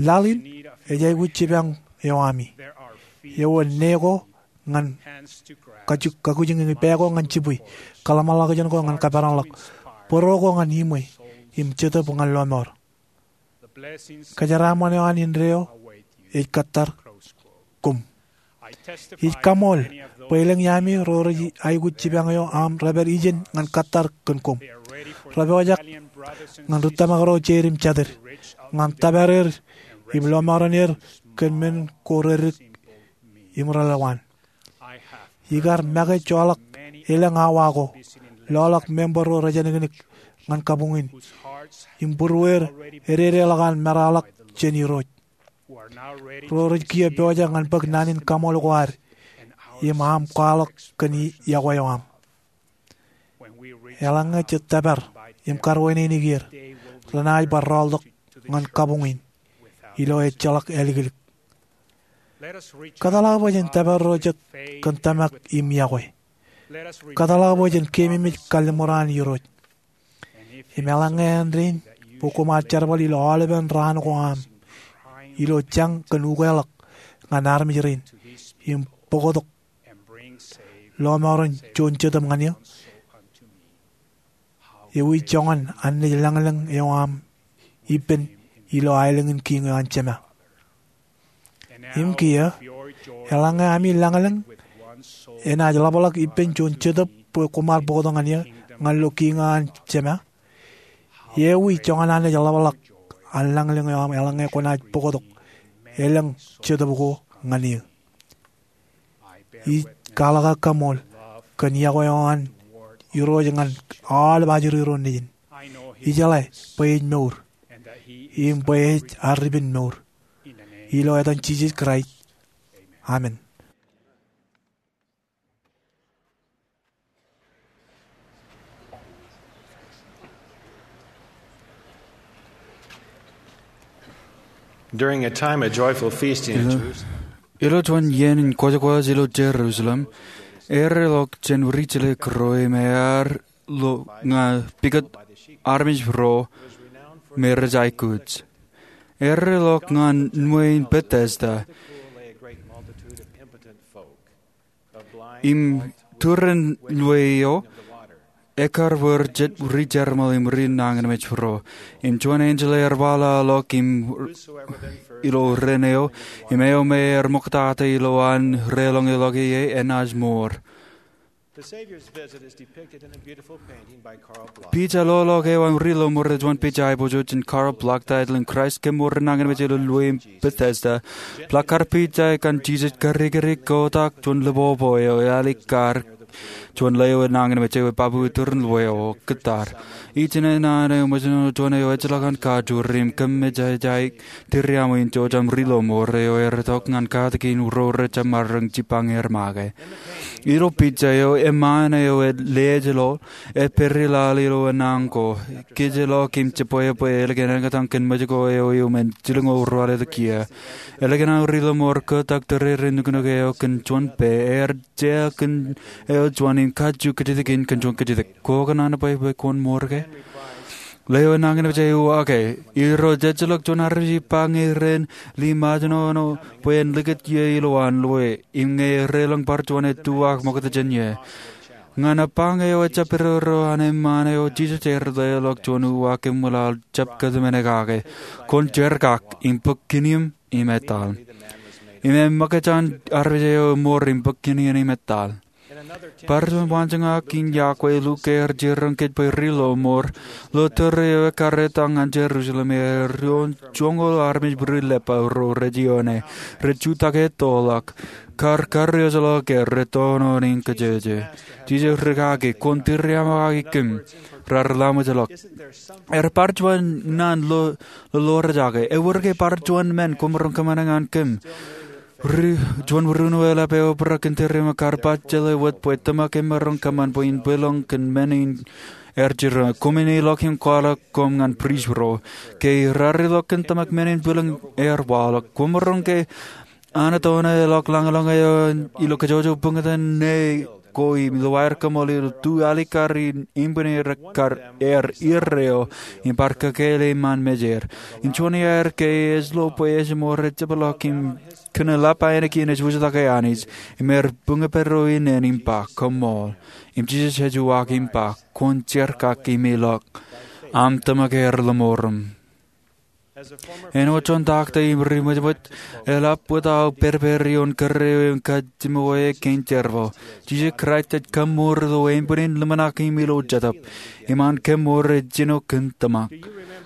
laḷ in ej aikuj jipañ eo ami. Ewōr ne ko ñan kakuj, kakuj in pā ko ñan jibwi, kōḷmānḷọkjeṇ ko ñan kaperanḷọk, bōro ko ñan iṃwe, im jetōb ñan lọmọọr. Kōjeraaṃṃan eo an indeeo ej kōttar koṃ. Ij kaṃool bwe elōñ iami ro rej aikuj jipañ eo aṃ re pād ijeṇ ñan kōttar kōn koṃ. Repojak ñan ri tōmak ro jeid im jatid, ñan tōpar er im lọmọọren er kōn men ko reddik im relōñ waan. Ikar make joḷọk elōñ awa ko, lọḷọk member ro rejānkinnik ñan kabuñ in, im būrueir ededeḷọk an meraḷọk jān Irooj, ro rej kiiō pojak ñan bōk naan in kaṃool ko ad im aṃ kwaḷọk kōn yokwe eo aṃ. Eḷaññe jej tōpar im karuwaineneik er, renaaj bar rọọltok ñan kabuñ in ilo ejjeḷọk āliklik. Kōtḷọk bwe jen tōpar ro jet kōn tōmak im yokwe. Kōtḷọk bwe jen keememej kalliṃur an Irooj. Im eḷaññe āindein bwe koṃ ar jerbal ilo aolepen raan ko aṃ ilo jañ kōn ukeḷọk ñan armej rein im bōktok lọmọọren juon jetōb ñan eō, ewi joñan anij lañlōñ eo aṃ ippān ilo aelōñ in kiiñ eo an Jema? Im kiiō, eḷaññe ami lañlōñ enaaj ḷapḷọk ippān juon jetōb bwe koṃ ar bōktok ñan eō ñan ilo kiiñ eo an Jema, ewi joñan anij ḷapḷọk an lañlōñ eo aṃ eḷaññe kwōnaaj bōktok elōñ jetōb ko ñan eō? Ij kwaḷọk kaṃool kōn yokwe eo an Irooj ñan aolep ajri ro nejin. Ijeḷā bwe ej mour im bwe ej ar ribenmour. Ilo etan Jisōs Kraist, amen. During a time of joyful feasting in Jerusalem, ilo juon iien in kwōjkwōj ilo Jerusalem, erreḷọk jān ri-jilōk ro im ear lo ñan pukot armej ro me rej aikuj. Erreḷọk ñan ṃweo in Bethesda. Im turin ṃweo eo, ekkar bwe jet ri-jerbal im ri nañinmej ro. Im juon enjeḷ ear waḷọkḷọk im ilo ren eo, im eo me ear ṃoktata ilowaan relōñḷọk ie enaaj mour. Pija loḷọk eo an ri-lọmọọr ej juon pija aiboojoj jān Carl Bloch, ta ej ḷọk Kraist Kemour Nañinmej ilo Ṃweo in Bethesda. Placard pija eo an Jisōs karikari kotak juon lepopo eo ealikkar juon leo nañinmej ewe pāpū turin ṃweo, kōttar. Ijin naan eo ṃōjṇọ juon eo ejjeḷọk an kajoor im kōmmejaja tirriaṃo in jojam ri-lọmọọr eo ear itok ñan katakin ro rejjab maroñ jipañ er make. Ilo pija eo, eṃṃaan eo ej lejeḷoḷ ej pād ilo laḷ ilo enañin ko, kōjjeḷọk im jebwebwe ālikin āliktata kōn mej ko eo iuṃwin jilñoul ruwalitōk iiō. Ālikin aō ri-lọmọọr kotak tōrerein nuknuk eo kōn juon pā, ear jea kōn eo juon im kajju kōjatdikdik kōn juon kōjatdikdik. Kwō kōṇaan bwe kwōn mour ke? Leo nañinmej eo uwaak e, irooj ejjeḷọk juon armej ippāñe ren liṃaajṇoṇo bwe en likūt ie ilowaan ṃweo, im ñe erreḷọk bar juon ettuwaak ṃokta jān ie. Ñan eppāñe eo ejjab perepere an eṃṃaan eo, Jisōs ear leḷọk juon uwaak eṃwilaḷ jab kōtmāne kake. Kwōn jerkak im bōk kiniōṃ im etal. Im eṃōkaj an armej eo emour im bōk kiniōṃ im etal. Bar juon waanjoñak in yokwe, Luk ear jiroñ kōj bwe ri-lọmọọr ilo tōre eo ekkar etal ñan Jerusalem, ear ioon joñoul armej ri-lepa ro rej ioone, rej jutak ettoḷọk, kar karijeḷọk er, rej toṇoṇe in kōjōjō. Jisōs rikaki, Kwōn tirriaṃo kake kōm. Raar laṃōjḷọk. Ear bar juon naan lo, lolorjake. Ewōr ke bar juon men kwōmaroñ kōṃṃane ñan kōm? Ri, juon ri-uno eḷap eobrak kōn tōre im ekkar baj jeḷā wōt bwe tōmak emaroñ kōṃṃan bwe in bwilōñ kōn men in ear jiroñ. Koṃwin ilọk im kwaḷọk koṃ ñan prist ro ke raar ilọk kōn tōmak men in bwilōñ ear waḷọk. Kwōmaroñ ke anatōṇōḷọk lañlōñ eo ilo kōjwōjwōj buñtōn ne ko im ilo aer kōṃṃool ilo tu alikkar in inbwineer kar er irreo im bar kōkeil eṃṃan mejeir. Im juon iaer ke ej lo bwe ejmour ej jepḷọk im kōn eḷap aenōk in ej wūjtake Anij im er buñbōro iien im ba, Koṃṃool. Im Jisōs ej uwaak im ba, Kwōn jerkakimilọk. Aṃ tōmak er lōṃoorōṃ. Āinwōt juon taktō im ri ṃōjṃōj, eḷap wōt aō pedped ioon kōrā eo im kajjimjuon kein jerbal. Jisōs Kraist ej kōṃṃoor ilo inbwinin, ḷōmṇak im ilo jetōb. Im an kōṃṃoor ej jino kōn tōmak.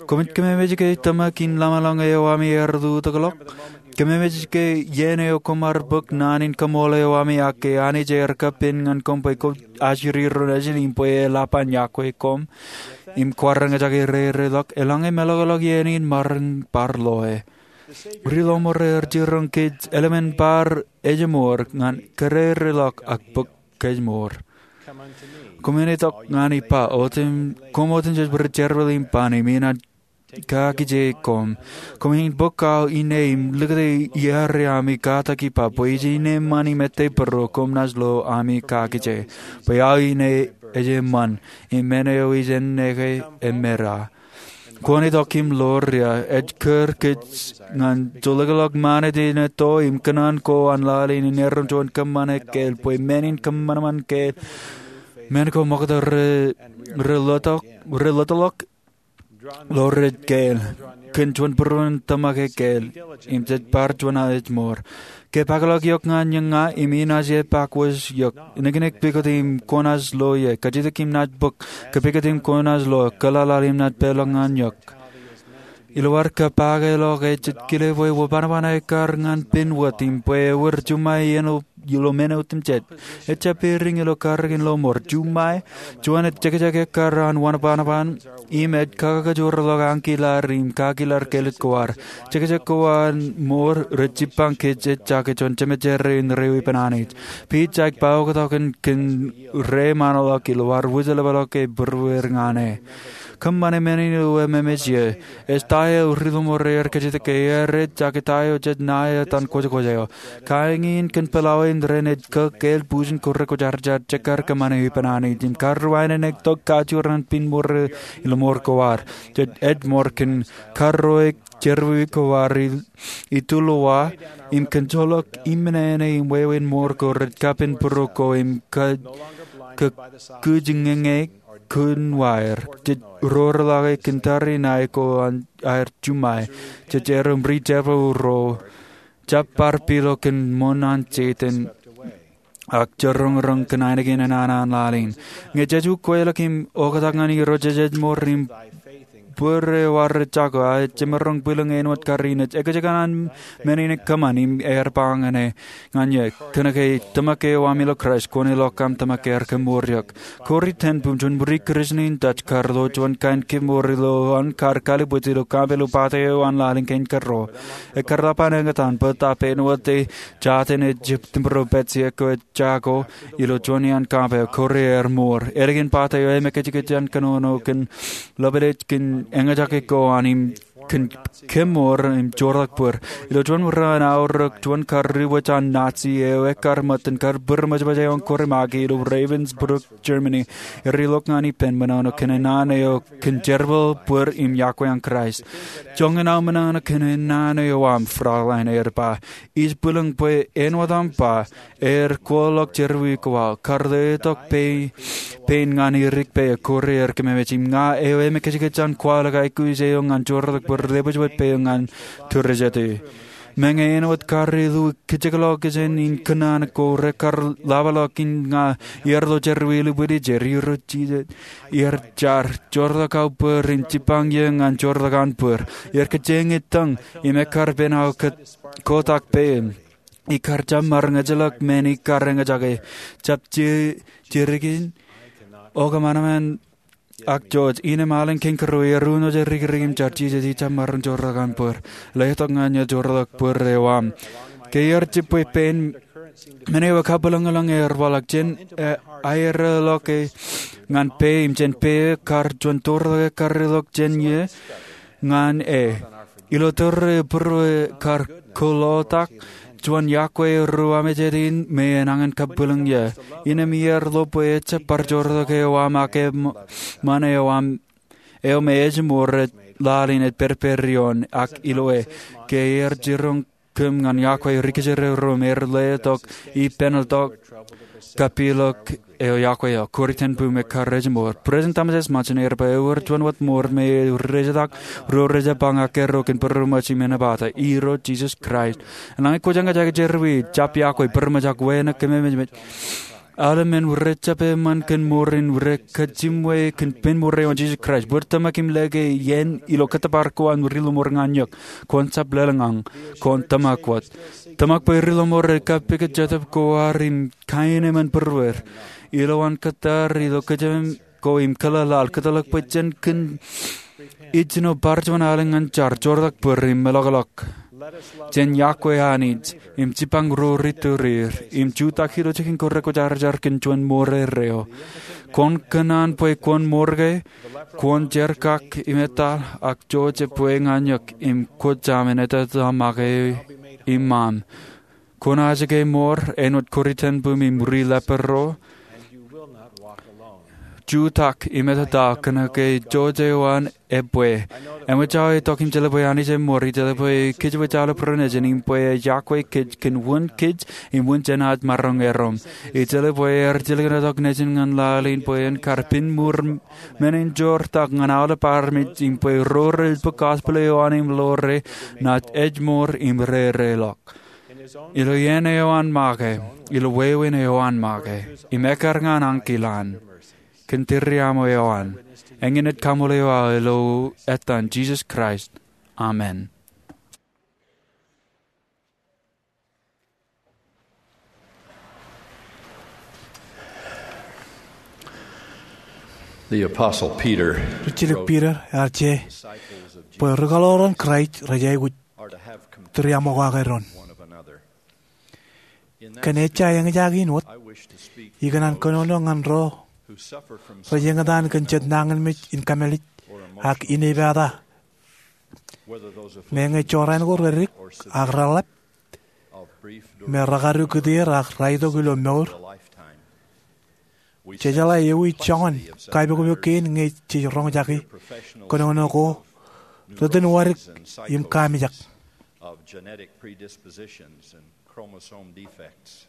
Koṃij kōmemej ke tōmak in ḷōmṇak eo ami ear lutōkḷọk? Kōmemej ke iien eo koṃ ar bōk naan in kaṃool eo ami ak ke Anij ear kapen ñan koṃ bwe kwōj ajri ro nejin im bwe eḷap an iọkwe koṃ im kwaar eñjake reireḷọk, eḷaññe meḷọkḷọk iien in maroñ bar loe. Ri lọmọọr ear jiroñ kōj eḷmān bar ejmour ñan kōreireḷọk ak bōk kōjmour. Koṃwin itok ñan ij ba, koṃ otemjej ri jerbal im ban im inaaj kakije koṃ. Koṃwin bōk aō ine im likūt iiaare ami katak ij ba bwe ij ine eṃṃan im ettā būruō koṃ naaj lo ami kakije. Bwe aō ine ej eṃṃan im men eo ij enneke emera. Kwōn itok im ḷoor ia, ej kūr kōj ñan jolōkḷọk ṃanit in etto im kōṇaan ko an laḷ in erom juon kōṃṃan ekkeil bwe men in kōṃanṃan kein men ko ṃokta rej lōtḷọk ilo rej kein kōn juon būruon tōmak ekkeil im jej bar juon ejmour. Ke pakḷọk eok ñan eō ña im inaaj epaak wōj eok, niknik pukot im kwōnaaj lo ie, kajjitōk im naaj bōk, kōpukot im kwōnaaj lo, kōḷaḷaḷ im naaj peḷọk ñan eok. Ilo ad kōpakḷọk e jej kile bwe wōnṃaanṃaan ekkar ñan pen wōt im bwe ewōr juṃae iien ilo men otemjej. Ejjab peirin ilo karreoik in lọmọọr. Juṃae, juon ej jekjek ekkar an wōnṃaanṃaan im ej kakajoorḷọk ankilad im kakilaad kellet ko ad. Jekjek ko an mour rej jibbañ kōj ejjake juon jemejeer in reiwōj ippān Anij. Pij ej ba oktak kōn reiṃaanḷọk ilo ad wūjlepḷọk e būrueir ñan e. Kōṃṃane men in ilo ememej ie. Ej ta eo ri lọmọọr ear kajjitōk ke ear ejjake ta eo jej ṇa etan kwōjkwōj eo. Kain in kōn pelawe in ren ej kōkeel bwijin ko rekwōjarjar, jekkar kōṃṃane ippān Anij im karruwainene tok kajoor an pen mour ilo mour ko ad. Jej ejmour kōn karreoik jerọwiwi ko ad itulowa im kōn joḷọk iṃōṇōṇō im wāween mour ko rej kapen būruō ko im kōkijñeñe kōn waer. Jej roñrake kōn tariṇae ko aer juṃae. Jej erom ri jerbal ro jab bar pilo kōn ṃoṇ an Setan ak jiroñroñ kōn ainikien naan an laḷ in. Ñe jej ukweḷọk im oktak ñan Irooj, jej ejmour im bōd eo ad rej jako aō jemaroñ bwilōñ āinwōt kar in ej ekjek an men in kōṃṃan im ear ba ñan e, ñan e, kōnke tōmak eo aṃ ilo Kraist, kwōn ilọk aṃ tōmak ear kōṃṃoor eok. Corrie ten Boom, juon ri Kūrjin in Dutch, kar lo juon kain kōṃṃoor ilo an kar kalbwij ilo kampān ilo pate eo an laḷ in kein kōrro. Ekkar ḷap an eñtaan bōtab āinwōt e jatin ej jab tiṃro pād ijin ko ej jako ilo juon iaan kampān. Corrie ear mour. Ālikin pate eo emekajkaj an kōnono kōn ḷapḷọk kōn eñjake ko an im kōn kōṃṃoor im joortak bōd. Ilo juon ro an aorōk, juon kar ri wōj an Nazi eo ekkar ṃōttan kar bōd ṃōjṃōj eo an Corrie Magi ilo Ravensbrück, Germany, ear ilọk ñan ippān ṃōṇōṇō kōn naan eo kōn jerbal, bōd im iọkwe an Kraist. Joñan aō ṃōṇōṇō kōn naan eo aṃ, Fraulein, ear ba. Ij bwilōñ bwe āinwōt aṃ ba, ear kwaḷọk jerọwiwi ko aō. Kar letok pein ñan erik pein, Corrie ear kōmemej, im ña eo emekajkaj an kwaḷọk aikuj eo ñan joortak bōd, lewōjwōj pein ñan tūrijeti. Meñe āinwōt kar illu kijekḷọk jān in kōṇaan ko rekar ḷapḷọk in ña, iar lo jerọwiwi ḷapḷọk ijo, Irooj Jisōs ear jar, joortak aō bōd im jibbañ eō ñan joortak an bōd. Ear kōjeañ ittōñ im ekkar pen aō kotak pein. Ikar jab maroñ ejjeḷọk men ikar eñjake. Jab je, jerakin, okōṃanṃan ak George, innem alen kein kōrā, ear unoje rikiriki im jar, Jisōs, ij jab maroñ joortak aṃ bōd. Letok ñan eō joortak bōd eo aṃ. Ke ear jibwe pein, men eo ekabwilōñlōñ ear waḷọk jān, e, aerḷọk e ñan pā im jān pā eo kar juon tortok ekar ilọk jān eō ñan e. Ilo tōre būruō kar koḷotak, juon iọkwe eo ri-Amejed in me enañin kabwilōñ ie. Innām iar lo bwe ejjab bar joortak eo aṃ ak eṃṃan eo aṃ eo me ejmour ej lale in ej pād ippād ioon ak iloe. Ke ear jiroñ kōm ñan iọkwe ri-kōjeraomaroñ, ear letok ippān tok kapilōk eo iọkwe eo. Corrie ten Boom ekkar ejmour. President Thomas S. Monson ear ba ewōr juon wōt mour me rej jitōñ ro rej jab ba ñan kōjro kōn būroṃōj im ānbata. Irooj Jisōs Kraist. Enañin kwōj eñjake jerọwiwi, jab iọkwe, būroṃōj ak wānōk kōm ememej aolep men rej jab eṃṃan kōn mour in rej kajjimwe kōn pen mour eo an Jisōs Kraist. Bōd tōmak im lōke iien ilo kōttōpar ko an ri-lọmọọr ñan eok. Kwōn jab lōḷñọñ. Kwōn tōmak wōt. Tōmak bwe ri-lọmọọr rej kapikōt Jetōb ko ad im kaenōṃṃan būruod. Ilowaan kōttar ilo kōjām ko im kōḷaḷḷaḷ, kōtḷọk bwe jen kōn ijjino bar juon alen ñan jar, joortak bōd im meḷọkḷọk. Jen iọkwe Anij im jipañ ro ri-tōl er im jutak ilo jikin ko rekwōjarjar kōn juon mour erreo. Kwōn kōṇaan bwe kwōn mour ke, kwōn jerkak im etal, ak Joseph bwe ñan eok im kwōj aṃ en ettā make iṃaṃ. Kwōn ajike mour āinwōt Corrie ten Boom im ri-leper ro. Jutak im ettā kōnke Joseph eo an ebwe. Eṃōj aō itok im jeḷā bwe Anij eṃour, im jeḷā bwe kōjwōj aolep ro nejin, im bwe ej iọkwe kōj kōn wūn kōj im wūn jān aō maroñ erom. Im jeḷā bwe ear jilkintok nejin ñan laḷ in bwe en kar pād mour men in joortak ñan aolep armej, im bwe ro rej bōk gospel eo an im ḷoore, naaj ejmour im rereḷọk. Ilo iien eo an make, ilo wāween eo an make, im ekkar ñan ankilōñ, kōn tūriaṃo eo an, eñin ej kaṃṃoolol eok ilo etan Jisōs Kraist. Amen. The Apostle Peter Rijjilōk Piter ear je bwe ri-kōḷaoran Kraist rej aikuj tūriaṃokake doon. Kōn ejja eñjake in wōt, ikōṇaan kōnono ñan ro rej eñtaan kōn jet nañinmej in kamālij ak inepata, meñe jorrāān ko redik ak reḷap, me rekadu kūtier ak raitok ilo mour. Jejeḷā ewi joñan kaipokpok kein ñe jej roñjake kōnono ko ri-tōn wadik im kamijak, of genetic predispositions and chromosome defects,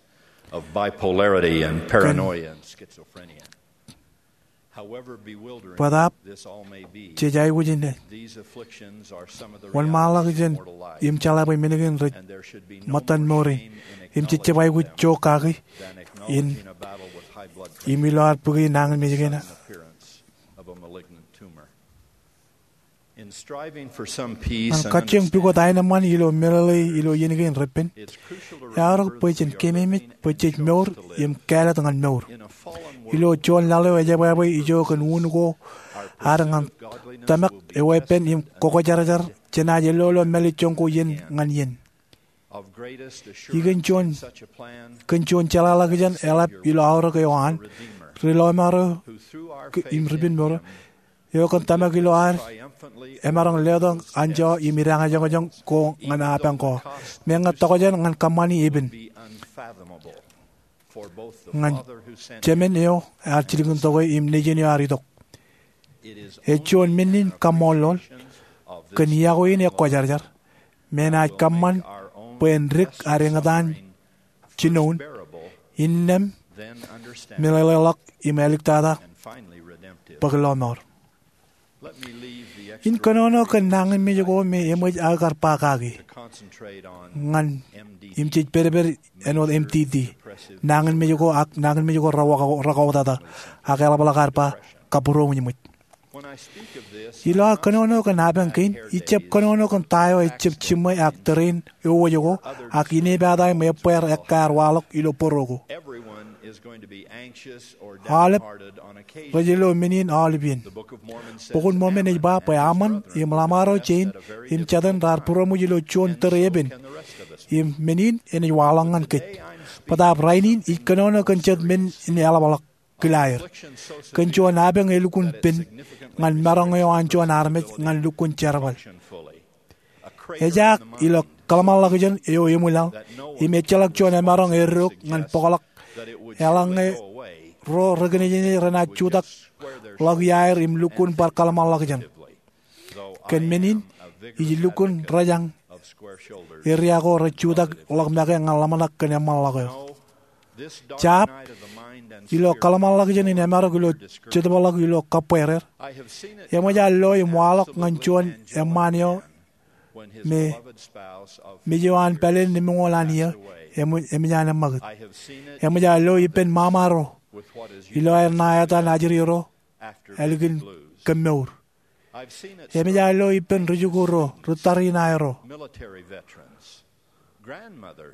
of bipolarity and paranoia and schizophrenia. However bewildering this all may be, jej aikuj in these afflictions are some of the wōnṃaanḷọkjeṇ im jeḷā bwe men kein rej ṃōttan mour e, im jej jab aikuj jo kaki in im ilo ad bōki nañinmej kein. Ñan kajjioñ pukot aenōṃṃan ilo meḷeḷe ilo iien kein repen, eaorōk bwe jen keememej bwe jej mour im kāālōt ñan mour. Ilo juon laḷ eo ejebwābwe ijo kōn un ko ad ñan tōmak eweeppān im kwōjarjar, jenaaj ellolo mālejjoñ ko iien ñan iien. Ikōn juon, kōn juon jeḷāḷọkjeṇ eḷap ilo aorōk eo an, ri-lọmọọr eo im ri-penmour eo, eo kōn tōmak ilo ad emaroñ letok anjọ im idañōjọñjọñ ko ñan apañ ko, meñe tokjān ñan kōṃṃani epen ñan Jemān eo ear jilkintok e im Nejin eo ear itok. Ej juon men in kaṃṃoolol kōn iọkwe in ekwōjarjar, me enaaj kōṃṃan bwe en dik ad eñtaan jinoin, innām meḷeḷeḷọk im āliktata bōk lọmọọr. In kōnono kōn nañinmej ko me eṃōj aō kar ba kaki ñan, im jej pedped āinwōt M D D, nañinmej ko ak nañinmej ko rekauwōtata, ak eḷapḷọk ad ba kabūroṃōj ṃōj. Ilo aō kōnono kōn apañ kein, ij jab kōnono kōn ta eo ejab jiṃṃwe ak tōre in ewōj ko, ak inepata im ebbeer ekkaer waḷọk ilo bōro ko. Aolep rej lo men in aolep iien. Bok in Mormon ej ba bwe aṃ im ḷōṃaro jein im jatōn raar būroṃōj ilo juon tōre epen, im men in enaaj waḷọk ñan kōj. Bōtaab rainin ij kōnono kōn jet men in eḷapḷọk kila aer, kōn juon apañ elukkuun pen ñan maroñ eo an juon armej ñan lukkuun jerbal. Ejaak ilo kōḷmānḷọkjeṇ eo eṃwilaḷ im ejjeḷọk juon emaroñ eddouk ñan bōkḷọk eḷaññe ro rekinejnej renaaj jutak ḷọk iaer im lukkuun bar kōḷmānḷọkjeṇ. Kōn men in, ij lukkuun rejañ eria ko rej jutak ḷọk make ñan ḷōmṇak kōn eṃṃanḷọk eo. Jab, ilo kōḷmānḷọkjeṇ in emarok ilo jetōbḷọk ilo kōbweerer, eṃōj aō lo im waḷọk ñan juon eṃṃaan eo me, me mej eo an pāleen lemñoul an iiō eṃōj an eṃṃakūt. Eṃōj aō lo ippān ṃaṃa ro ilo aer ṇa etan ajri ro ālikin kōmmour. Eṃōj aō lo ippān ri-jikuuḷ ro, ri-tariṇae ro,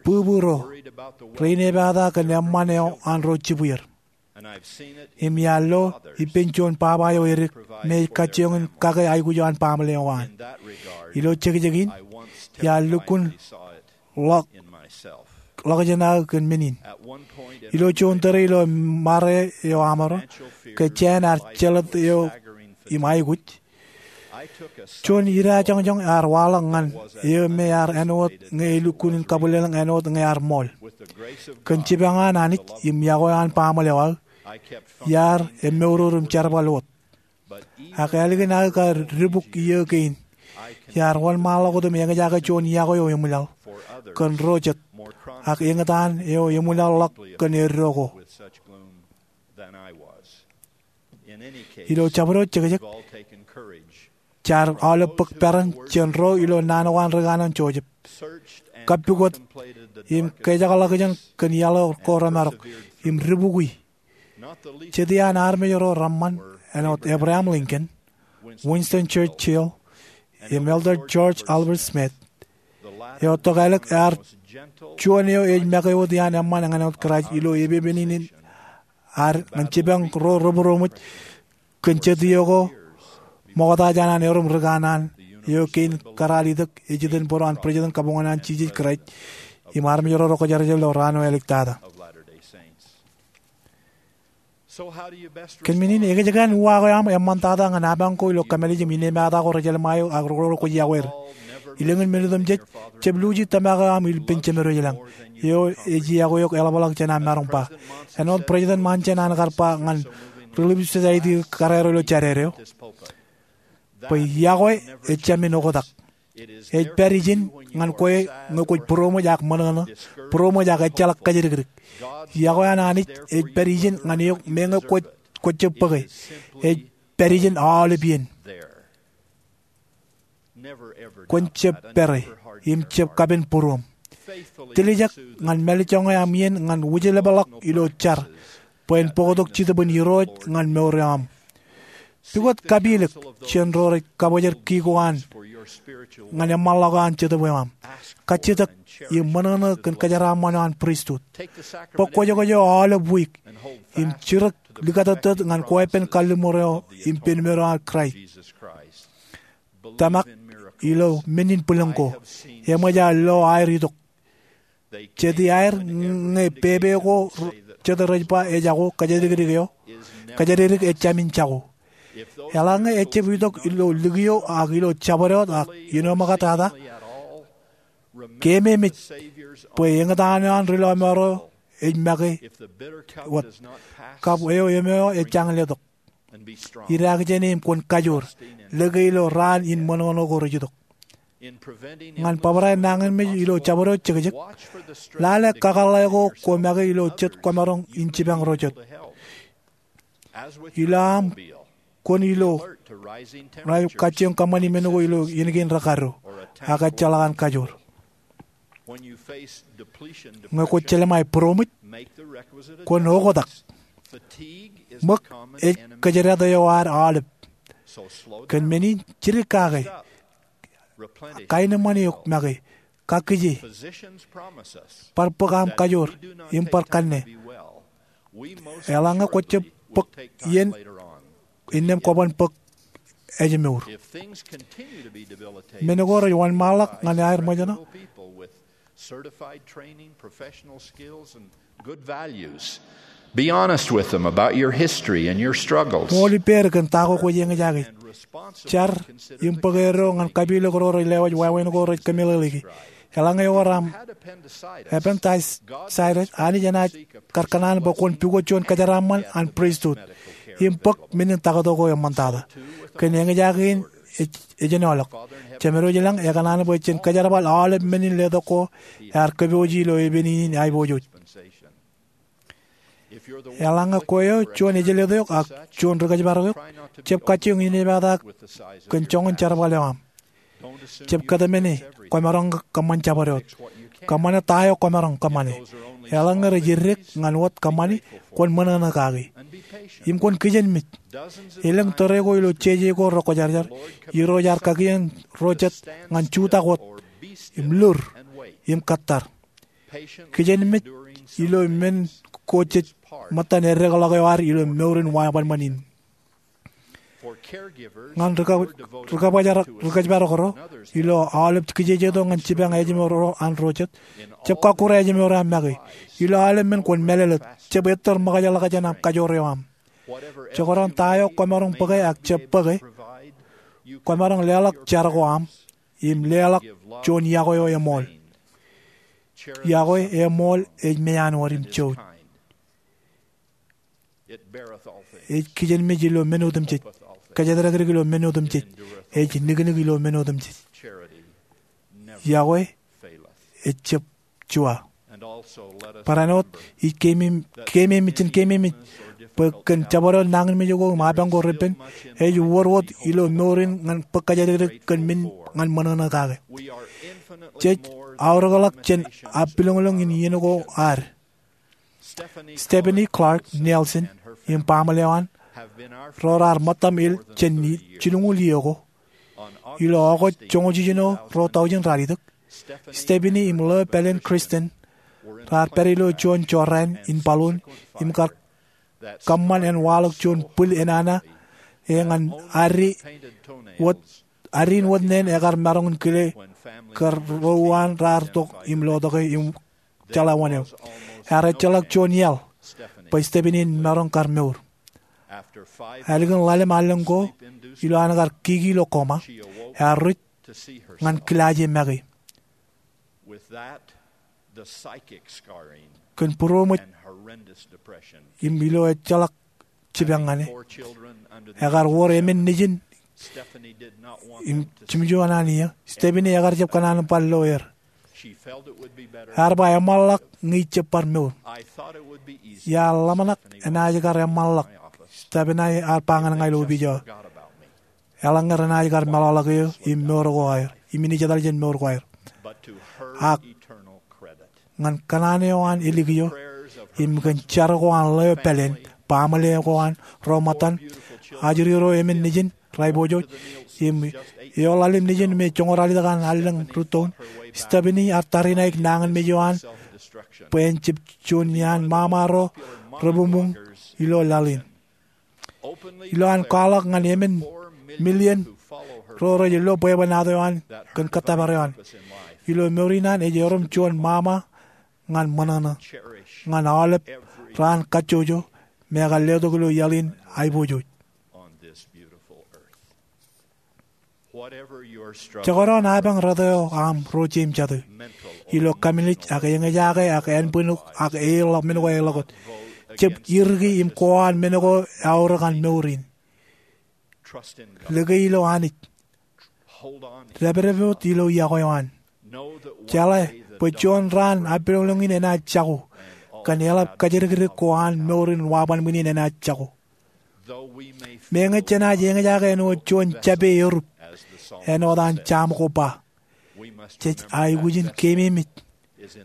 bwibwi ro rein epata kōn eṃṃan eo an ro jibwier. Im iar lo ippān juon baba eo edik me ej kajjioñ in kake aikuj eo an baaṃle eo an. Ilo jekjek in, iar lukkuun ḷọk, ḷọkjeṇ aō kōn men in. Ilo juon tōre ilo mare eo aṃro, ke jāān ear jelōt eo im aikuj, juon idajoñjoñ ear waḷọk ñan eō me ear āinwōt ñe elukkuun in kabwilōñlōñ āinwōt ñe ear ṃool. Kōn jipañ an Anij im yokwe an baaṃle eo aō, iar emmourur im jerbal wōt. Ak ālikin aō kar dibuk iiō kein, iar wōnṃaanḷọk wōt im eñjake juon yokwe eo eṃwilaḷ kōn ro jet, ak eñtaan eo eṃwilaḷḷọk kōn eddo ko. Ilo jabdewōt jekjek, jaar aolep bōk peran jān ro ilo naan ko an ri kanaan Joseph. Kappukot im kōjakḷọkjeṇ kōn iaḷ ko remarok im dibukwi. Jet iaan armej ro reṃṃan āinwōt Abraham Lincoln, Winston Churchill, im Elder George Albert Smith. Eo tokālik ear juon eo ej make wōt iaan eṃṃan ñan wōt Kraist ilo epepen in ad ñan jipañ ro rebūroṃōj kōn jet iiō ko ṃokta jān an erom ri kanaan eo kein kōrā al itok ej itok bōro an President kabuñōn an Jisōs Kraist im armej ro rej kwōjarjar ilo raan eo āliktata. Kōn men in, ekōjkan uwaak eo aṃ eṃṃantata ñan apañ ko ilo kōmālij im innemata ko rej jelṃae eok ak roñoul kwōj yokwe er? Ilōñin men otemjej, Jeb Lucy tōmak eo aṃ ippān Jemedwōj lañ, eo ej yokwe eok eḷapḷọk jān am maroñ ba. Āinwōt President Monson an kar ba ñan Relief Society kōrā ro ilo jāded eo, bwe yokwe ejāmin oktak. Ej pād ijin ñan kwe ñe kwōj būroṃōj ak ṃōṇōṇō, būroṃōj ak ejjeḷọk kōjatdikdik. Yokwe an Anij ej pād ijin ñan eok meñe kwōj, kwōj jab bōke. Ej pād ijin aolep iien. Kwōn jab pere im jab kapen būruōṃ. Tiljek ñan mālejjoñe aṃ iien ñan wūjlepḷọk ilo jar bwe en bōktok Jetōb in Irooj ñan mour eo aṃ. Pukot kapilōk jān ro rej kabōjrak kiko an ñan eṃṃanḷọk eo an Jetōb eo aṃ. Kajjitōk im ṃōṇōṇō kōn kōjeraaṃṃan eo an pristut. Bōk kwōjkwōj eo aolep wiik im jidik likatōttōt ñan kweeppān kalliṃur eo im penmen eo an Kraist. Tōmak ilo men in bwilōñ ko. Eṃōj aō lo aer itok. Jet iaer ñe pepe ko jet rej ba ejako, kōjatdikdik eo, kōjatdikdik ejāmin jako. Eḷaññe ejab itok ilo likio ak ilo jabdewōt ak iien eo ṃoktata, keememej bwe eñtaan eo an ri lọmọọr eo ej make wōt. Kab eo eṃeo ejjañin letok. Idaak jāne im kwōn kajoor, lōke ilo raan in ṃōṇōṇō ko rej itok. Ñan bōbrae nañinmej ilo jabdewōt jekjek, lale kakōḷḷe ko kwō make ilo jet kwōmaroñ in jipañ ro jet. Ilo aṃ kwōn ilo, rej kajjioñ kōṃṃani men ko ilo iien kein rekado, ak ejjeḷọk an kajoor. Ñe kwōj jelṃae būroṃōj, kwōn oktak. Ṃōk ej kōjdat eo ad aolep. Kōn men in, jidik kake, kaenōṃṃan eok make, kakkije, bar bōk aṃ kajoor im bar kanne. Eḷaññe kwōj jab bōk iien innām kwōban bōk ājmour. Men ko rej wōnṃaanḷọk ñan aer ṃōjṇọ. Certified training, professional skills, and good values. Be honest with them about your history and your struggles. Ṃool ippāer kōn ta ko kwōj eñjake. jar im bōk eddo ñan kapilōk ro rej lewōj wāween ko rej kōmeḷeḷeiki. Eḷaññe ewōr aṃ appendicitis, Anij enaaj kar kōṇaan bwe kwōn pukot juon kōjeraaṃṃan an pristut im bōk menin taktō ko eṃṃantata. Kōn eñjake in ej, ejenoḷọk. Jemedwōj ilañ ekōṇaan bwe jen kōjerbal aolep menin letok ko ear kōpooj ilo epen in aiboojoj. Eḷaññe kwe eo juon ejeletok eok ak juon ri-kōjparok eok, jab kajjioñ inepata kōn joñan jerbal eo aṃ. Jab kōtmāne kōmaroñ kōṃṃan jabdewōt. Kōṃṃane ta eo kōmaroñ kōṃṃane. Eḷaññe rej eddek ñan wōt kōṃṃani, kwōn ṃōṇōṇō kaki im kwōn kijenmej. Elōñ tōre ko ilo jeje ko rekwōjarjar, Irooj ear kakien ro jet ñan jutak wōt im lur im kōttar. Kijenmej ilo men ko jej ṃōttan eddekḷọk eo ad ilo mour in wābōnbōn in. Ñan ri-kōjparok ro, ilo aolep kijejeto ñan jipañ ājmour ro an ro jet, jab kọkkure ājmour eo aṃ make. Ilo aolep men kwōn mālōtlōt. Jab ettōr ṃōkajḷọkjeṇ aṃ kajoor eo aṃ. Jekdọọn ta eo kōmaroñ bōke ak jab bōke, kōmaroñ leḷọk jar ko aṃ im leḷọk juon iọkwe eo eṃool. Iọkwe eṃool ej meanwōd im jouj. Ej kijenmej ilo men otemjej, kōjatdikdik ilo men otemjej, ej niknik ilo men otemjej. Iọkwe ejjab juwa. Barāinwōt ij keememej, jen keememej bwe kōn jabdewōt nañinmej ko im apañ ko repen, ej wōr wōt ilo mour in ñan bōk kōjatdikdik kōn men ñan ṃōṇōṇō kake. Jej aorōkḷọk jān appiloñloñ in iien ko ad. Stephanie Clark Nielsen im baaṃle eo an, ro raar ṃōttaṃ el jān jilñuul iiō ko. Ilo August joñoul jiljino ruo tọujin ralitōk, Stephanie im ḷeo pāleen Kristen raar pād ilo juon jorrāān in balloon im kar kōṃṃan en waḷọk juon bwil enana ñan ad in wōt neen ekar maroñ in kile kōn ro uwaan raar tok im lotoke im jeḷā wōn eo. Ear ejjeḷọk juon iaḷ bwe Stephanie en maroñ kar mour. Ālikin ḷalem allōñ ko, ilo an kar kiki ilo coma, ear ruj ñan kilaaj e make. Kōn būroṃōj im ilo ejjeḷọk jipañ ñan e, ekar wōr emān nejin im jimjuon an iiō. Stephanie ekar jab kōṇaan bar lo er. Ear ba eṃṃanḷọk ñe ij jab bar mour. Iar ḷōmṇak enaaj kar eṃṃanḷọk, Stephanie ear ba ñan ña ilo opiij eo. Eḷaññe renaaj kar meḷọkḷọk eō im mour ko aer im inaaj etal jān mour ko aer. Ak ñan kōṇaan eo an ālikin eō im kōn jar ko an ḷeo pāleen, baaṃle ko an, ro ṃōttan, ajri ro emān nejin, rej aiboojoj, im eḷaḷ im nejin me joñoul ralitōk an allōñ rūttoon, Stephanie ear tariṇaik nañinmej eo an bwe en jab juon iaan ṃaṃa ro rebuñbuñ ilo laḷ in. Ilo an kwaḷọk ñan emān million ro rej lo bwebwenato eo an kōn kōttōpar eo an, ilo mour in an ej erom juon ṃaṃa ñan ṃōṇōṇō ñan aolep raan kajjojo me ekar letok ilo iaḷ in aiboojoj. Jekdọọn apañ rot eo aṃ ro jeimjate, ilo kōmālij ak eñjake ak ānbwinuk ak eḷọk men ko eḷọkot, jab iriki im kowaan men ko eaorōk an mour in. Lōke ilo Anij. Dāpdepot ilo iọkwe eo an. Jeḷā bwe juon raan appiloñloñ in enaaj jako, kōn eḷap kōjatdikdik ko an mour in wabanbwin in enaaj jako. Meñe jenaaj eñjake āinwōt juon jape erup, āinwōt an Sam ko ba, jej aikuj in keememej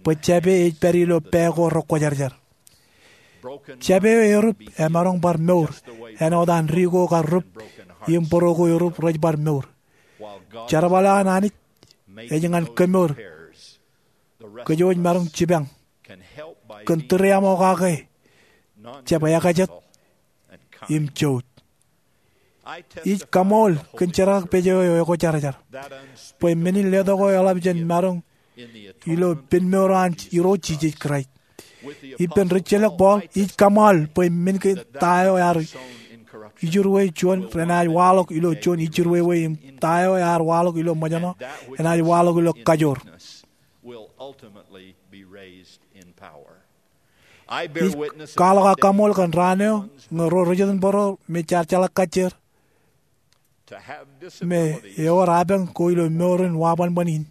bwe jape ej pād ilo pā ko rekwōjarjar. Jape eo erup emaroñ bar mour āinwōt an ri ko kar rup im bōro ko erup rej bar mour. Jerbal eo an Anij ej ñan kemour. Kōj wōj maroñ jipañ kōn tūriaṃokake, jab ekajet im jouj. Ij kaṃool kōn jerkakpeje eo ekwōjarjar bwe menin letok ko eḷap jān maroñ ilo pen mour eo an Irooj Jisōs Kraist. Ippān rijjelōk Paul, ij kaṃool bwe men kein ta eo ear ijirwe juon renaaj waḷọk ilo juon ijirwewe im ta eo ear waḷọk ilo ṃōjṇọ enaaj waḷọk ilo kajoor. Ij kwaḷọk aō kaṃṃool kōn raan eo ñe ro ri jitōnbōro me jaar jeḷā kajjier me ewōr apañ ko ilo mour in wabanban in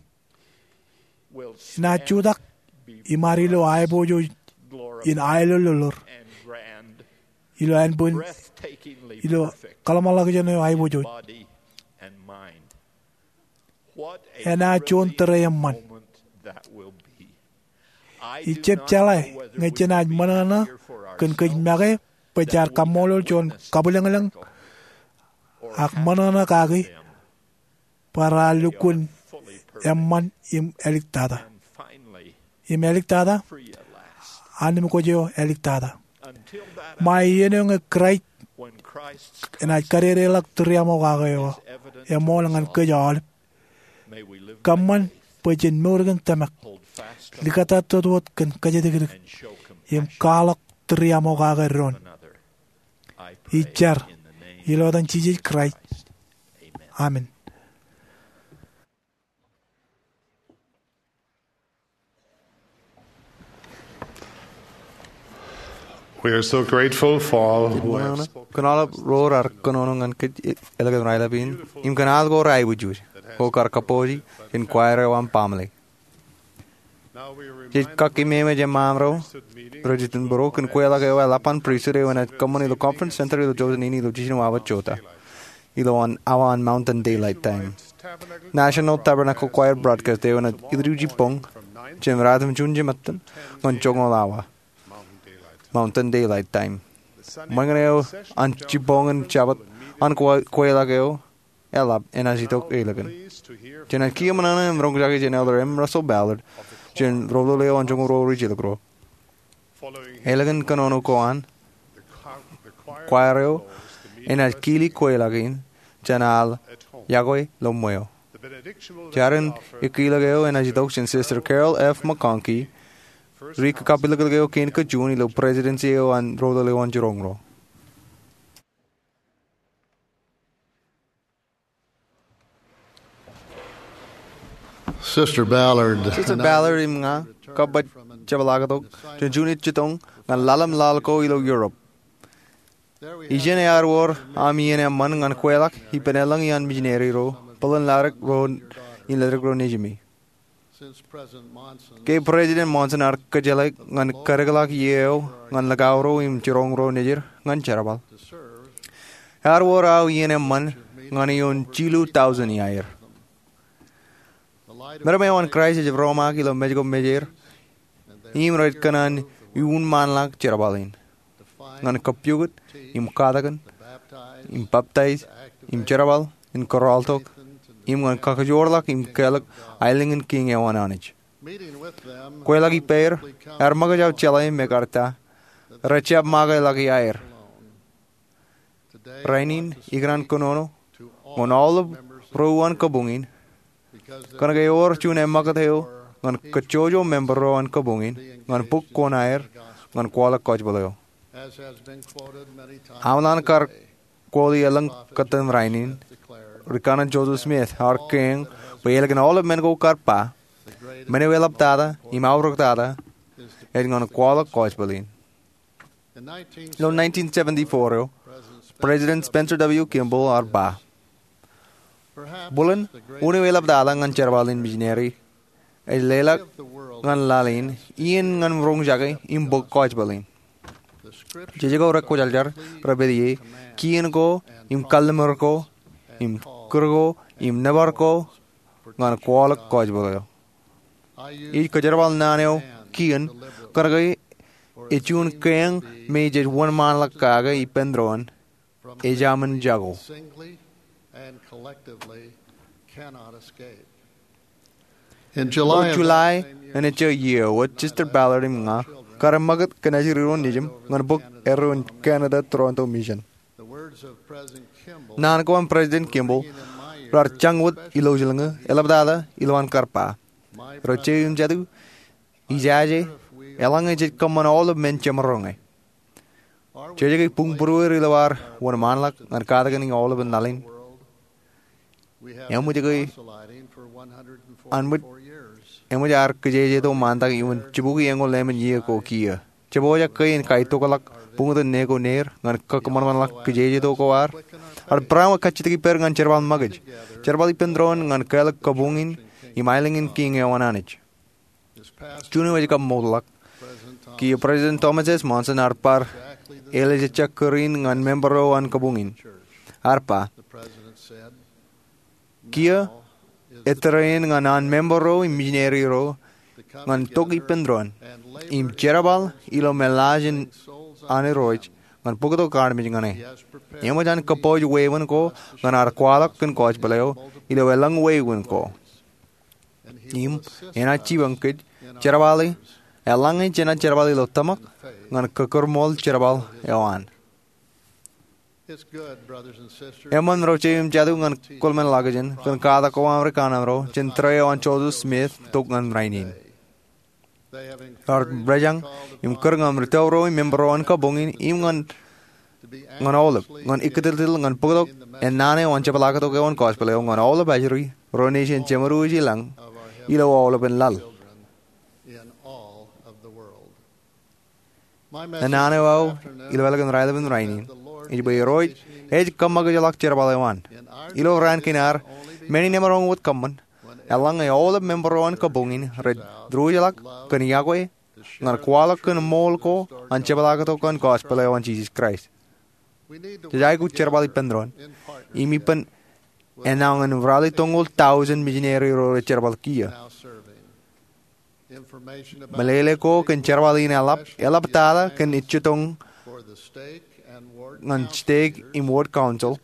enaaj jutak im ad ilo aiboojoj in aelōllōḷ ilo ānbwin ilo kōḷmānḷọkjeṇ eo aiboojoj. Enaaj juon tōre eṃṃan. Ij jab jeḷā ñe jenaaj ṃōṇōṇō kōn kōj make bwe jaar kaṃṃoolol juon kabwilōñlōñ ak ṃōṇōṇō kaki bwe raar lukkuun eṃṃan im āliktata im āliktata, annemkwōj eo āliktata. Ṃae iien eo ñe Kraist enaaj kadedeḷọk tūriaṃokake eo eṃool ñan kōj aolep, kōṃṃan bwe jen mour kōn tōmak, likata wōt kōn kōjatdikdik im kwaḷọk tūriaṃokake doon. Ij jar ilo etan Jisōs Kraist, amen. We are so grateful for all who have spoken. Kōn aolep ro raar kōnono ñan kōj eḷap in, im kōn aḷ ko raar aikuj, ko kar kabbokbok jān kwaer eo aṃ baaṃle. Jej kakkememej eṃṃaan ro rej jitōnbōro kōn kweilọk eo eḷap an pristut eo enaaj kōṃṃan ilo Conference Center ilo Joseph Nene ilo jiljino awa jota ilo awa an Mountain Daylight Time. National Tabernacle Choir broadcast eo enaaj ilju jibboñ jān raan in June jemān ñan joñoul awa Mountain Daylight Time. Ṃōñā eo an jibboñ in Jabōt an kweilọk eo eḷap enaaj itok ālikin. Jenaaj kiiō ṃōṇōṇō im roñjake jān Elder M. Russell Ballard jān Ro Lale eo an Joñoul Ruo Ri Jilkinro. Ālikin kōnono ko an, kwaer eo enaaj kili kweilọk in jān aḷ yokwe ilo ṃweo. Jar in ekkilōk eo enaaj itok jān Sister Carol F. McConkie, ri kakapilōklōk eo kein kajjien ilo presidency eo an Ro Lale eo an Joñoul Ruo. Sister Ballard, Sister Ballard im ña kab bar jepḷaaktok jān juon jitōñ ñan ḷalem laḷ ko ilo Europe. Ijin ear wōr aṃ iien eṃṃan ñan kweilọk ippān elōñ iaan misineri ro bōlen ladik ro in ledik ro nejimi. Ke President Monson ear kōjjeḷā ñan kadikḷọk iiō eo ñan likao ro im jiroñ ro nejid ñan jerbal, ear wōr aō iien eṃṃan ñan ioon jilu tọujin iaer. Meram eo an Kraist ej romaak ilo Mej ko Mejāer im rej kōṇaan iuunṃaanḷọk jerbal in ñan kapiokūt im katakin im baptize im jerbal in kōrọọltok im ñan kakijoorḷọk im kelọk aelōñ in kiiñ eo an Anij. Kweilọk ippāer ear ṃōkaj aō jeḷā im ekar ta rej jab make ḷọk iaer. Rainin ikōṇaan kōnono ñan aolep ro an kabuñ in kōnke ewōr juon eṃṃakūt eo ñan kajjojo member ro an kabuñ in ñan bōk kuṇaer ñan kwaḷọk gospel eo. Aṃ ḷan kar quote-i elōñ kōttan rainin, Ri-Kanaan Joseph Smith ear kein bwe ālikin aolep men ko kar ba, men eo eḷaptata im aorōktata ej ñan kwaḷọk gospel in. Ilo nineteen seventy-four eo, President Spencer W. Kimball ear ba, bōlen wūn eo eḷaptata ñan jerbal in misineri ej leḷọk ñan laḷ in iien ñan roñjake im bōk gospel in. Jej ko rekwōjarjar rej pād ie, kien ko im kalliṃur ko im kūr ko im nōbar ko ñan kwaḷọk gospel eo. Ij kōjerbal naan eo kien kōnke ej juon kein me jej wōnṃaanḷọk kake ippān doon ejāmin jako. Ilo July in ejja iiō wōt, Sister Ballard im ña kar eṃṃakūt kōn ajri ro nejiṃ ñan bōk erro in Canada Toronto Mission. Naan ko an President Kimball raar jañ wōt ilo ijin ñe eḷaptata ilowaan kar ba, ro jeiū im jatū, ijaje eḷaññe jej kōṃṃan aolep men jemaroñ e. Jej ke buñbūrueir ilo ad wōnṃaanḷọk ñan katakin aolepān laḷ in? Eṃōj ke, eṃōj ad kijejeto ṃaantak iwōn jibukwi eñoul lemān iiō ko kiiō? Jepojak ke in kaitokḷọk buñtōn ne ko neir ñan kōṃanṃanḷọk kijejeto ko ad? Ad barāinwōt kajjitōk ippād ñan jerbal ṃakūt, jerbal ippān doon ñan kāālōt kabuñ in im aelōñ in Kiiñ eo an Anij. Juon eo ej kaṃṃooltḷọk. Kiiō President Thomas S. Monson ear bar ālejejjak kūr in ñan member ro an kabuñ in. Ear ba, kiiō ettōr eṇ ñan an member ro im mijineri ro ñan tok ippān doon im jerbal ilo meḷaaj in an Irooj ñan bōktok armej ñan e. Eṃōj an kōpooj wāween ko ñan ad kwaḷọk kōn gospel eo ilo elōñ wāween ko. Im enaaj jipañ kōj jerbale eḷaññe jenaaj jerbal ilo tōmak ñan kōkūrmool jerbal eo an. Eṃṃan ro jeiū im jatū ñan kōḷmānḷọkjeṇ kōn katak ko aṃ ri kanaaṃ ro jān tōre eo an Joseph Smith tok ñan rainin. Ear rejañ im kūr ñan ri tōl ro im member ro an kabuñ in im ñan aolep ñan ikkiltilḷọk ñan bōktok ennaan eo an jepḷaaktok eo an gospel eo ñan aolep ajri ro nejin jeṃōd wōj i lañ ilo aolepān laḷ. Ennaan eo aō ilo ālikin raelepin rainin ej bwe Irooj ej kōṃakūtḷọk jerbal eo an. Ilo raan kein ad, men in emaroñ wōt kōṃṃan eḷaññe aolep member ro an kabuñ in rej diwōjḷọk kōn iọkwe ñan kwaḷọk kōn ṃool ko an jepḷaaktok an gospel eo an Jisōs Kraist. Jej aikuj jerbal ippān doon im ippān ennaan ralitōñoul tọujin mijineri ro rej jerbal kiiō. Meḷeḷe ko kōn jerbal in eḷap, eḷaptata kōn ejjitōñ ñan steik im wōt council,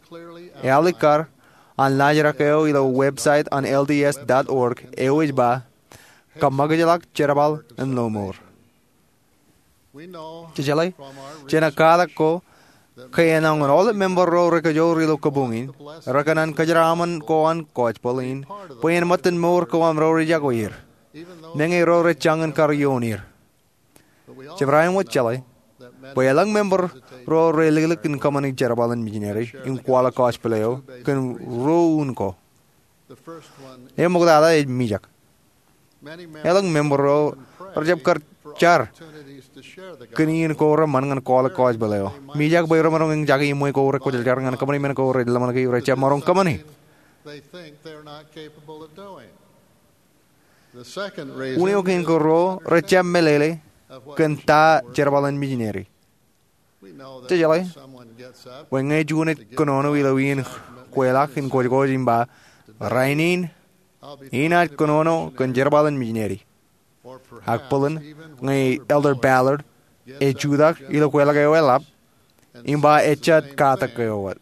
ealikkar an laajrak eo ilo website an L D S dot org eo ej ba, kōṃakūtḷọk jerbal in lọmọọr. Jejeḷā jān katak ko ke ennaan aolep member ro rekajoor ilo kabuñ in rekōṇaan kōjeraaṃṃan ko an gospel in bwe en ṃōttan mour ko aṃ ro rej iọkwe er, meñe ro rej jañin kar ioon er. Jebra āinwōt jeḷā bwe elōñ member ro reliklik in kōṃṃane jerbal in mijineri im kwaḷọk gospel eo kōn ruo unin ko. Eṃōktata ej mijak. Elōñ member ro rejjab kar jar kōn iien ko reṃṃan ñan kwaḷọk gospel eo. Mijak bwe remaroñ eñjake iṃwe ko rekwōjarjar ñan kōṃṃane men ko rej ḷōmṇak e rejjab maroñ kōṃṃane. Unin eo kein ko ruo, rejjab meḷeḷe kōn ta jerbal in mijineri. Jejeḷā bwe ñe juon ej kōnono ilo iien kweilọk in kōjkōj im ba, rainin, inaaj kōnono kōn jerbal in mijineri, ak bōlen ñe Elder Ballard ej jutak ilo kweilọk eo eḷap im ba ejjab katak eo wōt,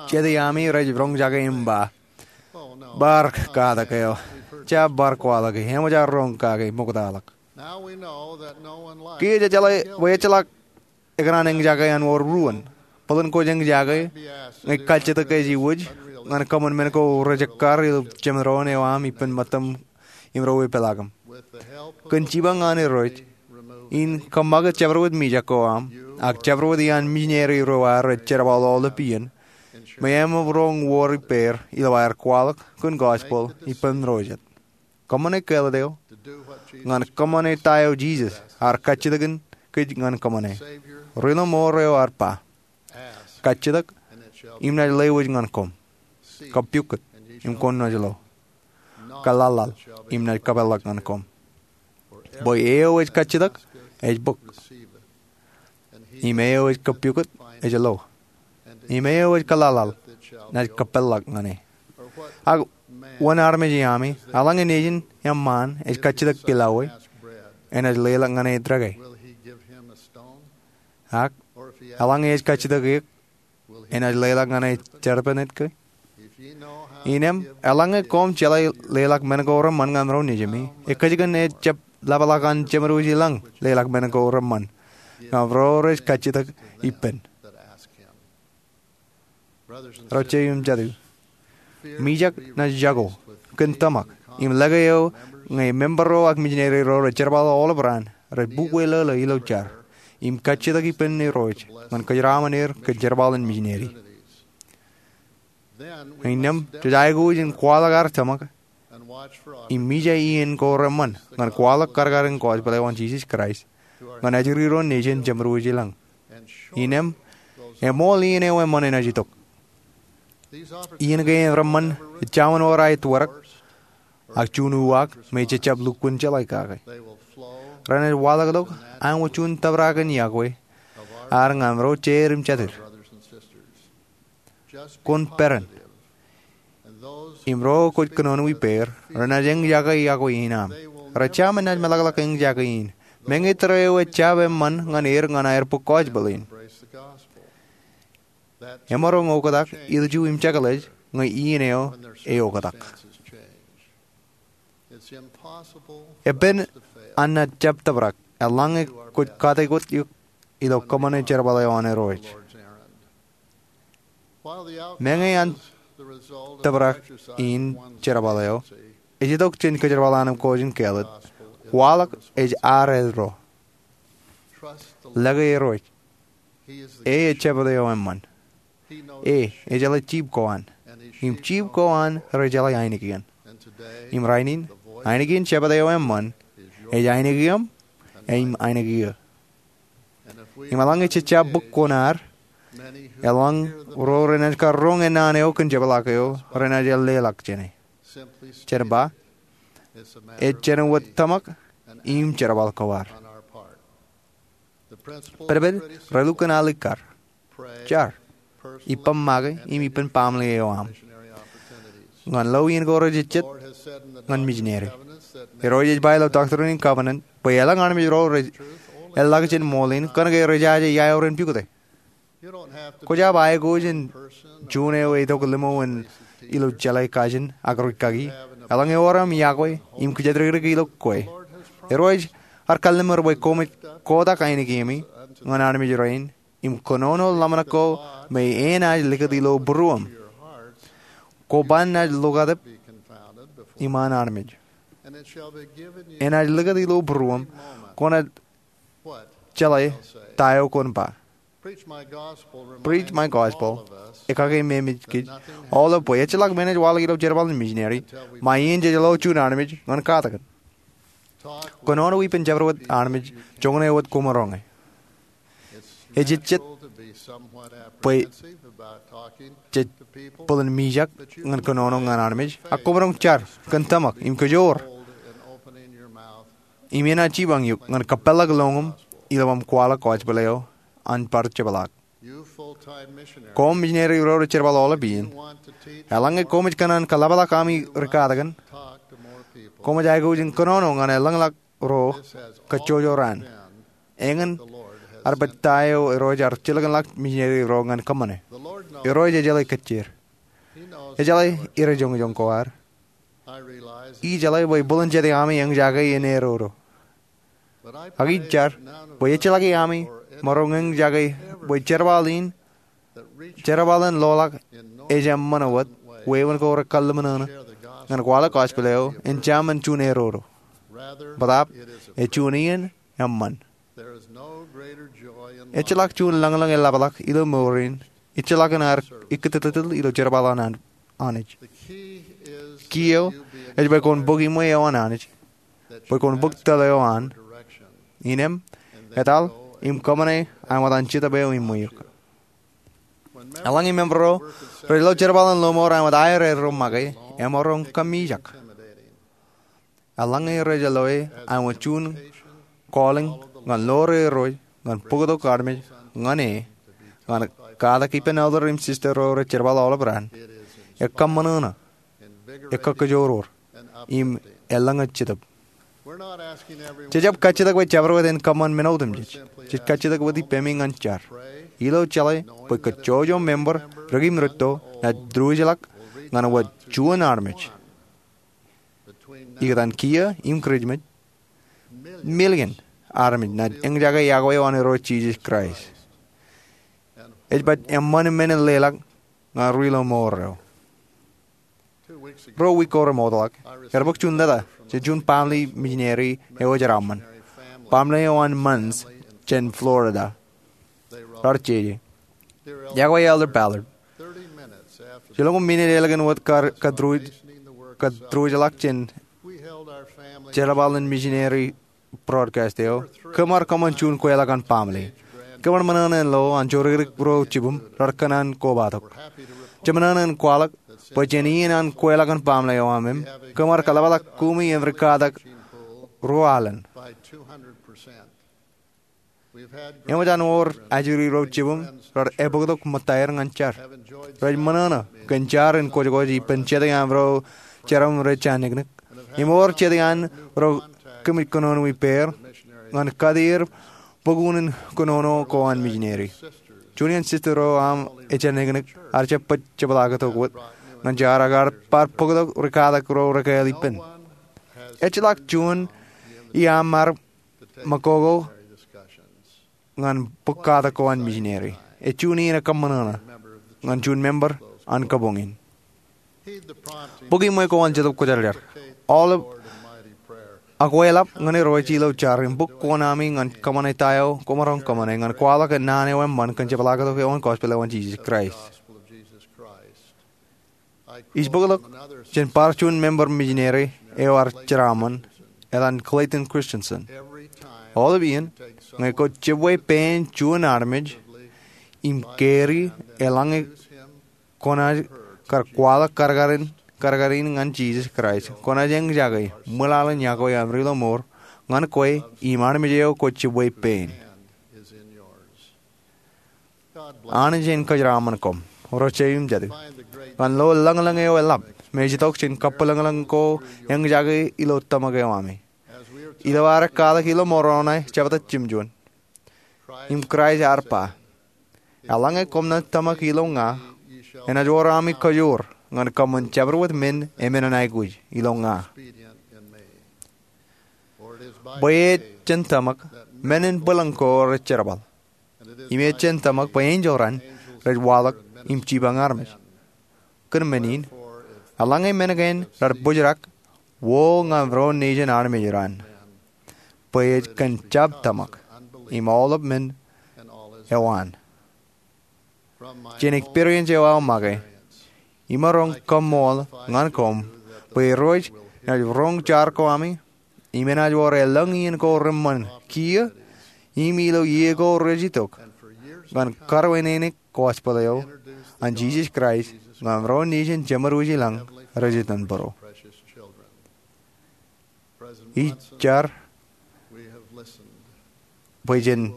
jet iaami rej roñjake im ba, bar katak eo, jab bar kwaḷọke, eṃōj ad roñ kake ṃoktaḷọk. Kiiō jejeḷā bwe ejjeḷọk ekōṇaan eñjake an wōr ruōn. Bōlen kwōj eñjake ñe kajjitōk ej iwōj ñan kōṃṃan men ko rejekkar ilo jeṃdoon eo aṃ ippān ṃōttaṃ im ro epālọkōṃ. Kōn jipañ an Irooj in kōṃṃakūt jabdewōt mijak ko aṃ ak jabdewōt iaan mijineri ro ad rej jerbal aolep iien, im eṃōj roñ wōr ippāer ilo aer kwaḷọk kōn gospel ippān ro jet. Kōṃṃane kāālōt eo ñan kōṃṃane ta eo Jisōs ear kajjitōkin kōj ñan kōṃṃane. Ri Lọmọọr eo ear ba, kajjitōk im naaj lewōj ñan koṃ. Kōpukot im kwōnaaj lo. Kōḷaḷḷaḷ im naaj kōpeḷḷọk ñan koṃ. Bwe eo ej kajjitōk ej bōk, im eo ej kōpukot ej lo, im eo ej kōḷaḷḷaḷ naaj kōpeḷḷọk ñan e. Ak wōn armej iaami, eḷaññe nejin eṃṃaan ej kajjitōk pilawōj, enaaj leḷọk ñan e treke? Ak eḷaññe ej kajjitōk eok, enaaj leḷọk ñan e serpent ke? Innem, eḷaññe koṃ jeḷā leḷọk men ko reṃṃan ñan ro nejimi, ekōjkan ejjab ḷapḷọk an jeṃdooj i lañ leḷọk men ko reṃṃan ñan ro rej kajjitōk ippān. Ro jeiū im jatū, mijak naaj jako kōn tōmak im lōke eo ñe member ro ak mijineri ro rej jerbal aolep raan rej bukwe lōḷō ilo jar im kajjitōk ippān Irooj ñan kōjeraaṃṃan er kōn jerbal in mijineri. Innām jej aikuj in kwaḷọk ad tōmak im ija iien ko reṃṃan ñan kwaḷọk kadkadin kōjpeḷ eo an Jisōs Kraist ñan ajri ro nejin jeṃro ilañ. Innām eṃool iien eo eṃṃan enaaj itok. Iien kein reṃṃan ejjaṃōn wōt aetwōrōk, ak juon uwaak me jejjab lukkuun jeḷā kake. Renaaj waḷọkḷọk aṃo juon tōprak in iọkwe ad ñan ro jeid im jatid. Kwōn peran, im ro kwōj kōnono ippāer renaaj eñjake iọkwe in aṃ. Rejjāmin naaj meḷọkḷọk eñjake in, meñe tōre eo ejjab eṃṃan ñan er ñan aer bōk kōjpeḷ in. Emaroñ oktak ilju im jekḷaj ñe iien eo eoktak. Epen an naaj jab tōprak eḷaññe kwōj katakwōt eok ilo kōṃṃane jerbal eo an Irooj. Meñe an tōprak in jerbal eo ej itok jān kōjerbal an im kōjin kāālōt, kwaḷọk ej ad eddo. Lōke Irooj. E ej Jebōt eo eṃṃan. E ejeḷā jip ko an, im jip ko an rej jeḷā ainikien. Im rainin, ainikien Jebōt eo eṃṃan ej ainikieṃ im ainikieō. Im eḷaññe jej jab bōk kuṇaad, eḷaññe ro renaaj kar roñ ennaan eo kōn jepḷaak eo renaaj leḷọk jāne. Jen ba, ej jān wōt tōmak im jerbal ko ad. Pedped relukkuun alikkar. Jar, ippān make im ippān baaṃle eo aṃ ñan lo iien ko rejejjet ñan mijineri. Irooj ej ba ilo Doctrine and Covenants bwe elōñ armej ro rej eḷḷọk jān ṃool in kōnke rej jaje iaorōk in pukot e. Kwōjab aikuj in juon eo etok limo in ilo jeḷā kajin ak rūkaki. Eḷaññe ewōr aṃ iọkwe im kōjatdikdik ilo kwe, Irooj ear kalliṃur bwe koṃij kotak ainikieṃ ñan armej rein im kōnono ḷōmṇak ko me enaaj likūt ilo būruōṃ. Kwōban naaj lokaatep iṃaan armej. Enaaj likūt ilo būruōṃ kwōnaaj jeḷā ta eo kwōn ba. Preach my gospel. Ekkā ke memeej kōj aolep bwe ejjeḷọk men ej waḷọk ilo jerbal in mijineri ṃae iien jej lo juon armej ñan katakin. Kōnono ippān jabdewōt armej joñan eo wōt kwōmaroñ e. Ejejjet bwe jej bōlen mijak ñan kōnono ñan armej, ak kwōmaroñ jar kōn tōmak im kōjoor. Im enaaj jipañ eok ñan kōpeḷḷọk lọñiṃ ilo aṃ kwaḷọk kōjpeḷ eo an bar jepḷaak. Koṃ mijineri ro rej jerbal aolep iien, eḷaññe koṃij kōṇaan kōḷapḷọk ami rikatakin, koṃij aikuj in kōnono ñan eḷañḷọk ro kajjojo raan. Eñin ear baj ta eo Irooj ear jilkinḷọk mijineri ro ñan kōṃṃane. Irooj ejeḷā kōjjeer. Ejeḷā irejoñjoñ ko ad. Ij jeḷā bwe bōlen jete ami eñjake in erodo. Ak ij jar bwe ejjeḷọki ami maroñ eñjake bwe jerbal in, jerbal in loḷọk ej eṃṃan wōt wāween ko rekallimṇōṇō ñan kwaḷọk kōjpeḷ eo en jemān juon erodo. Bōtaab, ej juon iien eṃṃan. Ejjeḷọk juon lañlōñ eḷapḷọk ilo mour in ejjeḷọk in ad ikkitittitōl ilo jerbal an Anij. Key eo ej bwe kwōn bōk iṃwe eo an Anij, bwe kwōn bōk tōl eo an. Innām, etal im kōṃṃane aṃōt an Jetōb eo iṃwe eok. Eḷaññe member ro rej lo jerbal in lọmọọr aṃōt aer eddo make, emaroñ kōmijak. Eḷaññe rej loe aṃōt juon calling ñan ḷoor Irooj ñan bōktok armej ñan e, ñan katak ippān elder im sister ro rej jerbal aolep raan, ekkōṃṃan ṇe, ekkōkōjoor, im elōñ eo Jetōb. Jejjab kajjitōk bwe jabdewōt en kōṃṃan men otemjej. Jej kajjitōk wōt ippemi ñan jar. Ilo jeḷā bwe kajjojo member dik im rūtto naaj diwōjḷọk ñan wōt juon armej. Ikōtaan kiiō im Kūrijmej, million armej naaj eñjake iọkwe eo an Irooj Jisōs Kraist. Ej baj eṃṃan men in leḷọk ñan ri lọmọọr eo. Ruo wiik ko remootḷọk, ear bōk juon leta jān juon baaṃle mijineri eo ej jeraaṃṃan. Baaṃle eo an Munns jān Florida. Raar jeje. Iọkwe Elder Ballard. Jelōñ minit ālikin wōt kar kōtūruj, kōtūrujḷọk jān jerbal in missionary broadcast eo, kōm ar kōṃṃan juon kweilọk an baaṃle. Kōm ar ṃōṇōṇō in lo an jodikdik ro jibūṃ raar kōṇaan kobatok. Jemaroñ in kwaḷọk bwe jān iien an kweilọk an baaṃle eo aṃ im, kōm ar kōḷapḷọk kumi im rikatak ruo alen. Eṃōj an wōr ajri ro jibūṃ raar ebōktok ṃōttaer ñan jar. Rej ṃōṇōṇō kōn jar in kwōjkwōj ippān jet iaan ro jeraaṃṃan rej jañniknik. Im wōr jet iaan ro kōmij kōnono ippāer ñan kate er bok unin kōnono ko an misineri. Juon iaan sister ro aṃ ejañniknik ear jab baj jepḷaaktok wōt ñan jar ak ear bar bōktok rikatak ro rekāāl ippān. Ejjeḷọk juon iaam ṃōkoko ñan bōk katak ko an misineri. Ej juon iien ekōṃṃan ṇe ñan juon member an kabuñ in. Bōk iṃwe ko an Jetōb Kwōjarjar. Aolep akweḷap ñan Irooj ilo jar im bōk koṇaami ñan kōṃṃane ta eo koṃ maroñ kōṃṃane ñan kwaḷọk naan eo eṃṃan kōn jepḷaaktok eo an gospel eo an Jisōs Kraist. Ij bōktok jān bar juon member misineri eo ear jeraaṃṃan, etan Clayton Christensen. Aolep iien ñe kwōj jibwe pein juon armej im carry eḷaññe kwōnaaj kar kwaḷọk kadkadin, kadkadin ñan Jisōs Kraist, kwōnaaj eñjake ṃwilaḷ in yokwe aṃ ri lọmọọr ñan kwe im armej eo kwōj jibwe pein. Anij en kōjeraaṃṃan koṃ, ro jeiū im jatū, ñan lo lōñlōñ eo eḷap me ej itok jān kabwilōñlōñ ko eñjake ilo tōmak eo ami. Ilo ad kwaḷọk ilo Moroni jebta jimjuon, im Kraist ear ba, eḷaññe koṃ naaj tōmak ilo ña, enaaj wōr ami kajoor ñan kōṃṃan jabdewōt men emenin aikuj ilo ña. Bwe ej jān tōmak men in bwilōñ ko rej jerbal. Im ej jān tōmak bwe enjeḷ raṇ rej waḷọk im jipañ armej. Kōn men in, eḷaññe men kein rar bōjrak, wōr ñan ro nejin armej raṇ. Bwe ej kōn jab tōmak im aolep men eo an. Jān experience eo aō make, imaroñ kaṃṃool ñan koṃ bwe Irooj enaaj roñ jar ko ami, im enaaj wōr elōñ iien ko reṃṃan kiiō, im ilo iiō ko rej itok, ñan karuwaineneik gospel eo an Jisōs Kraist ñan ro nejin jemed wōj ilañ rej itōn bōro. Ij jar bwe jen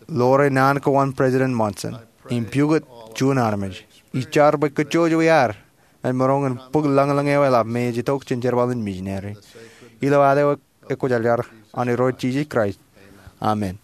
lore naan ko an President Monson im pukot juon armej. Ij jar bwe kōjjoj eo iar ej maroñ in bōk lōñlōñ eo eḷap me ej itok jān jerbal in misineri. Ilo ad eo ekwōjarjar an Irooj Jisōs Kraist, amen.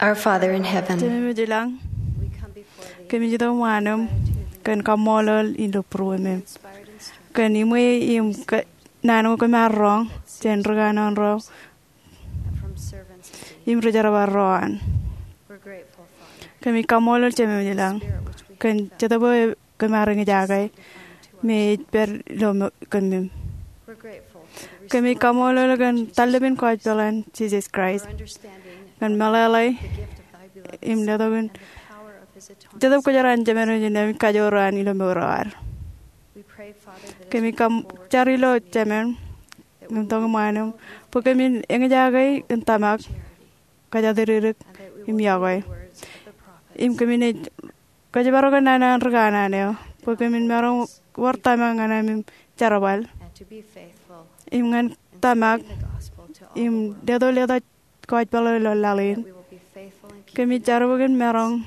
Our Father in heaven, Jemem ej ilañ, kōmij itok iṃaanum kōn kaṃṃoolol ilo būruemem kōn iṃwe im naan ko kōm ar roñ jān ri kanaan ro im ri jerbal ro an. Kōmij kaṃṃoolol Jemem ilañ kōn Jetōb eo kōm ar eñjake me ej pād ilo kōmij. Kōmij kaṃṃoolol kōn tallepin kōjpeḷ an Jisōs Kraist, kōn meḷeḷe im letok in Jetōb Kwōjarjar an Jemān eo ej Naan im kajoor an ilo mour eo ad. Kōmij jar ilo Jemān im itok iṃaanum bwe kōmin eñjake kōn tōmak, kōjatdikdik im iọkwe. Im kōmin ej kōjparok kōn naan an ri kanaan eo bwe kōmin maroñ wōr tōmak ñan ami jerbal im ñan tōmak im leto leto kōjpeḷ ilo laḷ in. Kōmij jar bwe kōmin maroñ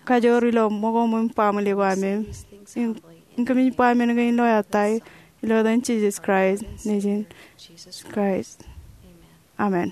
kajoor ilo ṃōko im baaṃle ko am im kōmij ba men kein ilo ettā eo ilo etan Jisōs Kraist, Nejin Kraist. Amen.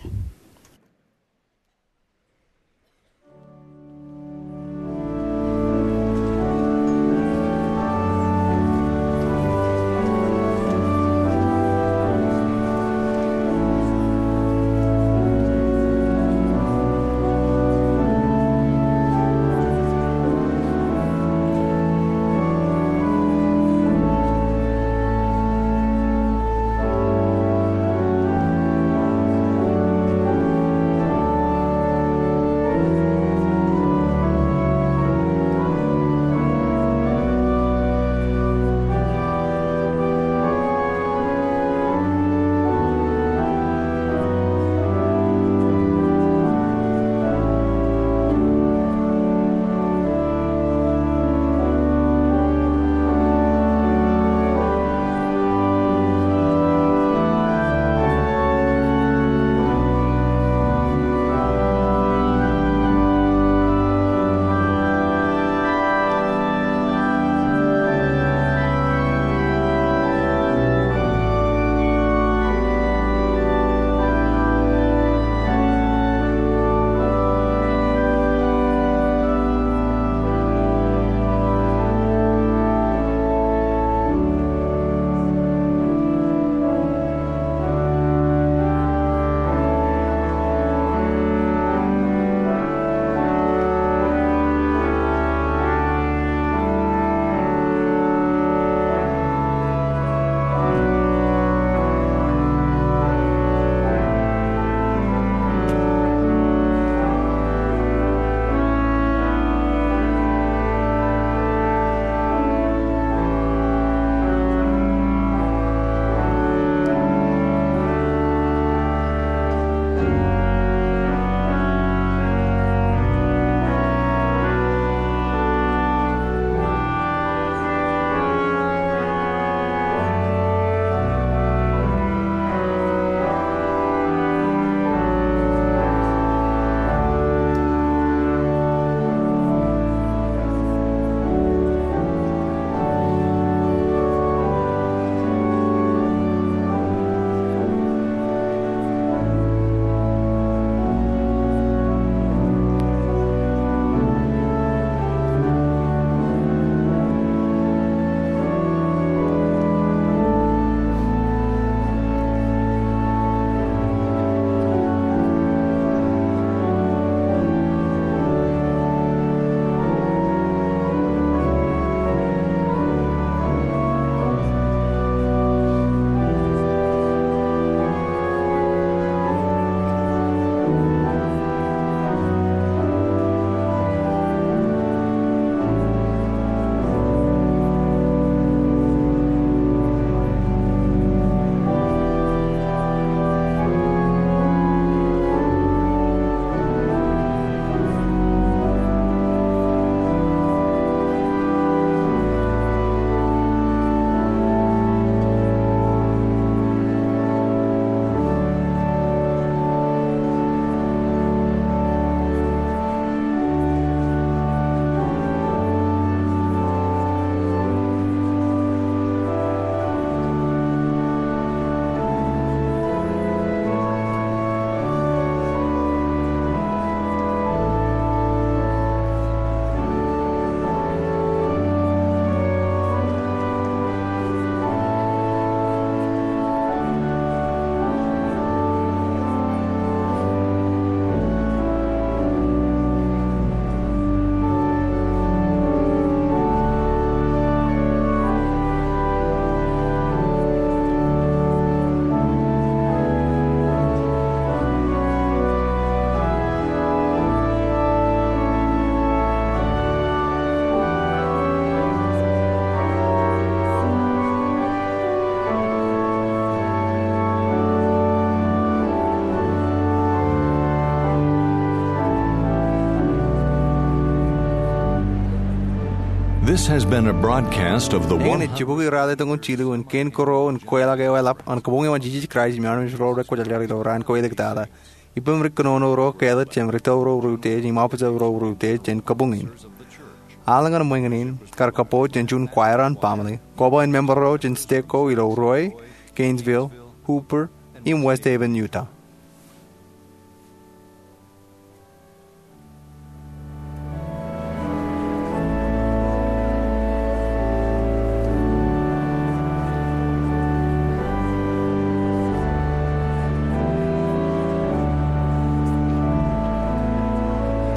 This has been a broadcast of the Eñin ej jibukwi ralitōñoul jilu in kein kōrā in kweilọk eo eḷap an Kabuñ eo an Jisōs Kraist im armej ro rekwōjarjar ilo raan ko eliktata. Ippaṃ ri kōnono ro kāālōt jān ri tōl ro reutiej im officer ro reutiej jān kabuñ in. Aolep ñan ṃōñā in kar kōpooj jān juon choir an baaṃle, koba in member ro jān stek ko ilo Roy, Gainesville, Hooper, im West Haven, Utah.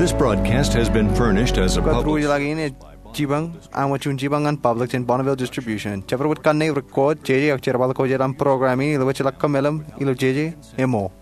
This broadcast has been furnished as a Kōtruojeḷọk in ej jipañ, aṃ juon jipañ ñan public jān Bonneville Distribution. Jabdewōt kanne record, jeje ak jerbal ko jān program in ilo wōt jeḷak kōmeḷeḷe ilo jeje, emo.